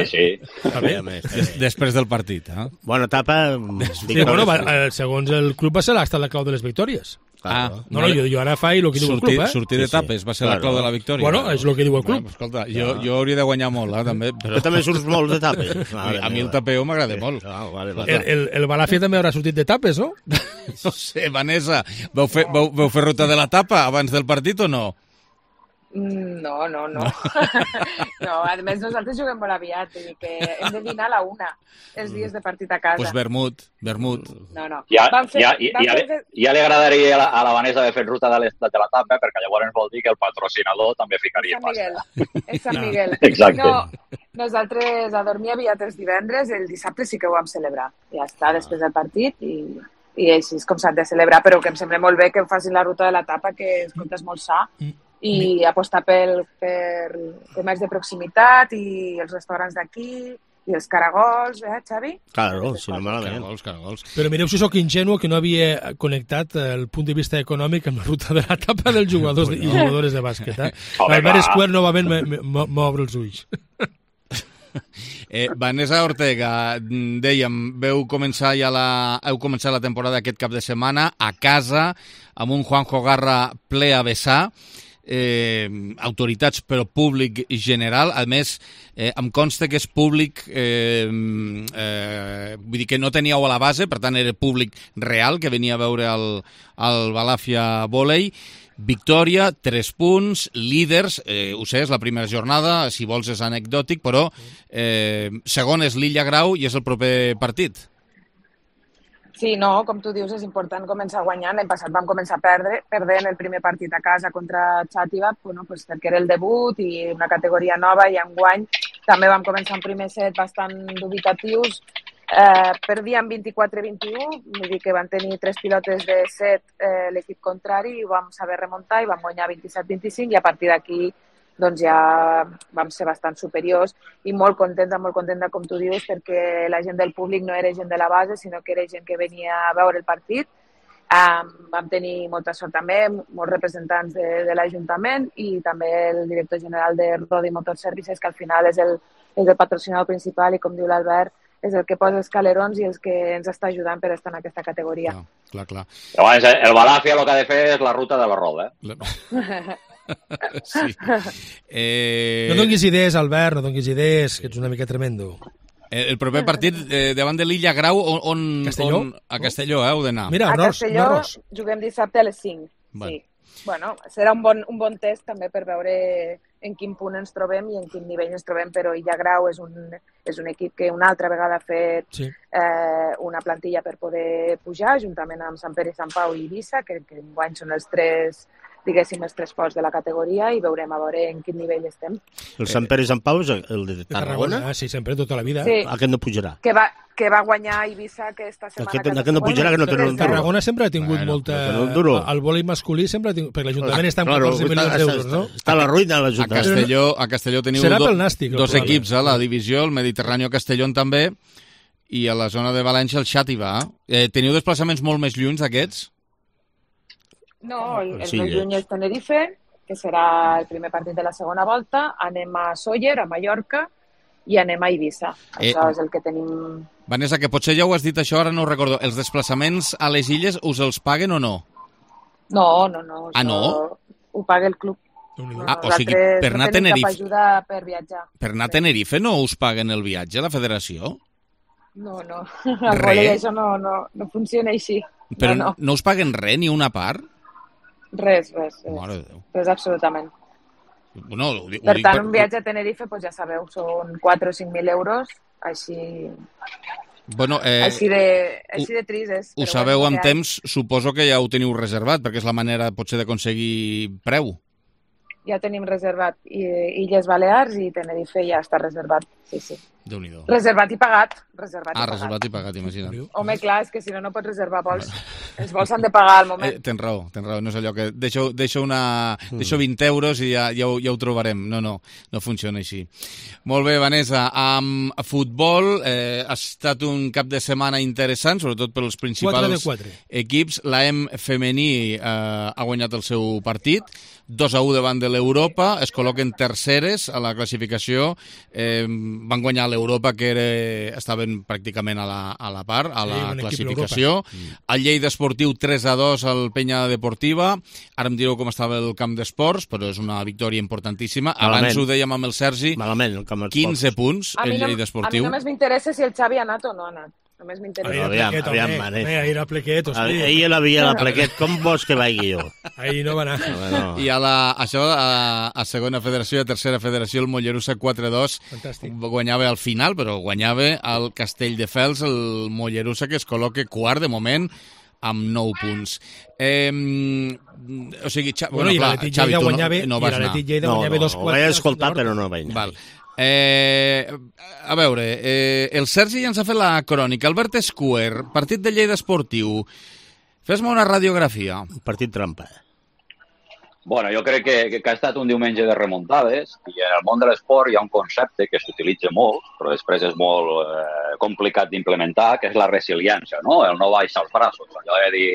Speaker 6: Sí, sí.
Speaker 1: sí. Després del partit, eh?
Speaker 8: Bona etapa.
Speaker 28: Sí, bueno, va, segons el club va ser l'estat la clau de les victòries.
Speaker 1: Ah,
Speaker 28: no, no, jo, jo ara faig el que diu el club, eh?
Speaker 1: Sortir d'etapes va ser la clau de la victòria.
Speaker 28: Bueno, és el que diu el club.
Speaker 1: Bueno, escolta, jo, jo hauria de guanyar molt, eh, també.
Speaker 8: Però també surts molt d'etapes.
Speaker 1: A mi el tapeo m'agrada molt.
Speaker 28: El, el, el Balàfia també haurà sortit d'etapes, no?
Speaker 1: No sé, Vanessa, vau fer, vau, vau fer ruta de l'etapa abans del partit o no?
Speaker 29: No, no, no. No, a més nosaltres juguem molt aviat, vull dir que hem de dinar a la una, els dies de partit a casa.
Speaker 1: Pues vermut, vermut.
Speaker 29: No, no.
Speaker 6: Ja,
Speaker 29: fer,
Speaker 6: ja, ja, ja, fer... ja li agradaria a la, a la Vanessa haver fet ruta de l'estat de l'etapa, perquè llavors vol dir que el patrocinador també ficaria
Speaker 29: Sant Miguel.
Speaker 6: pasta.
Speaker 29: És Sant Miguel.
Speaker 6: Exacte.
Speaker 29: No, nosaltres a dormir aviat els divendres, el dissabte sí que ho vam celebrar. Ja està, després del partit i... i així és com s'ha de celebrar, però que em sembla molt bé que facin la ruta de l'etapa, que escolta, és molt sa, i apostar pel, per comerç de proximitat i els restaurants d'aquí, i els caragols, eh, Xavi?
Speaker 8: Claro, si no malament.
Speaker 1: Caragols, caragols.
Speaker 28: Però mireu si sóc ingenuo que no havia connectat el punt de vista econòmic amb la ruta de l'etapa dels jugadors i jugadores de bàsquet. Eh? L'Albert Square novament m'obre els ulls.
Speaker 1: Eh, Vanessa Ortega, dèiem, veu començar ja la, heu començat la temporada aquest cap de setmana a casa, amb un Juanjo Garra ple a vessar, eh, autoritats però públic general. A més, eh, em consta que és públic, eh, eh, vull dir que no teníeu a la base, per tant era públic real, que venia a veure el, el Balàfia Vòlei. Victòria, tres punts, líders, eh, ho sé, és la primera jornada, si vols és anecdòtic, però eh, segon és l'Illa Grau i és el proper partit.
Speaker 29: Sí, no, com tu dius, és important començar guanyant. L'any passat vam començar a perdre, perdent el primer partit a casa contra Xàtiva, bueno, pues perquè era el debut i una categoria nova, i enguany també vam començar un primer set bastant dubitatius. Eh, perdíem vint-i-quatre a vint-i-u, vull dir que van tenir tres pilotes de set eh, l'equip contrari, i vam saber remuntar i vam guanyar vint-i-set a vint-i-cinc, i a partir d'aquí doncs ja vam ser bastant superiors i molt contenta, molt contenta, com tu dius, perquè la gent del públic no era gent de la base, sinó que era gent que venia a veure el partit. Um, vam tenir molta sort també, molts representants de, de l'Ajuntament i també el director general de Rodi Motor Services, que al final és el, és el patrocinador principal i, com diu l'Albert, és el que posa els calerons i els que ens està ajudant per estar en aquesta categoria.
Speaker 1: No, clar, clar.
Speaker 6: Llavors, el Balàfia el que ha de fer és la ruta de la roda, eh?
Speaker 1: Sí. Eh...
Speaker 28: No donguis idees, Albert, no donguis idees, que ets una mica tremendo.
Speaker 1: El proper partit eh, davant de l'Illa Grau, on, on,
Speaker 28: Castelló?
Speaker 1: on a Castelló, eh, heu d'anar.
Speaker 28: Mira,
Speaker 29: a
Speaker 28: Ros,
Speaker 29: Castelló
Speaker 28: no Ros.
Speaker 29: Juguem dissabte a les cinc.
Speaker 1: Bueno.
Speaker 29: Sí. Bueno, serà un bon, un bon test també per veure en quin punt ens trobem i en quin nivell ens trobem, però Illa Grau és un, és un equip que una altra vegada ha fet
Speaker 28: sí.
Speaker 29: eh, una plantilla per poder pujar, juntament amb Sant Pere, Sant Pau i Eivissa, que, que enguany són els tres, diguéssim, els tres forts de la categoria, i veurem a veure en quin nivell estem.
Speaker 8: El Sant Pere i Sant Pau és el de Tarragona?
Speaker 28: Ah, sí, sempre, tota la vida.
Speaker 29: Sí.
Speaker 8: Aquest no pujarà.
Speaker 29: Que va, que va guanyar Eivissa aquesta setmana.
Speaker 8: Aquest, aquest no pujarà, que no té un duro.
Speaker 28: Tarragona sempre ha tingut
Speaker 8: bueno,
Speaker 28: molta...
Speaker 8: Un duro.
Speaker 28: El vòlei masculí sempre ha tingut... Perquè l'Ajuntament està amb
Speaker 8: claro,
Speaker 28: catorze milions d'euros, no?
Speaker 8: Està a la ruïna de l'Ajuntament.
Speaker 1: A Castelló, a Castelló teniu
Speaker 28: Serà
Speaker 1: do,
Speaker 28: pel Nàstic,
Speaker 1: dos equips, eh, la divisió, el Mediterrani Castellón també, i a la zona de València el Xàtiva. Eh, teniu desplaçaments molt més lluny d'aquests?
Speaker 29: No, el, el
Speaker 8: sí,
Speaker 29: més lluny és Tenerife, que serà el primer partit de la segona volta. Anem a Sóller, a Mallorca, i anem a Eivissa. Això eh, és el que tenim...
Speaker 1: Vanessa, que potser ja ho has dit això, ara no ho recordo. Els desplaçaments a les illes us els paguen o no?
Speaker 29: No, no, no.
Speaker 1: Ah, no?
Speaker 29: Ho paga el club.
Speaker 1: No, ah, o sigui, per anar a Tenerife...
Speaker 29: No tenim cap ajuda per viatjar.
Speaker 1: Per anar a Tenerife no us paguen el viatge, la federació?
Speaker 29: No, no. Al vòlei això no, no, no funciona així.
Speaker 1: Però
Speaker 29: no, no.
Speaker 1: no us paguen res, ni una part?
Speaker 29: Res, res. res.
Speaker 1: Mare de Déu.
Speaker 29: Res, absolutament.
Speaker 1: Bueno, ho, ho
Speaker 29: per
Speaker 1: dic
Speaker 29: tant,
Speaker 1: per...
Speaker 29: un viatge a Tenerife, pues ja sabeu, són quatre o cinc mil euros, així...
Speaker 1: Bueno, eh,
Speaker 29: així de, així de trist és.
Speaker 1: Ho sabeu bueno, amb temps, suposo que ja ho teniu reservat, perquè és la manera potser d'aconseguir preu.
Speaker 29: Ja tenim reservat Illes Balears i Tenerife ja està reservat, sí, sí.
Speaker 1: Déu-n'hi-do.
Speaker 29: Reservat i pagat. Reservat
Speaker 1: ah,
Speaker 29: i pagat.
Speaker 1: reservat i pagat, imagina't.
Speaker 29: Home, clar, és que si no, no pots reservar vols. Els vols s'han de pagar al moment.
Speaker 1: Eh, tens raó, tens raó. No és allò que deixo, deixo, una, mm. deixo vint euros i ja, ja, ho, ja ho trobarem. No, no, no funciona així. Molt bé, Vanessa. Amb futbol eh, ha estat un cap de setmana interessant, sobretot pels principals equips. L'A E M femení eh, ha guanyat el seu partit, dos a u davant de l'Europa, es col·loquen terceres a la classificació, eh, van guanyar l'Europa, que era, estaven pràcticament a la, a la part, a la sí, classificació. El Lleida Esportiu tres a dos al Penya Deportiva. Ara em direu com estava el camp d'esports, però és una victòria importantíssima.
Speaker 8: Malament.
Speaker 1: Abans ho dèiem amb el Sergi,
Speaker 8: Malament, el camp
Speaker 1: quinze punts, el
Speaker 29: no,
Speaker 1: Lleida Esportiu.
Speaker 29: A mi només m'interessa si el Xavi ha anat o no ha anat. Només m'interessa.
Speaker 8: Aviam, aviam, mare.
Speaker 28: Ahir a Plequet, hosti.
Speaker 8: Ahir l'havia a Plequet, com vols que vagi jo?
Speaker 28: Ahir no va anar.
Speaker 8: No, no.
Speaker 1: I a, la, això, a, a segona federació i a tercera federació, el Mollerussa quatre a dos guanyava al final, però guanyava el Castelldefels, el Mollerussa, que es col·loca quart de moment, amb nou punts. Eh, o sigui, Xa...
Speaker 28: bueno,
Speaker 1: bueno, clar, Xavi, tu
Speaker 28: guanyava,
Speaker 1: no, no vas anar.
Speaker 28: No, no, no,
Speaker 8: ho vaig escoltar, però no vaig anar.
Speaker 1: Val. Eh, a veure, eh, el Sergi ja ens ha fet la crònica. Albert Escuer, partit de Lleida Esportiu. Fes-me una radiografia.
Speaker 8: Partit trampa.
Speaker 6: Bueno, jo crec que, que, que ha estat un diumenge de remuntades i en el món de l'esport hi ha un concepte que s'utilitza molt, però després és molt eh, complicat d'implementar, que és la resiliència, no? El no baixar els braços, allò de dir,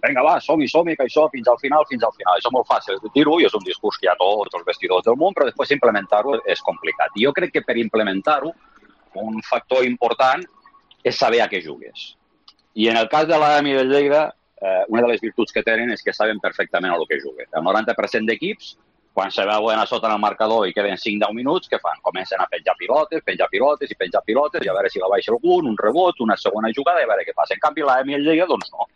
Speaker 6: vinga, va, som-hi, som-hi, que això fins al final, fins al final. Això és molt fàcil de dir-ho i és un discurs que hi ha tots els vestidors del món, però després implementar-ho és complicat. I jo crec que per implementar-ho, un factor important és saber a què jugues. I en el cas de l'A E M i de Lleida, Eh, una de les virtuts que tenen és que saben perfectament el que juguen. El noranta per cent d'equips, quan se veuen a sota en el marcador i queden cinc a deu minuts, què fan? Comencen a penjar pilotes, penjar pilotes i penjar pilotes i a veure si la baixa algun, un rebot, una segona jugada i a veure què passa. En canvi, l'A E M i el Lleida, doncs no.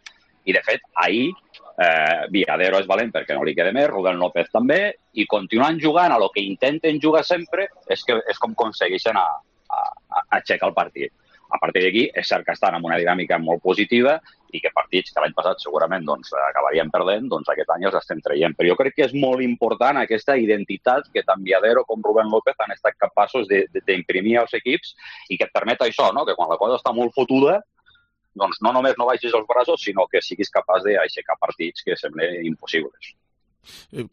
Speaker 6: I, de fet, ahir eh, Viadero és valent perquè no li queda més, Rubén López també, i continuant jugant a lo que intenten jugar sempre és, que, és com aconsegueixen a, a, a aixecar el partit. A partir d'aquí, és cert que estan en una dinàmica molt positiva i que partits que l'any passat segurament doncs, acabarien perdent, doncs aquest any els estem traient. Però jo crec que és molt important aquesta identitat que tant Viadero com Rubén López han estat capaços d'imprimir als equips i que et permet això, no? Que quan la cosa està molt fotuda, doncs no només no baixis els braços, sinó que siguis capaç d'aixecar partits que semblen impossibles.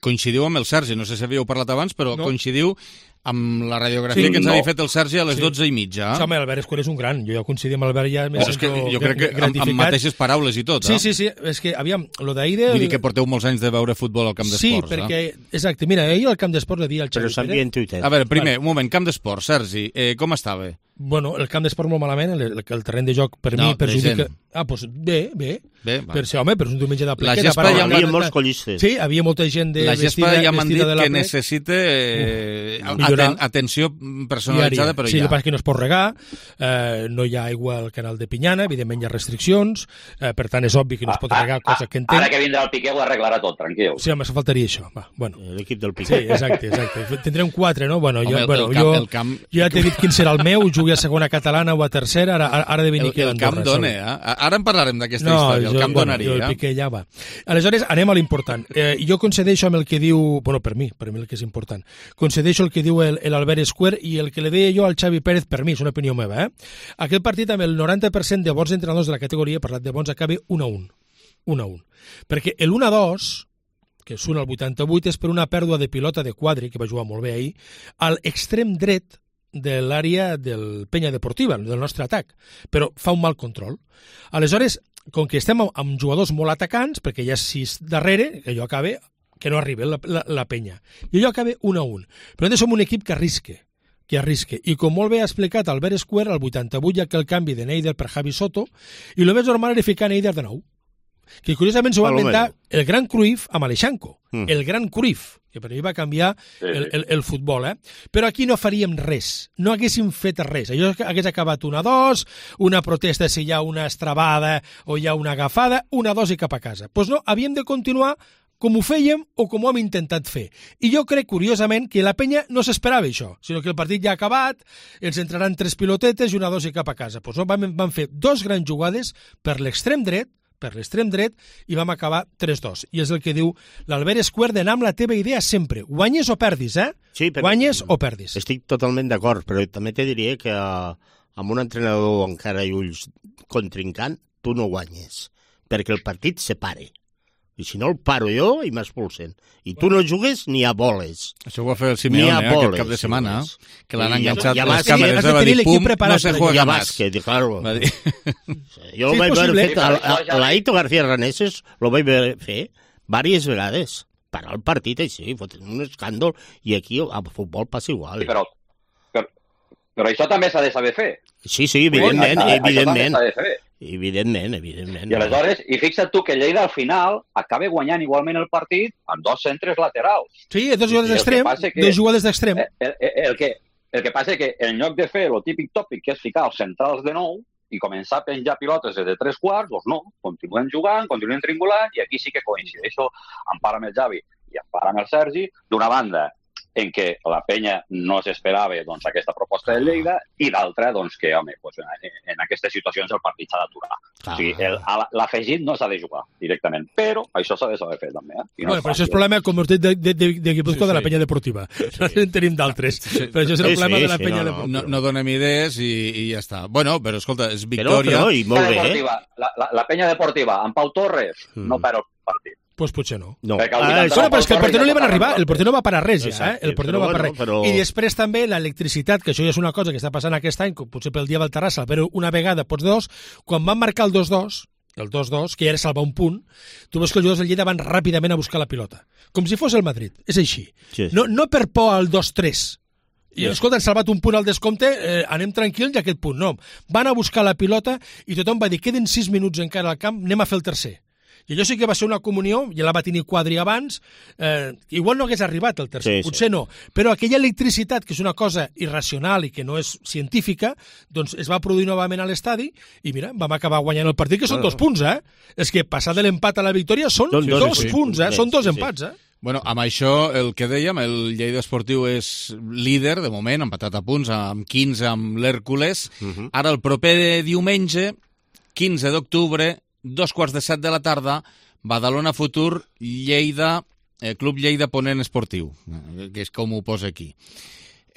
Speaker 1: Coincidiu amb el Sergi, no sé si havíeu parlat abans, però no. Coincidiu amb la radiografia sí, que ens no. havia fet el Sergi a les sí. dotze i mitja.
Speaker 28: Sí, home, Albert Escuer és un gran. Jo ja coincidim amb Albert ja
Speaker 1: m'he sento gratificat. Jo crec que amb, amb mateixes paraules i tot.
Speaker 28: Sí,
Speaker 1: eh?
Speaker 28: sí, sí. És que, aviam, lo d'ahir... De...
Speaker 1: Vull dir que porteu molts anys de veure futbol al camp d'esports.
Speaker 28: Sí, perquè... Eh? Exacte. Mira, ahir al camp d'esports le dia al Xavi
Speaker 8: Pérez.
Speaker 1: A veure, primer, un moment, camp d'esports, Sergi, eh, com estava?
Speaker 28: Bueno, el camp d'esport molt malament, el, el terreny de joc per no, mi perjudica... Ah, doncs bé, bé. bé per ser, home, però és un diumenge de plequeta.
Speaker 1: La gespa
Speaker 28: hi
Speaker 1: ha
Speaker 28: havia
Speaker 8: molts collistes.
Speaker 28: Sí, havia molta gent de
Speaker 1: la
Speaker 28: vestida,
Speaker 1: ja m'han dit
Speaker 28: de
Speaker 1: que necessita eh, aten atenció personalitzada, però
Speaker 28: sí,
Speaker 1: ja.
Speaker 28: Sí, el que passa que no es pot regar, eh, no hi ha aigua al canal de Pinyana, evidentment hi ha restriccions, eh, per tant és obvi que no es pot regar, cosa que entenc.
Speaker 6: Ara que vindrà el Piqué ho arreglarà tot, tranquil.
Speaker 28: Sí, home, se faltaria això. Va, bueno.
Speaker 8: L'equip del Piqué.
Speaker 28: Sí, exacte, exacte. Tindrem quatre, no? Bueno,
Speaker 1: home,
Speaker 28: jo,
Speaker 1: el,
Speaker 28: bueno,
Speaker 1: el camp,
Speaker 28: jo,
Speaker 1: el camp...
Speaker 28: jo ja t'he dit quin serà el meu, jugui a segona catalana o a tercera, ara, ara de venir
Speaker 1: aquí a l'Andorra. El camp dona, eh? Ara en parlarem d'aquesta
Speaker 28: no,
Speaker 1: història, el
Speaker 28: jo,
Speaker 1: camp
Speaker 28: bueno,
Speaker 1: donaria.
Speaker 28: Jo el Piqué ja va. Aleshores, anem a l'important. Eh, jo concedeixo amb el que diu... Bueno, per mi, per mi el que és important. Concedeixo el que diu l'Albert Escuer i el que le deia jo al Xavi Pérez, per mi, és una opinió meva, eh? Aquest partit amb el noranta per cent de bons entrenadors de la categoria, he parlat de bons, acaba un a un. un a un. Perquè l'un a dos, que surt al vuitanta-vuit, és per una pèrdua de pilota de Quadri, que va jugar molt bé ahir, al extrem dret de l'àrea del Penya Deportiva, del nostre atac, però fa un mal control. Aleshores, com que estem amb jugadors molt atacants, perquè hi ha sis darrere, que allò acaba, que no arriba la, la, la Penya. I allò acaba un a un. Però nosaltres som un equip que arrisque, que arrisque. I com molt bé ha explicat Albert Escuer, al vuitanta-vuit hi ha que el canvi de Neider per Javi Soto, i el més normal era ficar Neider de nou. Que curiosament s'ho va inventar el gran Cruyff amb Aleixanco, mm. el gran Cruyff, que per mi va canviar el, el, el futbol, eh? Però aquí no faríem res, no haguéssim fet res. Allò hagués acabat un a dos, una protesta si hi ha una estrabada o hi ha una agafada, un a dos i cap a casa. Doncs pues no, havíem de continuar com ho fèiem o com ho hem intentat fer. I jo crec, curiosament, que la penya no s'esperava això, sinó que el partit ja ha acabat, ens entraran tres pilotetes i una a dos i cap a casa. Doncs pues no, van, van fer dos grans jugades per l'extrem dret, per l'extrem dret, i vam acabar tres dos. I és el que diu l'Albert Esquer d'anar amb la teva idea sempre. Guanyes o perdis, eh?
Speaker 8: Sí, però
Speaker 28: Guanyes o perdis.
Speaker 8: Estic totalment d'acord, però també te diria que amb un entrenador encara i ulls contrincant, tu no guanyes, perquè el partit se pare. I si no el paro jo i m'expulsen. I tu no jugues ni a boles.
Speaker 1: Això ho va fer el Simeone eh, aquest cap de setmana, sí, que l'han enganxat ja, ja les càmeres
Speaker 28: de
Speaker 1: va dir, pum, no se juega
Speaker 8: más. Que, claro.
Speaker 1: Va dir.
Speaker 8: Jo sí, ho vaig veure fet, a l'Aito García Reneses lo vaig veure fer diverses vegades. Parar el partit així, fotre un escàndol, i aquí a futbol passa igual.
Speaker 6: Sí, però, però, però això també s'ha de saber fer.
Speaker 8: Sí, sí, evidentment,
Speaker 6: això,
Speaker 8: evidentment.
Speaker 6: Això també
Speaker 8: Evidentment, evidentment.
Speaker 6: I aleshores, i fixa't tu que Lleida al final acaba guanyant igualment el partit amb dos centres laterals.
Speaker 28: Sí, dos jugadors d'extrem, que, dos jugadors d'extrem.
Speaker 6: El, el, el, que, el que passa que en lloc de fer el típic tòpic que és ficar els centrals de nou i començar a penjar pilotes de tres quarts, doncs no, continuen jugant, continuen triangulant, i aquí sí que coincideixo en part amb el Javi i en part amb el Sergi, d'una banda en què la penya no s'esperava doncs, aquesta proposta de Lleida, i d'altra doncs, que, home, doncs, en, en aquestes situacions el partit s'ha d'aturar. Ah. O sigui, l'afegit no s'ha de jugar directament, però això s'ha de saber fer també. Eh?
Speaker 28: No bueno, però això és problema, com us dic, de, de, de, de Guipúzcoa, sí, sí. de la penya deportiva. Sí. No en tenim d'altres, sí. però això és el sí, problema sí, de la penya sí, no, deportiva.
Speaker 1: No, no donem idees i, i ja està. Bueno, però escolta, és victòria.
Speaker 8: Però, però, i molt bé, eh?
Speaker 6: La, la, la penya deportiva, amb Pau Torres, mm. no perd el partit.
Speaker 28: Pues potser no.
Speaker 8: No.
Speaker 28: Ah, bueno, però és que el porter no li van arribar, el porter no va parar res, ja, eh? El porter no va parar res. Però... I després també l'electricitat, que això ja és una cosa que està passant aquest any, com potser pel dia del Terrassa, però una vegada pots dos, quan van marcar el dos dos, el dos dos, que ja era salvar un punt, tu veus que els jugadors del Lleida van ràpidament a buscar la pilota. Com si fos el Madrid, és així. Sí. No, no per por al dos tres, i escolta, han salvat un punt al descompte, eh, anem tranquils i aquest punt, no. Van a buscar la pilota i tothom va dir, queden sis minuts encara al camp, anem a fer el tercer. I allò sí que va ser una comunió, ja la va tenir Quadri abans, eh, igual no hagués arribat el tercer, sí, potser sí. no, però aquella electricitat, que és una cosa irracional i que no és científica, doncs es va produir novament a l'estadi i mira, vam acabar guanyant el partit, que són bueno. dos punts, eh? És que passar de l'empat a la victòria són sí, dos, dos sí, punts, eh? Sí, són dos sí, empats, eh?
Speaker 1: Bueno, amb això, el que dèiem, el Lleida Esportiu és líder, de moment, empatat a punts, amb quinze amb l'Hèrcules. Uh -huh. Ara, el proper diumenge, quinze d'octubre, dos quarts de set de la tarda, Badalona Futur, Lleida, eh, Club Lleida Ponent Esportiu, que és com ho posa aquí.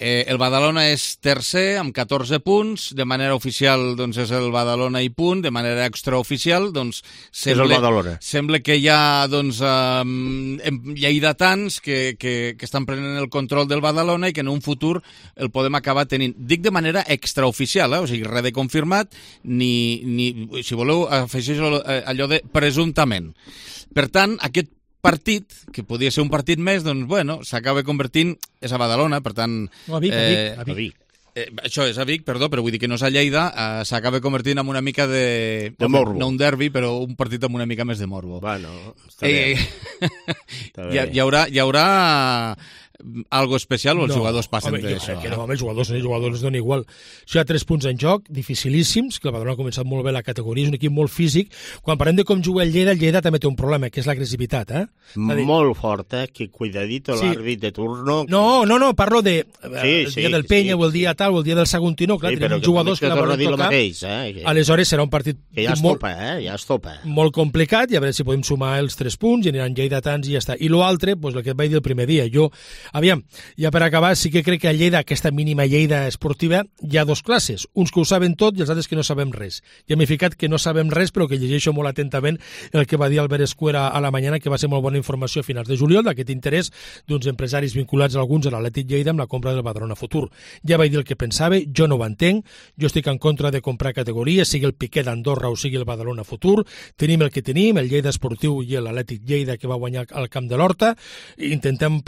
Speaker 1: Eh, el Badalona és tercer, amb catorze punts, de manera oficial doncs, és el Badalona i punt, de manera extraoficial doncs, sembla, sembla que hi ha doncs, eh, lleidatans que, que, que estan prenent el control del Badalona i que en un futur el podem acabar tenint. Dic de manera extraoficial, eh? O sigui, res de confirmat, ni, ni si voleu, afegeixo allò de presumptament. Per tant, aquest partit, que podia ser un partit més, doncs, bueno, s'acaba convertint... És a Badalona, per tant...
Speaker 28: No, a Vic, eh, a Vic. A Vic.
Speaker 1: Eh, això és a Vic, perdó, però vull dir que no és a Lleida, eh, s'acaba convertint en una mica de...
Speaker 8: De morbo.
Speaker 1: No un derbi, però un partit amb una mica més de morbo.
Speaker 8: Bueno, està bé.
Speaker 1: Eh, està bé. Hi, hi haurà... Hi haurà algo especial o els no, jugadors passen
Speaker 28: home,
Speaker 1: d'això?
Speaker 28: Que no, home, els jugadors, els jugadors donen igual. Això hi ha tres punts en joc, dificilíssims, que el Badalona ha començat molt bé la categoria, és un equip molt físic. Quan parlem de com juga el Lleida, el Lleida també té un problema, que és l'agressivitat, eh?
Speaker 8: Dir... Molt fort, eh? Que cuidadito sí. l'àrbit de turno.
Speaker 28: No, no, no, parlo de sí, el dia sí, del Penya, sí. o el dia tal, o el dia del Saguntino, clar, sí, tenim jugadors que, que la volen tocar.
Speaker 8: Mateix, eh? Que...
Speaker 28: Aleshores serà un partit
Speaker 8: que ja es
Speaker 28: molt,
Speaker 8: topa, eh? Ja es topa.
Speaker 28: molt complicat, i a veure si podem sumar els tres punts, i aniran lleidatans i ja està. I l'altre, doncs el que et vaig dir el primer dia, jo, aviam, ja per acabar, sí que crec que a Lleida, aquesta mínima Lleida esportiva, hi ha dos classes, uns que ho saben tot i els altres que no sabem res. Ja m'he ficat que no sabem res, però que llegeixo molt atentament el que va dir Albert Esquer a la mañana, que va ser molt bona informació a finals de juliol, d'aquest interès d'uns empresaris vinculats a alguns a l'Atlètic Lleida amb la compra del Badalona Futur. Ja vaig dir el que pensava, jo no ho entenc, jo estic en contra de comprar categories, sigui el Piquet d'Andorra o sigui el Badalona Futur, tenim el que tenim, el Lleida Esportiu i l'Atlètic Lleida que va guanyar al Camp de l'Horta, intentem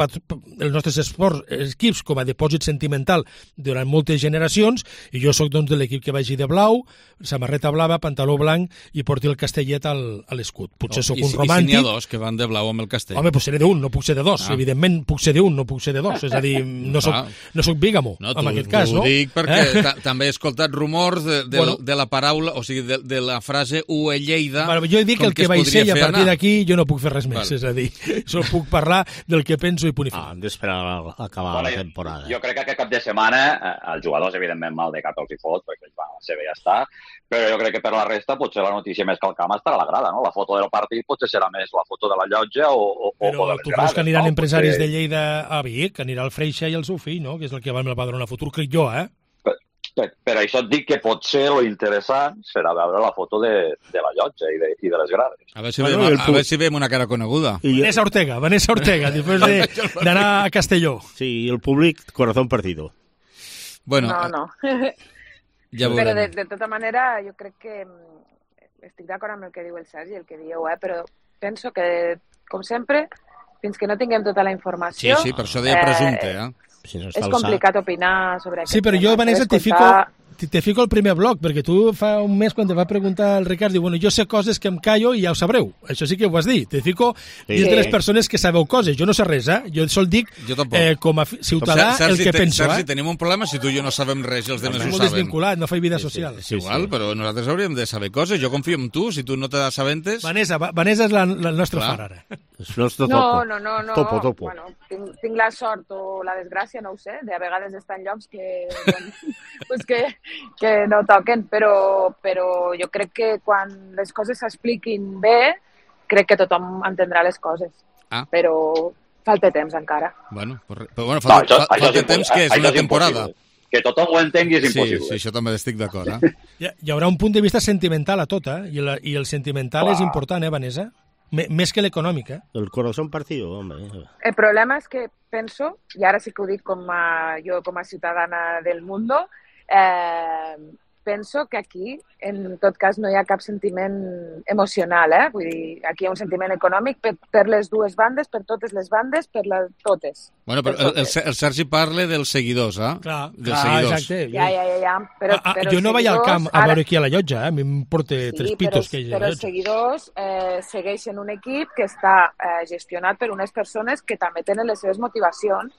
Speaker 28: els nostres esports equips com a dipòsit sentimental durant moltes generacions, i jo sóc doncs de l'equip que vagi de blau, samarreta blava, pantaló blanc i porti el castellet al, a l'escut. Potser oh, sóc
Speaker 1: i,
Speaker 28: un romàntic.
Speaker 1: I si n'hi ha dos que van de blau amb el castell?
Speaker 28: Home, pues seré d'un, no puc ser de dos. Ah. Evidentment puc ser d'un, no puc ser de dos. És a dir, no soc, no soc bígamo,
Speaker 1: no,
Speaker 28: en aquest cas, no?
Speaker 1: Ho dic perquè eh? també he escoltat rumors de, de, bueno, de la paraula, o sigui, de, de la frase U E Lleida.
Speaker 28: Bueno, jo he dit que el que, que vaig ser i a partir d'aquí jo no puc fer res més. Vale. És a dir, solo puc parlar del que penso i punt i final.
Speaker 8: Ah, per acabar
Speaker 6: bueno,
Speaker 8: la temporada.
Speaker 6: Jo, jo crec que aquest cap de setmana eh, els jugadors, evidentment, mal de cap els hi fot, perquè ells van a la seva i ja està, però jo crec que per la resta potser la notícia més que el camp estarà a la grada, no? La foto del partit potser serà més la foto de la llotja o, o,
Speaker 28: però
Speaker 6: o de les
Speaker 28: tu
Speaker 6: grades.
Speaker 28: creus que aniran
Speaker 6: no?
Speaker 28: empresaris
Speaker 6: Perquè...
Speaker 28: de Lleida a Vic, anirà el Freixa i el seu fill, no? Que és el que va amb el Badalona Futur, crec jo, eh?
Speaker 6: Per, per això et dic que potser lo interessant serà veure la foto de, de la llotja i de, i de les grades.
Speaker 1: A veure si veiem, a, a veure si veiem una cara coneguda.
Speaker 28: I Vanessa Ortega, Vanessa Ortega, després de, d'anar a Castelló.
Speaker 8: Sí, i el públic, corazón partido.
Speaker 1: Bueno,
Speaker 29: no, no.
Speaker 1: Ja
Speaker 29: però de, de tota manera, jo crec que estic d'acord amb el que diu el Sergi, el que dieu, eh? Però penso que, com sempre, fins que no tinguem tota la informació...
Speaker 1: Sí, sí, per això deia presumpte, eh?
Speaker 8: Si no
Speaker 29: és complicat opinar sobre aquest
Speaker 28: Sí, però jo, Vanessa, te fico, te fico el primer bloc, perquè tu fa un mes, quan te va preguntar el Ricard, diu, bueno, jo sé coses que em callo i ja ho sabreu. Això sí que ho has dit. Te fico sí. dins de les persones que sabeu coses. Jo no sé res, eh? Jo sol dic, eh, com a ciutadà, el que penso.
Speaker 1: Sergi,
Speaker 28: eh?
Speaker 1: tenim un problema si tu i jo no sabem res i els demés ho saben.
Speaker 28: Molt desvinculat, no faig vida social.
Speaker 1: Sí, sí, és igual, però nosaltres hauríem de saber coses. Jo confio en tu, si tu no t'assabentes...
Speaker 28: Vanessa, Vanessa és la, la nostra far ara.
Speaker 29: No, no, no, no.
Speaker 8: Topo, topo.
Speaker 29: Bueno, tinc, tinc la sort o la desgràcia, no ho sé, de a vegades estar en llocs que, bueno, pues que, que no toquen, però, però jo crec que quan les coses s'expliquin bé, crec que tothom entendrà les coses.
Speaker 1: Ah.
Speaker 29: Però falta temps encara.
Speaker 1: Bueno, però, però bueno, falta, no, això, falta això temps que és una és temporada.
Speaker 6: Que tothom ho entengui és impossible.
Speaker 1: Sí, sí, això també estic d'acord. Eh?
Speaker 28: Hi, hi haurà un punt de vista sentimental a tot, eh? I, la, i el sentimental Uah. és important, eh, Vanessa? M més que l'econòmic, eh?
Speaker 8: El corazón partido, home.
Speaker 29: El problema és que penso, i ara sí que ho dic com a, jo com a ciutadana del mundo, eh, penso que aquí, en tot cas, no hi ha cap sentiment emocional, eh? Vull dir, aquí hi ha un sentiment econòmic per, per les dues bandes, per totes les bandes, per les totes.
Speaker 1: Bueno, però el, el, el Sergi parla dels seguidors, eh?
Speaker 28: Clar,
Speaker 1: dels
Speaker 28: clar
Speaker 1: seguidors.
Speaker 28: exacte.
Speaker 29: Ja, ja, ja, ja. Però,
Speaker 28: ah,
Speaker 29: però
Speaker 28: jo no vaig al camp a
Speaker 29: ara...
Speaker 28: veure qui a la llotja, eh? A mi em porta
Speaker 29: sí,
Speaker 28: tres pitos
Speaker 29: però,
Speaker 28: que hi ha
Speaker 29: però els seguidors eh, segueixen un equip que està eh, gestionat per unes persones que també tenen les seves motivacions,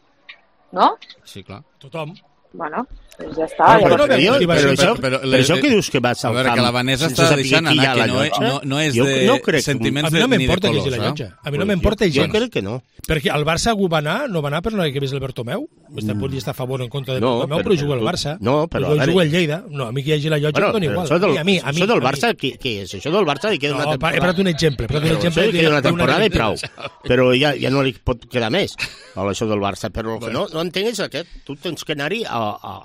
Speaker 29: no?
Speaker 1: Sí, clar.
Speaker 28: Tothom.
Speaker 29: Bueno, doncs ja està.
Speaker 8: Però,
Speaker 29: ja
Speaker 8: però, però,
Speaker 28: jo,
Speaker 8: però, això, però, però això que dius que vas al
Speaker 1: camp... A veure,
Speaker 8: camp,
Speaker 1: que la Vanessa està deixant anar, que no, no, no és
Speaker 8: jo,
Speaker 1: de
Speaker 8: no crec,
Speaker 1: sentiments
Speaker 28: a mi no
Speaker 1: de, ni de
Speaker 28: que
Speaker 1: colors.
Speaker 28: La llotja. A mi
Speaker 8: eh?
Speaker 28: no m'importa gens.
Speaker 8: Jo crec que no.
Speaker 28: Perquè el Barça ho va anar, no va anar per no que vés el Bertomeu? Està, pot estar a favor o en contra de
Speaker 8: no,
Speaker 28: Bertomeu, però, però juga el Barça.
Speaker 8: No, però...
Speaker 28: Jo jugo el Lleida. No, a mi que hi hagi la llotja bueno, em dona igual.
Speaker 8: Això del,
Speaker 28: a mi, a mi,
Speaker 8: això del
Speaker 28: a
Speaker 8: Barça,
Speaker 28: mi.
Speaker 8: què, què és? Això del Barça li queda
Speaker 28: no,
Speaker 8: una temporada.
Speaker 28: He parat un exemple. He parat un exemple
Speaker 8: que queda una temporada i prou. Però ja, ja no li pot quedar més a això del Barça. Però el que no, no entenc és aquest. Tu tens que anar-hi a, a,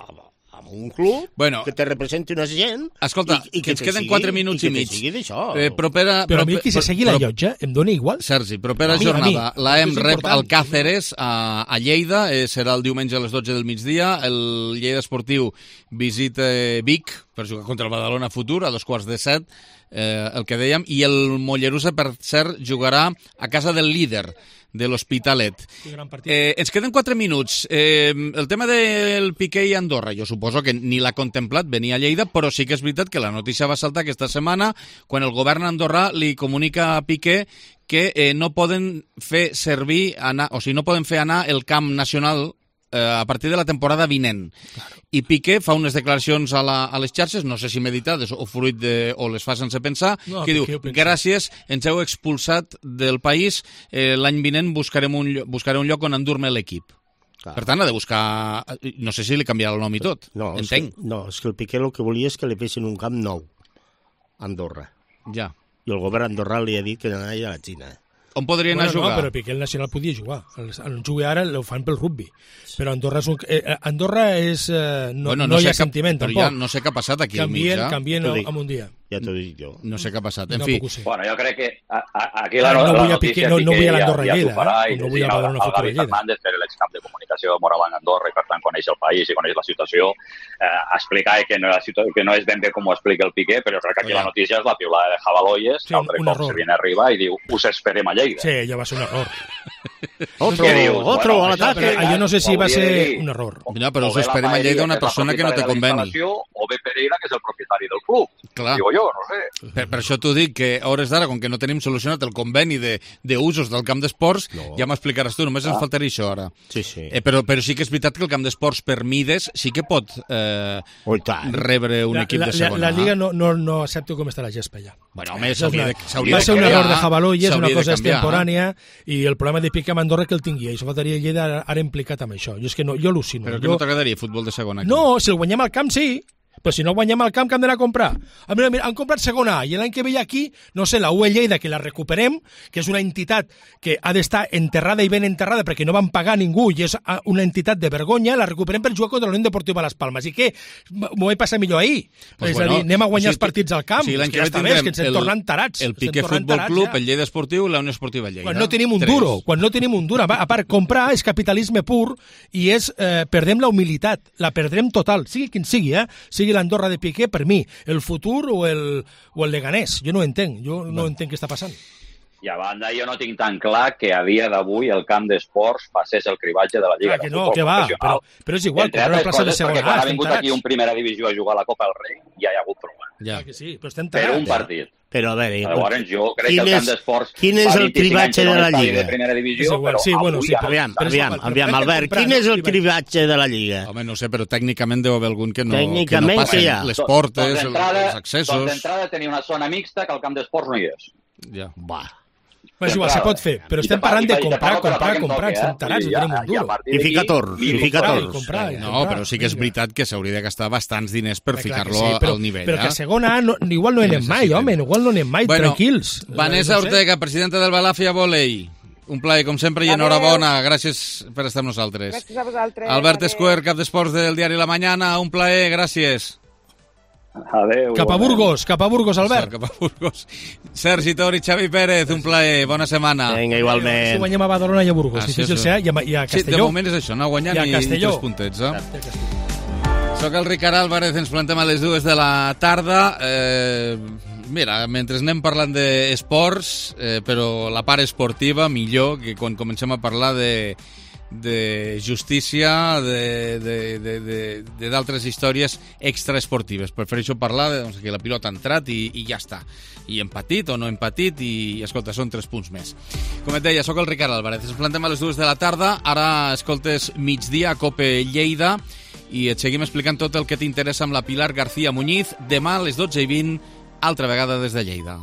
Speaker 8: a un club
Speaker 1: bueno,
Speaker 8: que te representi una gent
Speaker 1: escolta,
Speaker 8: i, i
Speaker 1: que ens queden quatre minuts i, i mig
Speaker 8: eh,
Speaker 1: propera,
Speaker 28: però a mi qui se segui la llotja em dona igual
Speaker 1: Sergi, propera no, jornada la hem rep al Càceres a, a Lleida, eh, serà el diumenge a les dotze del migdia, el Lleida Esportiu visita Vic per jugar contra el Badalona Futur a dos quarts de set, eh, el que dèiem, i el Mollerussa, per cert, jugarà a casa del líder de l'Hospitalet. Eh, ens queden quatre minuts. Eh, el tema del Piqué i Andorra, jo suposo que ni l'ha contemplat venir a Lleida, però sí que és veritat que la notícia va saltar aquesta setmana quan el govern andorrà li comunica a Piqué que eh, no poden fer servir, anar, o sigui, no poden fer anar el camp nacional a partir de la temporada vinent. Claro. I Piqué fa unes declaracions a, la, a les xarxes, no sé si meditades o fruit de, o les fa sense pensar, no, que Piqué diu, gràcies, ens heu expulsat del país, eh, l'any vinent buscarem un, buscaré un lloc on endur-me l'equip. Claro. Per tant, ha de buscar... No sé si li canviarà el nom i tot,
Speaker 8: no,
Speaker 1: entenc.
Speaker 8: És que, no, és que el Piqué el que volia és que li fessin un camp nou a Andorra.
Speaker 1: Ja.
Speaker 8: I el govern andorrà li ha dit que anava a la Xina.
Speaker 1: On podrien
Speaker 28: bueno,
Speaker 1: anar a jugar?
Speaker 28: No, però Piqué el Nacional podia jugar. El, el jugue ara ho fan pel rugby. Però Andorra és... Un, eh, Andorra és eh, no, bueno, no, no hi ha cap, sentiment,
Speaker 1: però
Speaker 28: tampoc.
Speaker 1: Ja no sé què ha passat aquí
Speaker 28: canvien,
Speaker 1: al mig, eh?
Speaker 28: Canvien en un dia.
Speaker 8: Ja t'ho dic jo.
Speaker 1: No sé què ha passat. En
Speaker 28: no
Speaker 1: fi.
Speaker 6: Bueno, jo crec que a, a, aquí la,
Speaker 28: no, no
Speaker 6: la
Speaker 28: vull
Speaker 6: notícia...
Speaker 28: Piqué, no, no vull a l'Andorra
Speaker 6: ja,
Speaker 28: Lleida,
Speaker 6: ja
Speaker 28: eh? No vull a Badalona Futur
Speaker 6: Lleida. El Gavi Fernández, que era l'excamp de comunicació de Moraván Andorra i per tant coneix el país i coneix la situació, eh, explicar que no, que no és ben bé com ho explica el Piqué, però crec que aquí oh, ja. La notícia és la piulada de Javaloyes, sí, que altre cop se viene arriba i diu, us esperem a Lleida.
Speaker 28: Sí, ja va ser un error.
Speaker 8: Otro, dius, otro bueno, a l'ataque.
Speaker 28: Jo no sé si va ser un error.
Speaker 1: No, però us esperem a Lleida una persona que no té conveni.
Speaker 6: O Ove Pereira, que és el propietari del club.
Speaker 1: Clar.
Speaker 6: Digo jo, no sé.
Speaker 1: Per, per això t'ho dic, que a hores d'ara, com que no tenim solucionat el conveni d'usos de, del camp d'esports, no. ja m'explicaràs tu, només ah. ens faltaria això ara.
Speaker 8: Sí, sí.
Speaker 1: Eh, però, però sí que és veritat que el camp d'esports per mides sí que pot eh, rebre un
Speaker 28: la,
Speaker 1: equip
Speaker 28: la,
Speaker 1: de segona.
Speaker 28: La, la Lliga no, no, no accepta com està la gespa ja.
Speaker 1: Bueno, home, s'hauria de,
Speaker 28: de, va ser un error de Jabaló i és una cosa
Speaker 1: canviar,
Speaker 28: extemporània no? I el problema de Piqué amb Andorra que el tingui. I això faltaria Lleida ara implicat amb això. Jo és que no, jo al·lucino.
Speaker 1: Però que
Speaker 28: jo...
Speaker 1: no t'agradaria futbol de segona? Aquí?
Speaker 28: No, si el guanyem al camp, sí. Però si no guanyem al camp, que hem d'anar a comprar? A mira, mira, han comprat segona A i l'any que ve aquí, no sé, la U E Lleida, que la recuperem, que és una entitat que ha d'estar enterrada i ben enterrada perquè no van pagar ningú i és una entitat de vergonya, la recuperem per jugar contra la Unió Deportiva Las Palmas. I què? M'ho vaig passar millor ahir. Pues és bueno, a dir, anem a guanyar o sigui, els partits al camp. O sigui,
Speaker 1: l'any que,
Speaker 28: que ja està bé, és que ens en tornen tarats.
Speaker 1: El Piqué Futbol Club, ja. El Lleida Esportiu i la Unió Esportiva Lleida.
Speaker 28: Quan no tenim un Tres. duro, quan no tenim un duro. A part, comprar és capitalisme pur i és, eh, perdem la humilitat, la perdrem total, sigui quin sigui, eh? Sigui l'Andorra de Piqué, per mi, el futur o el, o el Leganés. Jo no ho entenc, jo no, no entenc què està passant.
Speaker 6: I a banda, jo no tinc tan clar que a dia d'avui el camp d'esports passés el cribatge de la Lliga.
Speaker 28: Ah, que no, que va, però, però és igual,
Speaker 6: entre altres coses, perquè quan ha vingut aquí un primera divisió a jugar a la Copa del Rei, ja hi ha hagut problema.
Speaker 28: Ja. Que sí, però estem
Speaker 6: tarats. Per un partit.
Speaker 8: Però a veure...
Speaker 6: Llavors, jo crec que el camp d'esports...
Speaker 8: Quin és el cribatge de la Lliga?
Speaker 6: De primera divisió,
Speaker 28: igual,
Speaker 6: però
Speaker 28: sí, bueno, sí,
Speaker 8: aviam, aviam, aviam, Albert, quin és el cribatge de la Lliga?
Speaker 1: Home, no sé, però tècnicament deu haver algun que no,
Speaker 8: que
Speaker 1: no passen
Speaker 8: ja.
Speaker 1: les portes, els accessos...
Speaker 6: Doncs d'entrada tenia una zona mixta que al camp d'esports no hi és.
Speaker 1: Ja.
Speaker 8: Va.
Speaker 28: Però és igual, se pot fer, però estem parlant de comprar, comprar, comprar, estem tarats, no tenim un duro.
Speaker 8: I fica torns, i fica torns.
Speaker 1: No, però sí que és veritat que s'hauria de gastar bastants diners per ficar-lo al nivell.
Speaker 28: Però que a segona A igual no anem mai, home, igual no anem mai, tranquils.
Speaker 1: Vanessa Ortega, presidenta del Balàfia Volei. Un plaer, com sempre, i enhorabona. Gràcies per estar amb nosaltres.
Speaker 29: Gràcies a vosaltres.
Speaker 1: Albert Escuer, cap d'esports del diari La Mañana. Un plaer, gràcies.
Speaker 6: Adéu.
Speaker 28: Cap a Burgos, cap a Burgos, Albert.
Speaker 1: Cap a Burgos. Sergi Tori, Xavi Pérez, un plaer, bona setmana.
Speaker 8: Vinga, igualment.
Speaker 28: Si guanyem a Badalona i a Burgos, ah, difícil ser, i a, i a Castelló.
Speaker 1: Sí, de moment és això, no guanyar ni, ni tres puntets. Eh? Soc el Ricard Álvarez, ens plantem a les dues de la tarda. Eh, mira, mentre anem parlant d'esports, eh, però la part esportiva millor que quan comencem a parlar de... de justícia, de d'altres històries extraesportives. Prefereixo parlar de doncs, que la pilota ha entrat i, i ja està. I hem patit o no hem patit i, escolta, són tres punts més. Com et deia, sóc el Ricard Álvarez. Ens plantem a les dues de la tarda. Ara escoltes Migdia a Cope Lleida i et seguim explicant tot el que t'interessa amb la Pilar García Muñiz. Demà a les dotze i vint, altra vegada des de Lleida.